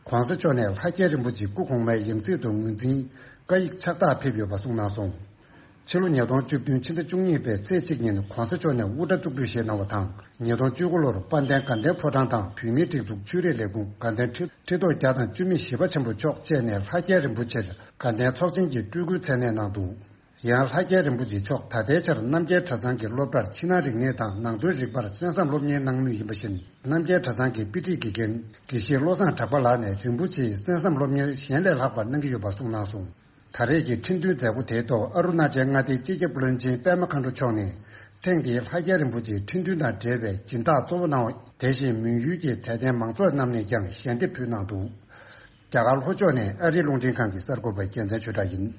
གོང་ས་མཆོག་ནས་ལྷ་རྒྱལ་རིན་པོ་ཆེ་སྐུ་གོང་མའི་ཡང་སྲིད་དུ་ངོས་འཛིན་བཀའ་ཡིག་ཕྱག་རྟགས་ཕེབས་ཡོད་པ་གསུངས་གནང་སོང་། ཕྱི་ལོ་ཉིས་སྟོང་བཅུ་བདུན་ཕྱི་ཟླ་བཅུ་གཉིས་པའི་ཚེས་གཅིག་ཉིན་གོང་ས་མཆོག་ནས་དབུ་སྐྲ་བཙུགས་འབུལ་བཞེས་གནང་བ་དང་། ཉིས་སྟོང་བཅུ་དགུ་ལོར་དཔལ་ལྡན་དགའ་ལྡན་ཕོ་བྲང་དང་བོད་མིའི་སྒྲིག་འཛུགས་ཆོས་རིག་ལས་ཁུངས་དགའ་ལྡན་ཁྲི་ཁྲི་ཐོག་བརྒྱ་དང་བཅུ་མེད་བཞི་པ་ཆེན་པོ་མཆོག་བཅས་ནས་ལྷ་རྒྱལ་རིན་པོ་ཆེར་དགའ་ལྡན་ཚོགས་ཆེན་གྱི་སྤྲུལ་སྐུའི་མཚན་གནས་གནང་འདུག་ཡང་ལྷ་རྒྱལ་རིན་པོ་ཆེ་མཆོག་ད་ལྟའི་ཆར་རྣམ་རྒྱལ་གྲྭ་ཚང་གི་སློབ་གྲྭར་ཕྱི་ནང་རིག་གནས་དང་ནང་དོན་རིག་པར་གསན་བསམ་སློབ་གཉེར་གནང་མུས་ཡིན་པ་བཞིན། རྣམ་རྒྱལ་གྲྭ་ཚང་གི་དཔེ་ཁྲིད་དགེ་རྒན་དགེ་བཤེས་བློ་བཟང་གྲགས་པ་ལགས་ནས་རིན་པོ་ཆེའི་གསན་བསམ་སློབ་གཉེར་གཞན་ལས་ལྷག་པར་གནང་གི་ཡོད་པ་གསུངས་གནང་སོང་། ད་རེས་ཀྱི་ཁྲི་འདོན་མཛད་སྒོ་དེའི་ཐོག་ཨ་རུ་ན་ཅལ་མངའ་སྡེའི་སྤྱི་ཁྱབ་བློན་ཆེན་པད་མ་མཁའ་འགྲོ་མཆོག་ནས་ཐེངས་འདིའི་ལྷ་རྒྱལ་རིན་པོ་ཆེའི་ཁྲི་འདོན་དང་འབྲེལ་བའི་སྦྱིན་བདག་གཙོ་བོ་གནང་བ། དེ་བཞིན་མོན་ཡུལ་གྱི་དད་ལྡན་མང་ཚོགས་རྣམས་ནས་ཀྱང་ཞལ་འདེབས་ཕུལ་གནང་འདུག་རྒྱ་གར་ལྷོ་ཕྱོགས་ནས་ཨ་རིའི་རླུང་འཕྲིན་ཁང་གི་གསར་འགོད་པ་རྒྱལ་མཚན་ཆོས་གྲགས་ཡིན།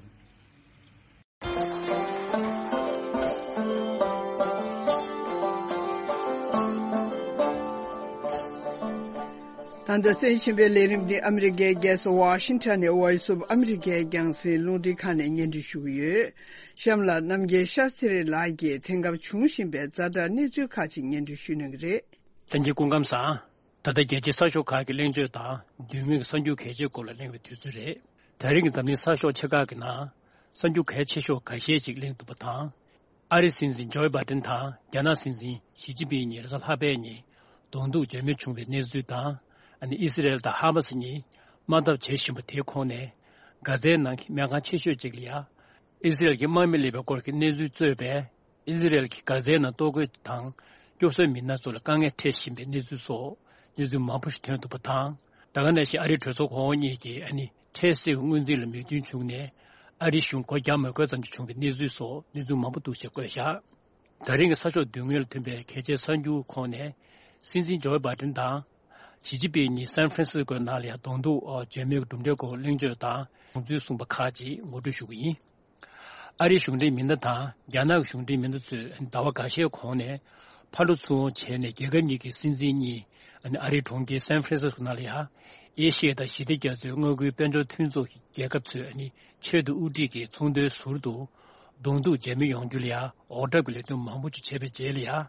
ད་ལྟ་གསན་བཞིན་པའི་ལས་རིམ་འདི་ཨ་མི་རི་ཀའི་རྒྱལ་ས་ཝ་ཤིང་ཊོན་ནས་Voice of America་རྒྱང་སྲིང་རླུང་འཕྲིན་ཁང་ནས་སྙན་སྒྲོན་ཞུ་གི་ཡོད། གཤམ་ལ་རྣམ་རྒྱལ་ཤཱ་སི་རི་ལགས་ཀྱིས་དེང་སྐབས་བྱུང་བཞིན་པའི་ཛ་དྲག་གནས་ཚུལ་ཁག་ཅིག་སྙན་སྒྲོན་ཞུ་གནང་གི་རེད། ལྷན་རྒྱས་སྐུ་ཁམས་བཟང་། ད་ལྟ་རྒྱལ་སྤྱིའི་གསར་ཤོག་ཁག་གི་གླེང་བརྗོད་དང་བསྡུས་མིང་གི་གསར་འགྱུར་གལ་ཆེའི་སྐོར་ལ་གླེང་བའི་དུས་ཚོད་རེད། ད་རིང་གི་འཛམ་གླིང་གསར་ཤོག་ཆེ་ཁག་གི་ནང་གསར་འགྱུར་གལ་ཆེ་ཤོས་འགའ་ཤས་ཅིག་གླེང་ཐུབ་པ་དང་། ཨ་རིའི་སྲིད་འཛིན་ཇོ་བྷའི་ཌེན་དང་རྒྱ་ནག་སྲིད་འཛིན་ཞི་ཅིན་ཕིང་གཉིས་རེས་གཟའ་ལྷག་པའི་ཉིན་གདོང་ཐུག་བརྗེད་མེད་བྱུང་བའི་གནས་ཚུལ་དང་། ཨ་ནི་ཨི་སི་རེལ་དང་ཧ་མ་སི་གཉིས་དམག་འཐབ་བྱེད་བཞིན་པ་དེའི་ཁོངས་ནས་གྷ་ཛའི་ནང་གི་སྨན་ཁང་ཆེ་ཤོས་གཅིག་ལ་ཡ་ཨི་སི་རེལ་གྱི་དམག་མི་སླེབས་པའི་སྐོར་གྱི་གནས་ཚུལ་གཙོས་པའི་ཨི་སི་རེལ་གྱིས་གྷ་ཛའི་ནང་ལྟོ་གོས་དང་སྐྱོབ་གསོའི་མི་སྣ་ཚོ་ལ་དཀའ་ངལ་འཕྲད་བཞིན་པའི་གནས་ཚུལ་སོགས་གནས་ཚུལ་མང་པོ་ཞིག་ཐོན་ཐུབ་པ་དང་། ད་ག་ནང་བཞིན་ཨ་རིའི་གྲོས་ཚོགས་གོང་འོག་གཉིས་ཀྱིས་ཨ་ནི་འཕྲལ་སེལ་གྱི་སྔོན་རྩིས་ལ་མོས་མཐུན་བྱུང་ནས། ཨ་རིའི་གཞུང་སྒོ་བརྒྱབ་མ་དགོས་ཙམ་ཞིག་བྱུང་བའི་གནས་ཚུལ་སོགས་གནས་ཚུལ་མང་པོ་འདུག་ཅེས་བཀོད་བཞག་ད་རིང་གི་གསར་ཤོག་མདུན་ངོས་ལ་ཐོན་པའི་གལ་ཆེའི་གསར་འགྱུར་ཁོངས་ནས། སྲིད་འཛིན་ཇོ་བྷའི་ཌེན་དང་ཞི་ཅིན་ཕིང་གཉིས་སན་ཧྥ་རན་སིས་ཀོའི་ནང་ལ་ཡང་གདོང་ཐུག་མཇལ་མོལ་གྱི་གྲུབ་འབྲས་སྐོར་གླེང་བརྗོད་དང་དགོངས་ཚུལ་གསུངས་པ་ཁག་ཅིག་ངོ་སྤྲོད་ཞུ་གི་ཡིན། ཨ་རིའི་གཞུང་འབྲེལ་མི་སྣ་དང་རྒྱ་ནག་གི་གཞུང་འབྲེལ་མི་སྣ་ཚོས་ཟླ་བ་འགའ་ཤས་གོང་ནས་ཕར་འགྲོ་ཚུར་འོང་བྱས་ནས། རྒྱལ་ཁབ་གཉིས་ཀྱི་སྲིད་འཛིན་གཉིས་ཨ་རིའི་གྲོང་ཁྱེར་སན་ཧྥ་རན་སིས་ཀོ་ནང་ལ་ཡང་། ཨེ་ཤི་ཡ་དང་ཞི་བདེ་རྒྱ་མཚོའི་མངའ་ཁུལ་དཔལ་འབྱོར་མཐུན་ཚོགས་ཀྱི་རྒྱལ་ཁབ་ཚོས་ཨ་ནི་ཆེད་དུ་དབུ་ཁྲིད་ཀྱིས་ཚོགས་འདུའི་ཟུར་དུ་གདོང་ཐུག་མཇལ་མོལ་ཡོང་རྒྱུ་ལ་ཡང་འོག་གྲབས་ཀྱི་ལས་དོན་མང་པོ་ཅིག་བྱས་པའི་རྗེས་ལ་ཡང་།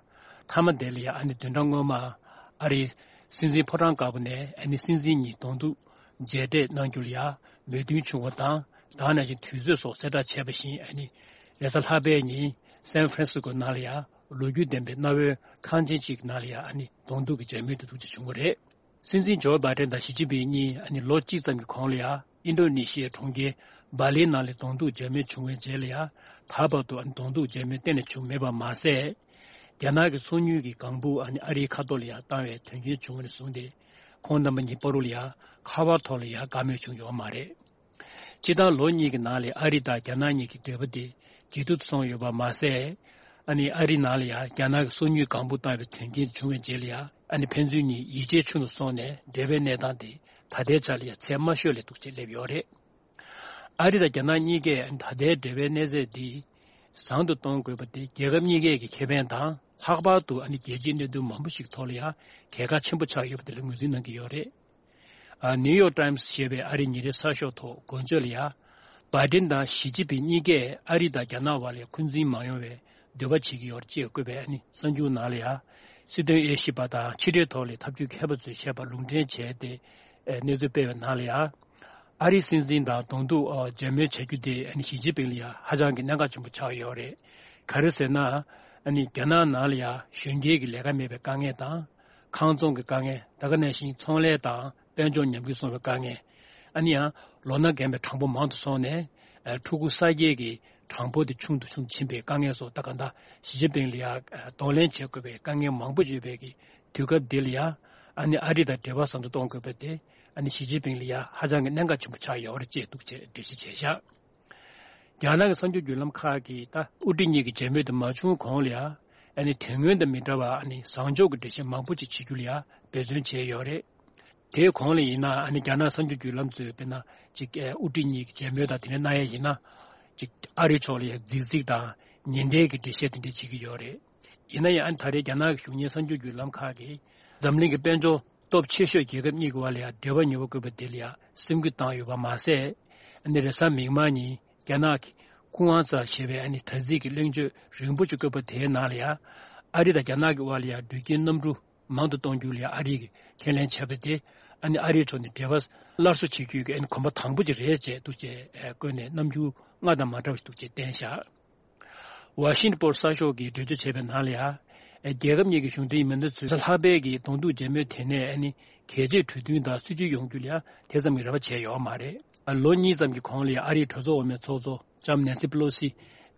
མཐའ་མ་དེ་ལ་ཡང་ཨ་ནི་བདུན་ཕྲག་སྔོན་མ་ཨ་རིའི་སྲིད་འཛིན་ཕོ་བྲང་དཀར་པོ་ནས་ཨ་ནི་སྲིད་འཛིན་གཉིས་གདོང་ཐུག་མཇལ་འཕྲད་གནང་རྒྱུ་ལ་ཡང་མོས་མཐུན་བྱུང་བ་དང་། ད་ག་ནང་བཞིན་དུས་ཚོད་སོགས་གསལ་བསྒྲགས་བྱས་པ་བཞིན། ཨ་ནི་རེས་གཟའ་ལྷག་པའི་ཉིན་སན་ཧྥ་རན་སི་ཀོ་ནང་ལ་ཡང་ལོ་རྒྱུས་ལྡན་པའི་གནའ་བོའི་ཁང་ཆེན་གཅིག་གི་ནང་ལ་ཡང་ཨ་ནི་གདོང་ཐུག་གི་མཇལ་མོལ་དེ་འདུག་ཅེས་བྱུང་བ་རེད། སྲིད་འཛིན་ཇོ་བྷའི་ཌེན་དང་ཞི་ཅིན་ཕིང་གཉིས་ཨ་ནི་ལོ་གཅིག་ཙམ་གྱི་གོང་ལ་ཡང་ཨིན་ཌོ་ནེ་ཤི་ཡའི་གྲོང་ཁྱེར་སྦ་ལིའི་ནང་ལ་གདོང་ཐུག་མཇལ་མོལ་བྱུང་བའི་རྗེས་ལ་ཡང་། ད་བར་དུ་ཨ་ནི་གདོང་ཐུག་མཇལ་མོལ་གཏན་ནས་བྱུང་མེད་པ་མ་ཟད། རྒྱ་ནག་གི་ཚོགས་དངུལ་གྱི་ལྒང་བུ་ཨ་ནི་ཨ་རིའི་ཁ་ཐོག་ལ་ཡང་བཏང་བའི་དོན་རྐྱེན་བྱུང་བ་ནས་བཟུང་སྟེ། ཁོང་རྣམ་པ་གཉིས་བར་དུ་ལ་ཡང་ཁ་པར་ཐོག་ལ་ཡང་བཀའ་མོལ་བྱུང་ཡོད་མ་རེད། སྤྱིར་བཏང་ལོ་གཉིས་ཀྱི་ནང་ལ་ཨ་རི་དང་རྒྱ་ནག་གཉིས་ཀྱི་འབྲེལ་བ་དེ་ཇེ་སྡུག་ཏུ་སོང་ཡོད་པ་མ་ཟད། ཨ་ནི་ཨ་རིའི་ནང་ལ་ཡང་རྒྱ་ནག་གི་སོ་ཉུལ་སྒང་པོ་བཏང་བའི་དོན་རྐྱེན་བྱུང་བའི་རྗེས་ལ་ཡང་། ཨ་ནི་ཕན་ཚུན་གཉིས་ཡིད་ཆེས་ཆུང་དུ་སོང་ནས། འབྲེལ་བའི་གནས་སྟངས་དེ་ད་ལྟའི་ཆ་ལ་ཡང་ཚད་དམའ་ཤོས་ལས་སྡུག་ཅིག་སླེབས་ཡོད་རེད། ཨ་རི་དང་རྒྱ་ནག་གཉིས་ཀས་ད་ལྟའི་འབྲེལ་བའི་གནས་ཚད་འདི་བཟང་དུ་གཏོང་དགོས་པ་དེ་རྒྱལ་ཁབ་གཉིས་ཀས་ཀྱི་ཁེ་ཕན་དང་། ལྷག་པར་དུ་ཨ་ནི་རྒྱལ་སྤྱིའི་གནད་དོན་མང་པོ་ཞིག་ཐོག་ལ་ཡང་གལ་འགངས་ཆེན་པོ་ཆགས་ཡོད་པ་དེ་ལ་ངོས་འཛིན་གནང་གི་ཡོད་རེད། ཨ། ནིའུ་ཡོག་ཊའིམ་སི་ཞེས་པའི་ཨ་རིའི་ཉིན་རེའི་གསར་ཤོག་ཐོག་འགོ་བརྗོད་ལ་ཡང་། བྷའི་ཌེན་དང་ཞི་ཅིན་ཕིང་གཉིས་ཀས་ཨ་རི་དང་རྒྱ་ནག་དབར་ལ་འཁོན་འཛིན་མ་ཡོང་བའི་འདོད་པ་བྱེད་ཀྱི་ཡོད་ཅེས་བཀོད་པའི་ཨ་ནི་གསར་འགྱུར་ནང་ལ་ཡང་། སྲིད་དོན་དབྱེ་ཞིབ་པ་དང་ཕྱི་འབྲེལ་ཐོག་ལ་ཐབས་ཇུས་མཁས་པ་ཚོས་བཤད་པ་ལུང་འདྲེན་བྱས་ཏེ། ཨེ། གནས་ཚུལ་སྤེལ་བའི་ནང་ལ་ཡང་། ཨ་རིའི་སྲིད་འཛིན་དང་གདོང་ཐུག་ཨ། མཇལ་མོལ་བྱ་རྒྱུ་དེ་ཨ་ནི་ཞི་ཅིན་ཕིང་ལ་ཡང་ཧ་ཅང་གི་གནད་འགག་ཆེན་པོ་ཆགས་ཡོད་རེད། ག་རེ་ཟེར་ན། ཨ་ནི་རྒྱ་ནག་ནང་ལ་ཡང་གཞོན་སྐྱེས་ཀྱི་ལས་ཀ་མེད་པའི་དཀའ་ངལ་དང་། ཁང་ཚོང་གི་དཀའ་ངལ། ད་ག་ནང་བཞིན་ཚོང་ལས་དང་དཔལ་འབྱོར་ཉམས་རྒུད་སོང་བའི་དཀའ་ངལ། ཨ་ནི་ཡང་ལོ་ན་རྒན་པའི་གྲངས་འབོར་མང་དུ་སོང་ནས། ཨ། ཕྲུ་གུ་གསར་སྐྱེས་ཀྱི་གྲངས་འབོར་དེ་ཆུང་དུ་ཆུང་དུ་ཕྱིན་པའི་དཀའ་ངལ་སོགས། ད་ག་ད་ཞི་ཅིན་ཕིང་ལ་ཡང་གདོང་ལེན་བྱེད་དགོས་པའི་དཀའ་ངལ་མང་པོ་ཡོད་པའི་གི་དུས་སྐབས་འདི་ལ་ཡང་། ཨ་ནི་ཨ་རི་དང་འབྲེལ་བ་བཟང་དུ་གཏོང་དགོས་པ་དེ། ཨ་ནི་ཞི་ཅིན་ཕིང་ལ་ཡང་ཧ་ཅང་གི་གནད་འགག་ཆེན་པོ་ཆགས་ཡོད་རེད་ཅེས་འདུག་ཅེས་འགྲེལ་བཤད་བྱས་བཞག་རྒྱ་ནག་གི་གསར་འགྱུར་བརྒྱུད་ལམ་ཁག་གིས་ད་དབུ་ཁྲིད་གཉིས་ཀྱི་མཇལ་མོལ་དེ་མ་བྱུང་གོང་ལ་ཡང་། ཨ་ནི་དོན་དངོས་དང་མི་འདྲ་བ། ཨ་ནི་བཟང་ཕྱོགས་ཀྱི་འགྲེལ་བཤད་མང་པོ་ཅིག་བྱེད་རྒྱུ་ལ་ཡང་འབད་བརྩོན་བྱས་ཡོད་རེད། དེའི་གོང་ལ་ཡིན་ན། ཨ་ནི་རྒྱ་ནག་གསར་འགྱུར་བརྒྱུད་ལམ་ཚོས་དཔེར་ན་ཅིག་ཨེ། དབུ་ཁྲིད་གཉིས་ཀྱི་མཇལ་མོལ་དང་དེ་འདྲ་གནང་ཡ་ཡིན་ན། ཅིག་ཨ་རི་ཕྱོགས་ལ་ཡང་རྫིག་རྫིག་དང་ཉེན་བརྡའི་གི་འགྲེལ་བཤད་དེ་འདྲ་བྱེད་ཀྱི་ཡོད་རེད། ཡིན་ན་ཡང་། ཨ་ནི་ད་རེས་རྒྱ་ནག་གི་གཞུང་གཉེར་གསར་འགྱུར་བརྒྱུད་ལམ་ཁག་གིས་འཛམ་གླིང་གི་དཔལ་འབྱོར་སྟོབས་ཆེ་ཤོས་རྒྱལ་ཁབ་གཉིས་ཀྱི་བར་ལ་ཡང་འབྲེལ་བ་ཉེ་བོ་བཀོད་པ་དེ་ལ་ཡང་སེམས་འགུལ་བཏང་ཡོད་པ་མ་ཟད། ཨ་ནི་རེས་གཟའ་མིག་དམར་ཉིན་རྒྱ་ནག་གི་ཀུང་ཨན་ཙ་ཞེས་པའི་ཨ་ནི་དྲ་ཚིགས་ཀྱི་གླེང་བརྗོད་རིང་པོ་ཅིག་བཀོད་པ་དེའི་ནང་ལ་ཡང་། ཨ་རི་དང་རྒྱ་ནག་གི་བར་ལ་ཡང་འགྲུལ་སྐྱེལ་གནམ་གྲུ་མང་དུ་གཏོང་རྒྱུ་ལ་ཡང་ཨ་རི་གིས་ཁས་ལེན་བྱས་པ་དེ། ཨ་ནི་ཨ་རིའི་ཕྱོགས་ནས་འབྲེལ་བ་སླར་གསོ་བྱེད་རྒྱུའི་ཨ་ནི་གོམ་པ་དང་པོ་ཅིག་རེད་ཅེས་འདུག་ཅེས་བཀོད་ནས། རྣམ་འགྱུར་སྔར་དང་མ་འདྲ་བ་ཞིག་འདུག་ཅེས་བསྟན་བཞག་ཝ་ཤིང་ཊོན་པོ་སི་གསར་ཤོག་གིས་འགྲེལ་བརྗོད་བྱས་པའི་ནང་ལ་ཡང་། རྒྱལ་ཁབ་གཉིས་ཀྱི་གཞུང་འབྲེལ་མི་སྣ་ཚོས་གཟའ་ལྷག་པའི་གི་གདོང་ཐུག་མཇལ་མོལ་དེ་ནས། ཨ་ནི་གལ་ཆེའི་གྲོས་མཐུན་དང་སྲིད་ཇུས་ཡོང་རྒྱུ་ལ་ཡང་དེ་ཙམ་གྱི་རེ་བ་བྱས་ཡོད་མ་རེད། ལོ་གཉིས་ཙམ་གྱི་གོང་ལ་ཡང་ཨ་རིའི་གྲོས་ཚོགས་འོག་མའི་ཚོགས་གཙོ་ལྕམ་ནེན་སི་པེ་ལོ་སི་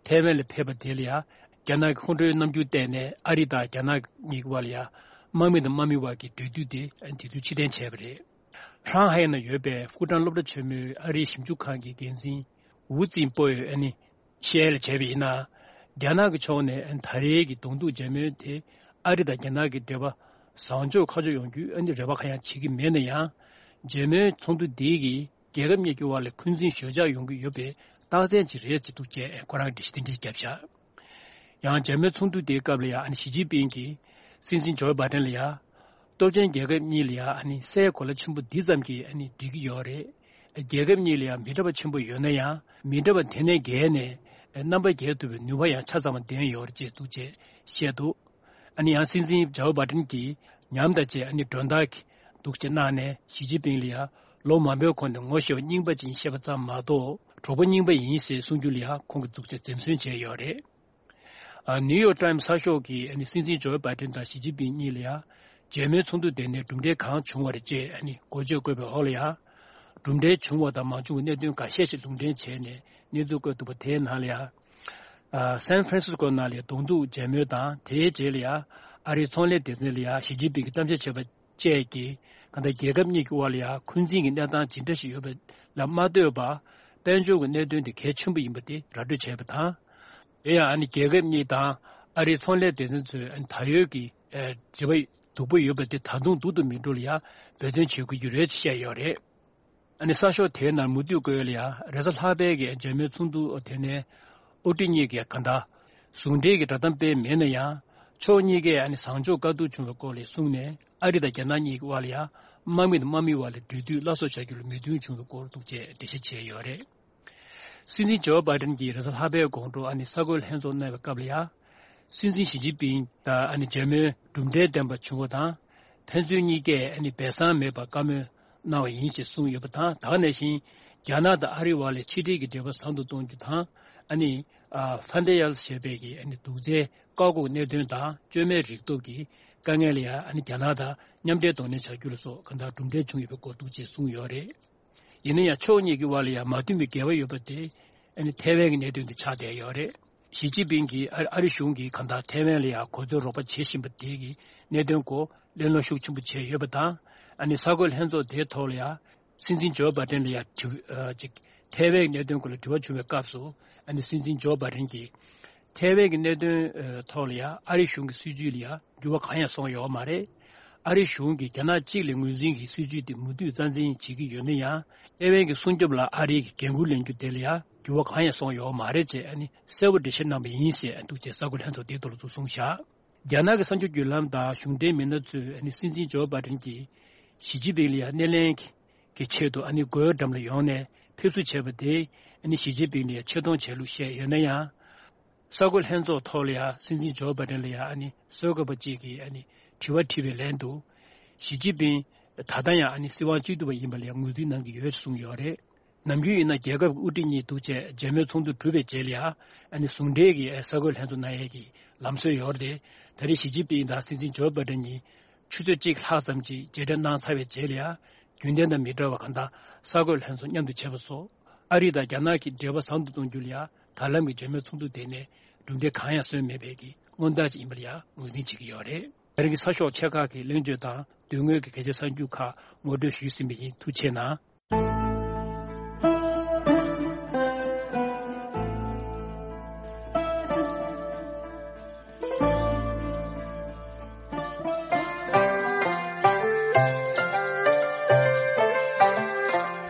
ཐའེ་ཝན་ལ་ཕེབས་པ་དེ་ལ་ཡང་། རྒྱ་ནག་གི་ཁོང་ཁྲོའི་རྣམ་འགྱུར་བསྟན་ནས། ཨ་རི་དང་རྒྱ་ནག་གཉིས་ཀྱི་བར་ལ་ཡང་དམག་མི་དང་དམག་མི་བར་གྱི་འབྲེལ་མཐུད་དེ་དེ་དུས་ཕྱིར་འཐེན་བྱས་པ་རེད། ཧྲང་ཧའེ་ན་ཡོད་པའི་ཧྥུ་ཀྲང་སློབ་གྲྭ་ཆེན་མོའི་ཨ་རིའི་ཞིབ་འཇུག་ཁང་གི་འགན་འཛིན་ཝུ་ཙིན་པོས་ཨ་ནི་ཤེས་ཡོན་ལ་བྱས་པ་ཡིན་ན། རྒྱ་ནག་གི་ཕྱོགས་ནས་ད་རེས་ཀྱི་གདོང་ཐུག་མཇལ་མོལ་དེ་ཨ་རི་དང་རྒྱ་ནག་གི་འབྲེལ་བ་བཟང་ཕྱོགས་ཁ་ཕྱོགས་ཡོང་རྒྱུའི་ཨ་ནི་རེ་བ་གང་ཡང་བྱེད་ཀྱི་མེད་ན་ཡང་། མཇལ་མོལ་ཚོགས་འདུ་འདིའི་གིས་རྒྱལ་ཁབ་གཉིས་ཀྱི་བར་ལ་འཁོན་འཛིན་ཞོད་འཇགས་ཡོང་གི་ཡོད་པའི་རྟགས་མཚན་ཅིག་རེད་ཅེས་འདུག་ཅེས་ཁོ་རང་འགྲེལ་བཤད་དེ་འདྲ་བརྒྱབ་བཞག་ཡང་མཇལ་མོལ་ཚོགས་འདུ་དེའི་སྐབས་ལ་ཡང་། ཨ་ནི་ཞི་ཅིན་ཕིང་གིས་སྲིད་འཛིན་ཇོ་བྷའི་ཌེན་ལ་ཡང་། སྟོབས་ཆེན་རྒྱལ་ཁབ་གཉིས་ལ་ཡང་། ཨ་ནི་སའི་གོ་ལ་ཆེན་པོ་འདི་ཙམ་གྱིས་ཨ་ནི་འགྲིག་གི་ཡོད་རེད། རྒྱལ་ཁབ་གཉིས་ལ་ཡང་མི་འདྲ་བ་ཆེན་པོ་ཡོད་ན་ཡང་། མི་འདྲ་བ་དེ་ནས་བརྒལ་ནས་རྣམ་པ་རྒྱལ་ཐུབ་པའི་ནུས་པ་ཡང་ཆ་ཚང་བ་ལྡན་ཡོད་རེད་ཅེས་འདུག་ཅེས་བཤད་འདུག་ཨ་ནི་ཡང་སྲིད་འཛིན་ཇོ་བྷའི་ཌེན་གྱིས་ཉམས་དང་བཅས་ཨ་ནི་མགྲོན་བདག་གི་འདུག་ཅེས་གནང་ནས། ཞི་ཅིན་ཕིང་ལ་ཡང་ལོ་མང་པོའི་གོང་ནས་ངོ་ཤེས་པ་རྙིང་པ་ཅིག་ཡིན་ཞེས་པ་ཙམ་མ་གཏོགས། གྲོགས་པོ་རྙིང་པ་ཡིན་ཞེས་གསུང་རྒྱུ་ལ་ཡང་ཁོང་གིས་འདུག་ཅེས་འཛེམ་ཟོན་བྱས་ཡོད་རེད། ཨ། ནིའུ་ཡོག་ཊའིམ་སི་གསར་ཤོག་གིས་ཨ་ནི་སྲིད་འཛིན་ཇོ་བྷའི་ཌེན་དང་ཞི་ཅིན་ཕིང་གཉིས་ལ་ཡང་མཇལ་མོལ་ཚོགས་འདུ་དེ་ནས་གྲུབ་འབྲས་གང་བྱུང་བ་རེད་ཅེས་ཨ་ནི་འགོ་བརྗོད་བཀོད་པའི་འོག་ལ་ཡང་། གྲུབ་འབྲས་བྱུང་བ་དང་མ་བྱུང་བའི་གནད་དོན་འགའ་ཤས་ཤིག་ལུང་འདྲེན་བྱས་ནས་གནས་ཚུལ་བཀོད་འདུག་པ། དེའི་ནང་ལ་ཡང་། ཨ། སན་ཧྥ་རན་སིས་ཀོ་ནང་ལ་གདོང་ཐུག་མཇལ་མོལ་དང་། དེའི་རྗེས་ལ་ཡང་ཨ་རིའི་ཚོང་ལས་སྡེ་ཚན་ལ་ཡང་ཞི་ཅིན་ཕིང་གིས་གཏམ་བཤད་བྱས་པ་ བཅས་ཀྱི་གང་ལྟར་རྒྱལ་ཁབ་གཉིས་ཀྱི་དབར་ལ་ཡང་འཁོན་འཛིན་གྱི་གནས་སྟངས་ཇི་འདྲ་ཞིག་ཡོད་པ་ལ་མ་ལྟོས་པར། དཔལ་འབྱོར་གྱི་གནད་དོན་དེ་གལ་ཆེན་པོ་ཡིན་པ་དེ་ར་སྤྲོད་བྱས་པ་དང་། དེ་ཡང་ཨ་ནི་རྒྱལ་ཁབ་གཉིས་དང་ཨ་རིའི་ཚོང་ལས་སྡེ་ཚན་ཚོས་ཨ་ནི་ད་ཡོད་ཀྱི་ཨ་འབྲེལ་བ་སྡུག་པོ་ཡོད་པ་དེ་ད་དུང་སྡུག་ཏུ་མི་འགྲོ་ལ་ཡང་འབད་བརྩོན་བྱེད་དགོས་ཀྱི་རེད་ཅེས་བཤད་ཡོད་རེད། ཨ་ནི་གསར་ཤོག་དེའི་ནང་མུ་མཐུད་བཀོད་ཡོད་ལ་ཡང་རེས་གཟའ་ལྷག་པའི་གི་འཇར་མན་ཚོགས་འདུ་དེ་ནས་དབུ་ཁྲིད་གཉིས་ཀྱིས་གང་ལྟར་ཟུང་འབྲེལ་གྱི་བསྒྲགས་གཏམ་སྤེལ་མེད་ན་ཡང་ཕྱོགས་གཉིས་ཀས་ཨ་ནི་བཟང་ཕྱོགས་བཀའ་བསྡུར་བྱུང་བའི་སྐོར་ལ་གསུངས་ནས། ཨ་རི་དང་རྒྱ་ནག་གཉིས་ཀྱི་དབར་ལ་ཡང་དམག་མི་དང་དམག་མིའི་དབར་ལ་འབྲེལ་མཐུད་སླར་གསོ་བྱ་རྒྱུ་ལ་མོས་མཐུན་བྱུང་བའི་སྐོར་འདུག་ཅེས་འགྲེལ་བཤད་བྱས་ཡོད་རེད། སྲིད་འཛིན་ཇོ་བྷའི་ཌེན་གྱིས་རེས་གཟའ་ལྷག་པའི་དགོང་དྲོ་ཨ་ནི་གསར་འགོད་ལྷན་ཚོགས་གནང་བའི་སྐབས་ལ་ཡང་། སྲིད་འཛིན་ཞི་ཅིན་ཕིང་དང་ཨ་ནི་མཇལ་མོལ་གྲུབ་འབྲས་ལྡན་པ་བྱུང་བ་དང་། ཕན་ཚུན་གཉིས་ཀས་ཨ་ནི་སྦས་གསང་མེད་པར་བཀའ་མོལ་གནང་བ་ཡིན་ཞེས་གསུངས་ཡོད་པ་དང་། ད་ག་ནང་བཞིན་རྒྱ་ནག་དང་ཨ་རིའི་དབར་ལ་ཕྱི་འབྲེལ་གྱི་འབྲེལ་བ་བཟང་དུ་གཏོང་རྒྱུ་དང་། ཨ་ནི་ཨ་ཧྥན་ཏེ་ཡལ་ཞེས་པའི་གི་ཨ་ནི་དུག་རྫས་བཀག་འགོག་གནད་དོན་དང་བཅོས་མའི་རིག་སྟོབས་ཀྱི་དཀའ་ངལ་ལ་ཡང་ཨ་ནི་རྒྱ་ནག་དང་མཉམ་འབྲེལ་གདོང་ལེན་བྱ་རྒྱུ་ལ་སོགས་གང་ལྟར་གྲུབ་འབྲས་བྱུང་ཡོད་པའི་སྐོར་འདུག་ཅེས་གསུངས་ཡོད་རེད། ཡིན་ན་ཡང་ཕྱོགས་གཉིས་ཀྱི་དབར་ལ་ཡང་མ་མཐུན་པའི་འགལ་བ་ཡོད་པ་དེ་ཨ་ནི་ཐའེ་ཝན་གྱི་གནད་དོན་དེ་ཆགས་བསྡད་ཡོད་རེད། ཞི་ཅིན་ཕིང་གིས་ཨ་ཨ་རི་གཞུང་གིས་གང་ལྟར་ཐའེ་ཝན་ལ་ཡང་གོ་མཚོན་རོགས་པ་བྱེད་བཞིན་པ་དེ་གི་གནད་དོན་སྐོར་གླེང་སློང་ཤུགས་ཆེན་པོ་བྱས་ཡོད་པ་དང་། ཨ་ནི་གསར་འགོད་ལྷན་ཚོགས་དེའི་ཐོག་ལ་ཡང་སྲིད་འཛིན་ཇོ་བྷའི་ཌེན་ལ་ཡང་དྲི་ཨ་ཅིག་ཐའེ་ཝན་གྱི་གནད་དོན་སྐོར་ལ་དྲི་བ་བྱུང་བའི་སྐབས་སུ། ཨ་ནི་སྲིད་འཛིན་ཇོ་བྷའི་ཌེན་གྱིས་ཐའེ་ཝན་གྱི་གནད་དོན་ཐོག་ལ་ཡང་ཨ་རི་གཞུང་གི་སྲིད་ཇུས་ལ་ཡང་འགྱུར་བ་གང་ཡང་སོང་ཡོད་མ་རེད། ཨ་རི་གཞུང་གིས་རྒྱ་ནག་གཅིག་ལ་ངོས་འཛིན་གྱི་སྲིད་ཇུས་དེ་མུ་མཐུད་རྩ་འཛིན་བྱེད་ཀྱི་ཡོད་ན་ཡང་། ཐའེ་ཝན་གྱི་སྲུང་སྐྱོབ་ལ་ཨ་རི་གིས་འགན་འཁུར་ལེན་རྒྱུ་དེ་ལ་ཡང་འགྱུར་བ་གང་ཡང་སོང་ཡོད་མ་རེད་ཅེས་ཨ་ནི་གསལ་པོ་འགྲེལ་བཤད་གནང་བ་ཡིན་ཞེས་འདུག་ཅེས་གསར་འགོད་ལྷན་ཚོགས་དེའི་ཐོག་ལ་ཚུར་གསུངས་བཞག་རྒྱ་ནག་གི་གསར་འགྱུར་བརྒྱུད་ལམ་དང་གཞུང་འབྲེལ་མི་སྣ་ཚོས་ཨ་ནི་སྲིད་འཛིན་ཇོ་བྷའི་ཌེན་གྱིས་ཞི་ཅིན་ཕིང་ལ་ཡང་སྣེ་ལེན་གྱི་ཆེད་དུ་ཨ་ནི་སྒོའི་འགྲམ་ལ་ཡོང་ནས་ཕེབས་བསུ་བྱས་པ་དེས་ཨ་ནི་ཞི་ཅིན་ཕིང་ལ་ཡང་ཆེ་མཐོང་བྱས་ལུགས་བཤད་ཡོད་ན་ཡང་། གསར་འགོད་ལྷན་ཚོགས་ཐོག་ལ་ཡང་སྲིད་འཛིན་ཇོ་བྷའི་ཌེན་ལ་ཡང་ཨ་ནི་གསར་འགོད་པ་གཅིག་གིས་ཨ་ནི་དྲི་བ་དྲིས་པའི་ལན་དུ། ཞི་ཅིན་ཕིང་ད་ལྟ་ཡང་ཨ་ནི་སྲིད་དབང་བཅུ་གཏུག་པ་ཡིན་པ་ལ་ཡང་ངོས་འཛིན་གནང་གི་ཡོད་ཅེས་གསུངས་ཡོད་རེད། ནམ་རྒྱུན་ཡིན་ན་རྒྱལ་ཁབ་ཀྱི་དབུ་ཁྲིད་གཉིས་འདུ་བྱས་མཇལ་མོལ་ཚོགས་འདུ་གྲུབ་པའི་རྗེས་ལ་ཡང་ཨ་ནི་ཟུང་འབྲེལ་གྱི་གསར་འགོད་ལྷན་ཚོགས་གནང་ཡས་ཀྱི་ལམ་སྲོལ་ཡོད་རེད། ད་རེས་ཞི་ཅིན་ཕིང་དང་སྲིད་འཛིན་ཇོ་བྷའི་ཌེན་གཉིས་ཆུ་ཚོད་གཅིག་ལྷག་ཙམ་ཅིག་མཇལ་འཕྲད་གནང་ཚར་བའི་རྗེས་ལ་ཡང་རྒྱུན་ལྡན་དང་མི་འདྲ་བ་གང་དག་གསར་འགོད་ལྷན་ཚོགས་མཉམ་དུ་བྱས་པ་སོགས་ཨ་རི་དང་རྒྱ་ནག་གི་འབྲེལ་བ་བཟང་དུ་གཏོང་རྒྱུ་ལ་ཡང་ད་ལམ་གྱི་མཇལ་མོལ་ཚོགས་འདུ་དེ་ནས་གྲུབ་འབྲས་གང་ཡང་སོན་མེད་པའི་གི་སྔོན་བརྡ་ཅིག་ཡིན་པ་ལ་ཡང་ངོས་འཛིན་བྱེད་ཀྱི་ཡོད་རེད། ད་རིང་གི་གསར་ཤོག་ཆེ་ཁག་གི་གླེང་བརྗོད་དང་དོན་དངོས་ཀྱི་གལ་ཆེ་གསར་འགྱུར་ཁག་ངོ་སྤྲོད་ཞུས་ཟིན་པ་ཡིན། ཐུགས་རྗེ་གནང་།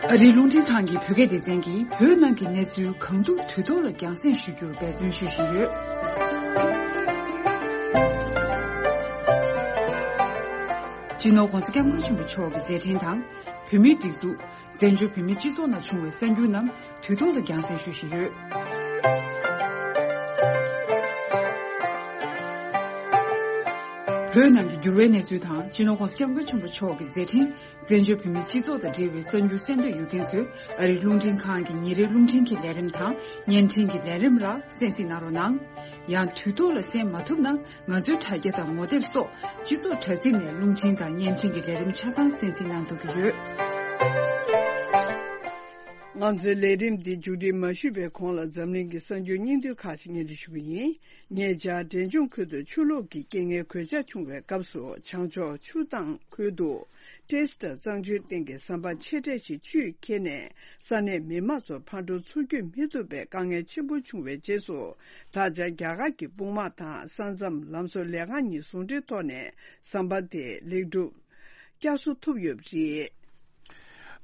ཨ་རིའི་རླུང་འཕྲིན་ཁང་གི་བོད་སྐད་སྡེ་ཚན་གྱིས་བོད་ནང་གི་གནས་ཚུལ་གང་ཐུབ་དུས་ཐོག་ལ་རྒྱང་སྲིང་ཞུ་རྒྱུར་འབད་བརྩོན་ཞུ་བཞིན་ཡོད། སྤྱི་ནོར་༧གོང་ས་༧སྐྱབས་མགོན་ཆེན་པོ་མཆོག་གི་མཛད་འཕྲིན་དང་། བོད་མིའི་སྒྲིག་འཛུགས། བཙན་བྱོལ་བོད་མིའི་སྤྱི་ཚོགས་ནང་བྱུང་བའི་གསར་འགྱུར་རྣམས་དུས་ཐོག་ལ་རྒྱང་སྲིང་ཞུ་བཞིན་ཡོད། བོད་ནང་གི་འགྱུར་བའི་གནས་ཚུལ་དང་། སྤྱི་ནོར་༧གོང་ས་༧སྐྱབས་མགོན་ཆེན་པོ་མཆོག་གི་མཛད་འཕྲིན། བཙན་བྱོལ་བོད་མིའི་སྤྱི་ཚོགས་དང་འབྲེལ་བའི་གསར་འགྱུར་གསན་འདོད་ཡོད་མཁན་ཚོས་ཨ་རིའི་རླུང་འཕྲིན་ཁང་གི་ཉིན་རེའི་རླུང་འཕྲིན་གྱི་ལས་རིམ་དང་བརྙན་འཕྲིན་གྱི་ལས་རིམ་ལ་གསན་གཟིགས་གནང་རོགས་གནང་། ཡང་དུས་ཐོག་ལ་གསན་མ་ཐུབ་ན། ང་ཚོའི་དྲ་རྒྱ་དང་ངོ་དེབ་སོགས་སྤྱི་ཚོགས་དྲ་ཚིགས་ནས་རླུང་འཕྲིན་དང་བརྙན་འཕྲིན་གྱི་ལས་རིམ་ཆ་ཚང་གསན་གཟིགས་གནང་ཐུབ་ཀྱི་ཡོད། ང་ཚོའི་ལས་རིམ་འདི་མཇུག་སྒྲིལ་མ་ཞུས་པའི་གོང་ལ་འཛམ་གླིང་གི་གསར་འགྱུར་སྙིང་བསྡུས་ཁག་ཅིག་སྙན་སྒྲོན་ཞུ་གི་ཡིན། ཉེ་ཆར་འབྲས་ལྗོངས་ཁུལ་དུ་ཆུ་ལོག་གི་རྐྱེན་ངན་གོད་ཆག་བྱུང་བའི་སྐབས་སུ་བྱང་ཕྱོགས་ཆུ་ཐང་ཁུལ་དུ། ཏྲེས་ཏྲ་གཙང་ཆུའི་སྟེང་གི་ཟམ་པ་ཆེ་གྲས་ཤིག་ཆུས་ཁྱེར་ནས་ས་གནས་མི་མང་ཚོ་ཕར་འགྲོ་ཚུར་སྐྱོད་མི་ཐུབ་པའི་དཀའ་ངལ་ཆེན་པོ་བྱུང་བའི་རྗེས་སུ། ད་ཆ་རྒྱ་གར་གྱི་དཔུང་དམག་དང་ས་མཚམས་ལམ་བཟོ་ལས་ཁང་གཉིས་ཟུང་འབྲེལ་ཐོག་ནས་ཟམ་པ་དེ་ལེགས་གྲུབ་བསྐྱར་གསོ་ཐུབ་ཡོད་པ་རེད།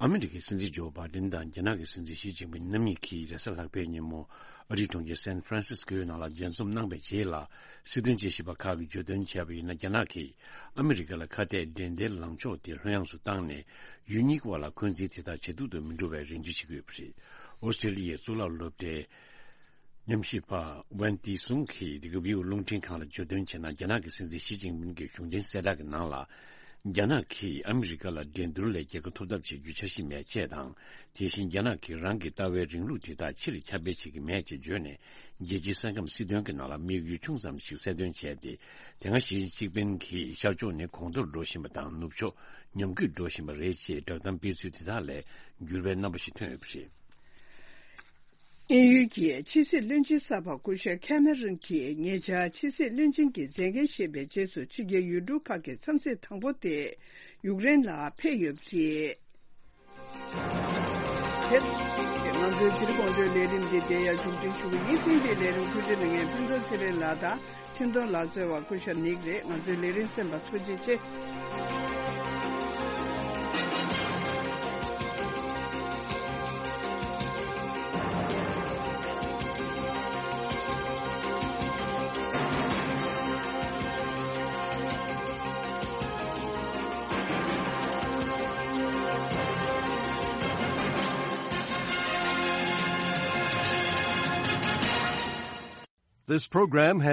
ཨ་མི་རི་ཀའི་སྲིད་འཛིན་ཇོ་བྷའི་ཌེན་དང་རྒྱ་ནག་གི་སྲིད་འཛིན་ཞི་ཅིན་ཕིང་རྣམ་གཉིས་ཀྱིས་རེས་གཟའ་ལྷག་པའི་ཉིན་མོ་ཨ་རིའི་གྲོང་ཁྱེར་སན་ཧྥ་རན་སིས་ཀོའི་ནང་ལ་མཇལ་འཛོམས་གནང་བའི་རྗེས་ལ། སྲིད་དོན་དཔྱད་ཞིབ་པ་ཁག་གིས་བརྗོད་དོན་བྱས་པ་ཡིན་ན། རྒྱ་ནག་གིས་ཨ་མི་རི་ཀ་ལ་ཁ་གཏད་འགྲན་བསྡུར་ལངས་ཕྱོགས་དེ་ལྷོད་ཡངས་སུ་བཏང་ནས། ཡུལ་གཉིས་ཀྱི་དབར་ལ་འཁོན་འཛིན་དེ་དག་ཇེ་སྡུག་ཏུ་མི་འགྲོ་བའི་རེ་འདུན་བྱེད་ཀྱི་ཡོད་པ་རེད། ཨོ་སི་ཀྲི་ལི་ཡའི་གཙུག་ལག་སློབ་གྲྭའི་ཉམས་ཞིབ་པ་ཝན་ཏི་སུང་གིས་འདི་ག་བིའུ་རླུང་འཕྲིན་ཁང་ལ་བརྗོད་དོན་བྱས་ན། རྒྱ་ནག་གི་སྲིད་འཛིན་ཞི་ཅིན་ཕིང་གི་གཞུང་འབྲེལ་གསལ་བསྒྲགས་ཀྱི་ནང་ལ། རྒྱ་ནག་གིས་ཨ་མི་རི་ཀ་ལ་འགྲན་བསྡུར་ལས་རྒྱལ་ཁ་ཐོབ་ཐབས་བྱེད་རྒྱུའི་འཆར་གཞི་མེད་ཅེས་དང་། དེ་བཞིན་རྒྱ་ནག་གིས་རང་གི་ལྟ་བའི་རིང་ལུགས་དེ་དག་ཕྱིར་ཁྱབ་སྤེལ་བྱེད་ཀྱི་མེད་ཅེས་བརྗོད་ནས། རྒྱལ་སྤྱིའི་ས་ཁམས་སྲིད་དོན་གྱི་ནང་ལ་དམིགས་ཡུལ་ཆུང་ཙམ་ཞིག་གསལ་སྟོན་བྱས་ཏེ། དེ་སྔ་ཞི་ཅིན་ཕིང་གིས་ཤར་ཕྱོགས་ནི་གོང་མཐོར་འགྲོ་བཞིན་པ་དང་། ནུབ་ཕྱོགས་ཉམས་རྒུད་འགྲོ་བཞིན་པ་རེད་ཅེས་བསྒྲགས་གཏམ་སྤེལ་ཚུལ་དེ་དག་ལས་འགྱུར་བའི་རྣམ་པ་ཞིག་ཐོན་ཡོད་པ་རེད། དབྱིན་ཡུལ་གྱི་ཕྱི་སྲིད་བློན་ཆེན་གསར་པ་སྐུ་ཞབས་ཁེ་མེ་རོན་གྱིས་ཉེ་ཆར་ཕྱི་སྲིད་བློན་ཆེན་གྱི་མཛད་འགན་བཞེས་པའི་རྗེས་སུ། ཕྱི་རྒྱལ་ཡུལ་གྲུ་ཁག་གི་འཚམས་གཟིགས་དང་པོ་དེ་ ཡུཀ་རེན་ལ་ཕེབས་ཡོད་པ་རེད། དེར་ང་ཚོའི་དེ་རིང་དགོང་དྲོའི་ལས་རིམ་འདི་འདིར་ཡང་མཇུག་སྒྲིལ་ཞུ་གི་ཡིན། ཐེངས་འདིའི་ལས་རིམ་བཀོད་སྒྲིག་གནང་མཁན་ཕུན་ཚོགས་ཚེ་རིང་ལགས་དང་། འཕྲིན་གཏོང་ལག་རྩལ་བ་སྐུ་ཞབས་ནིག་རེད། ང་ཚོའི་ལས་རིམ་གསན་པར་ཐུགས་རྗེ་ཆེ། This program has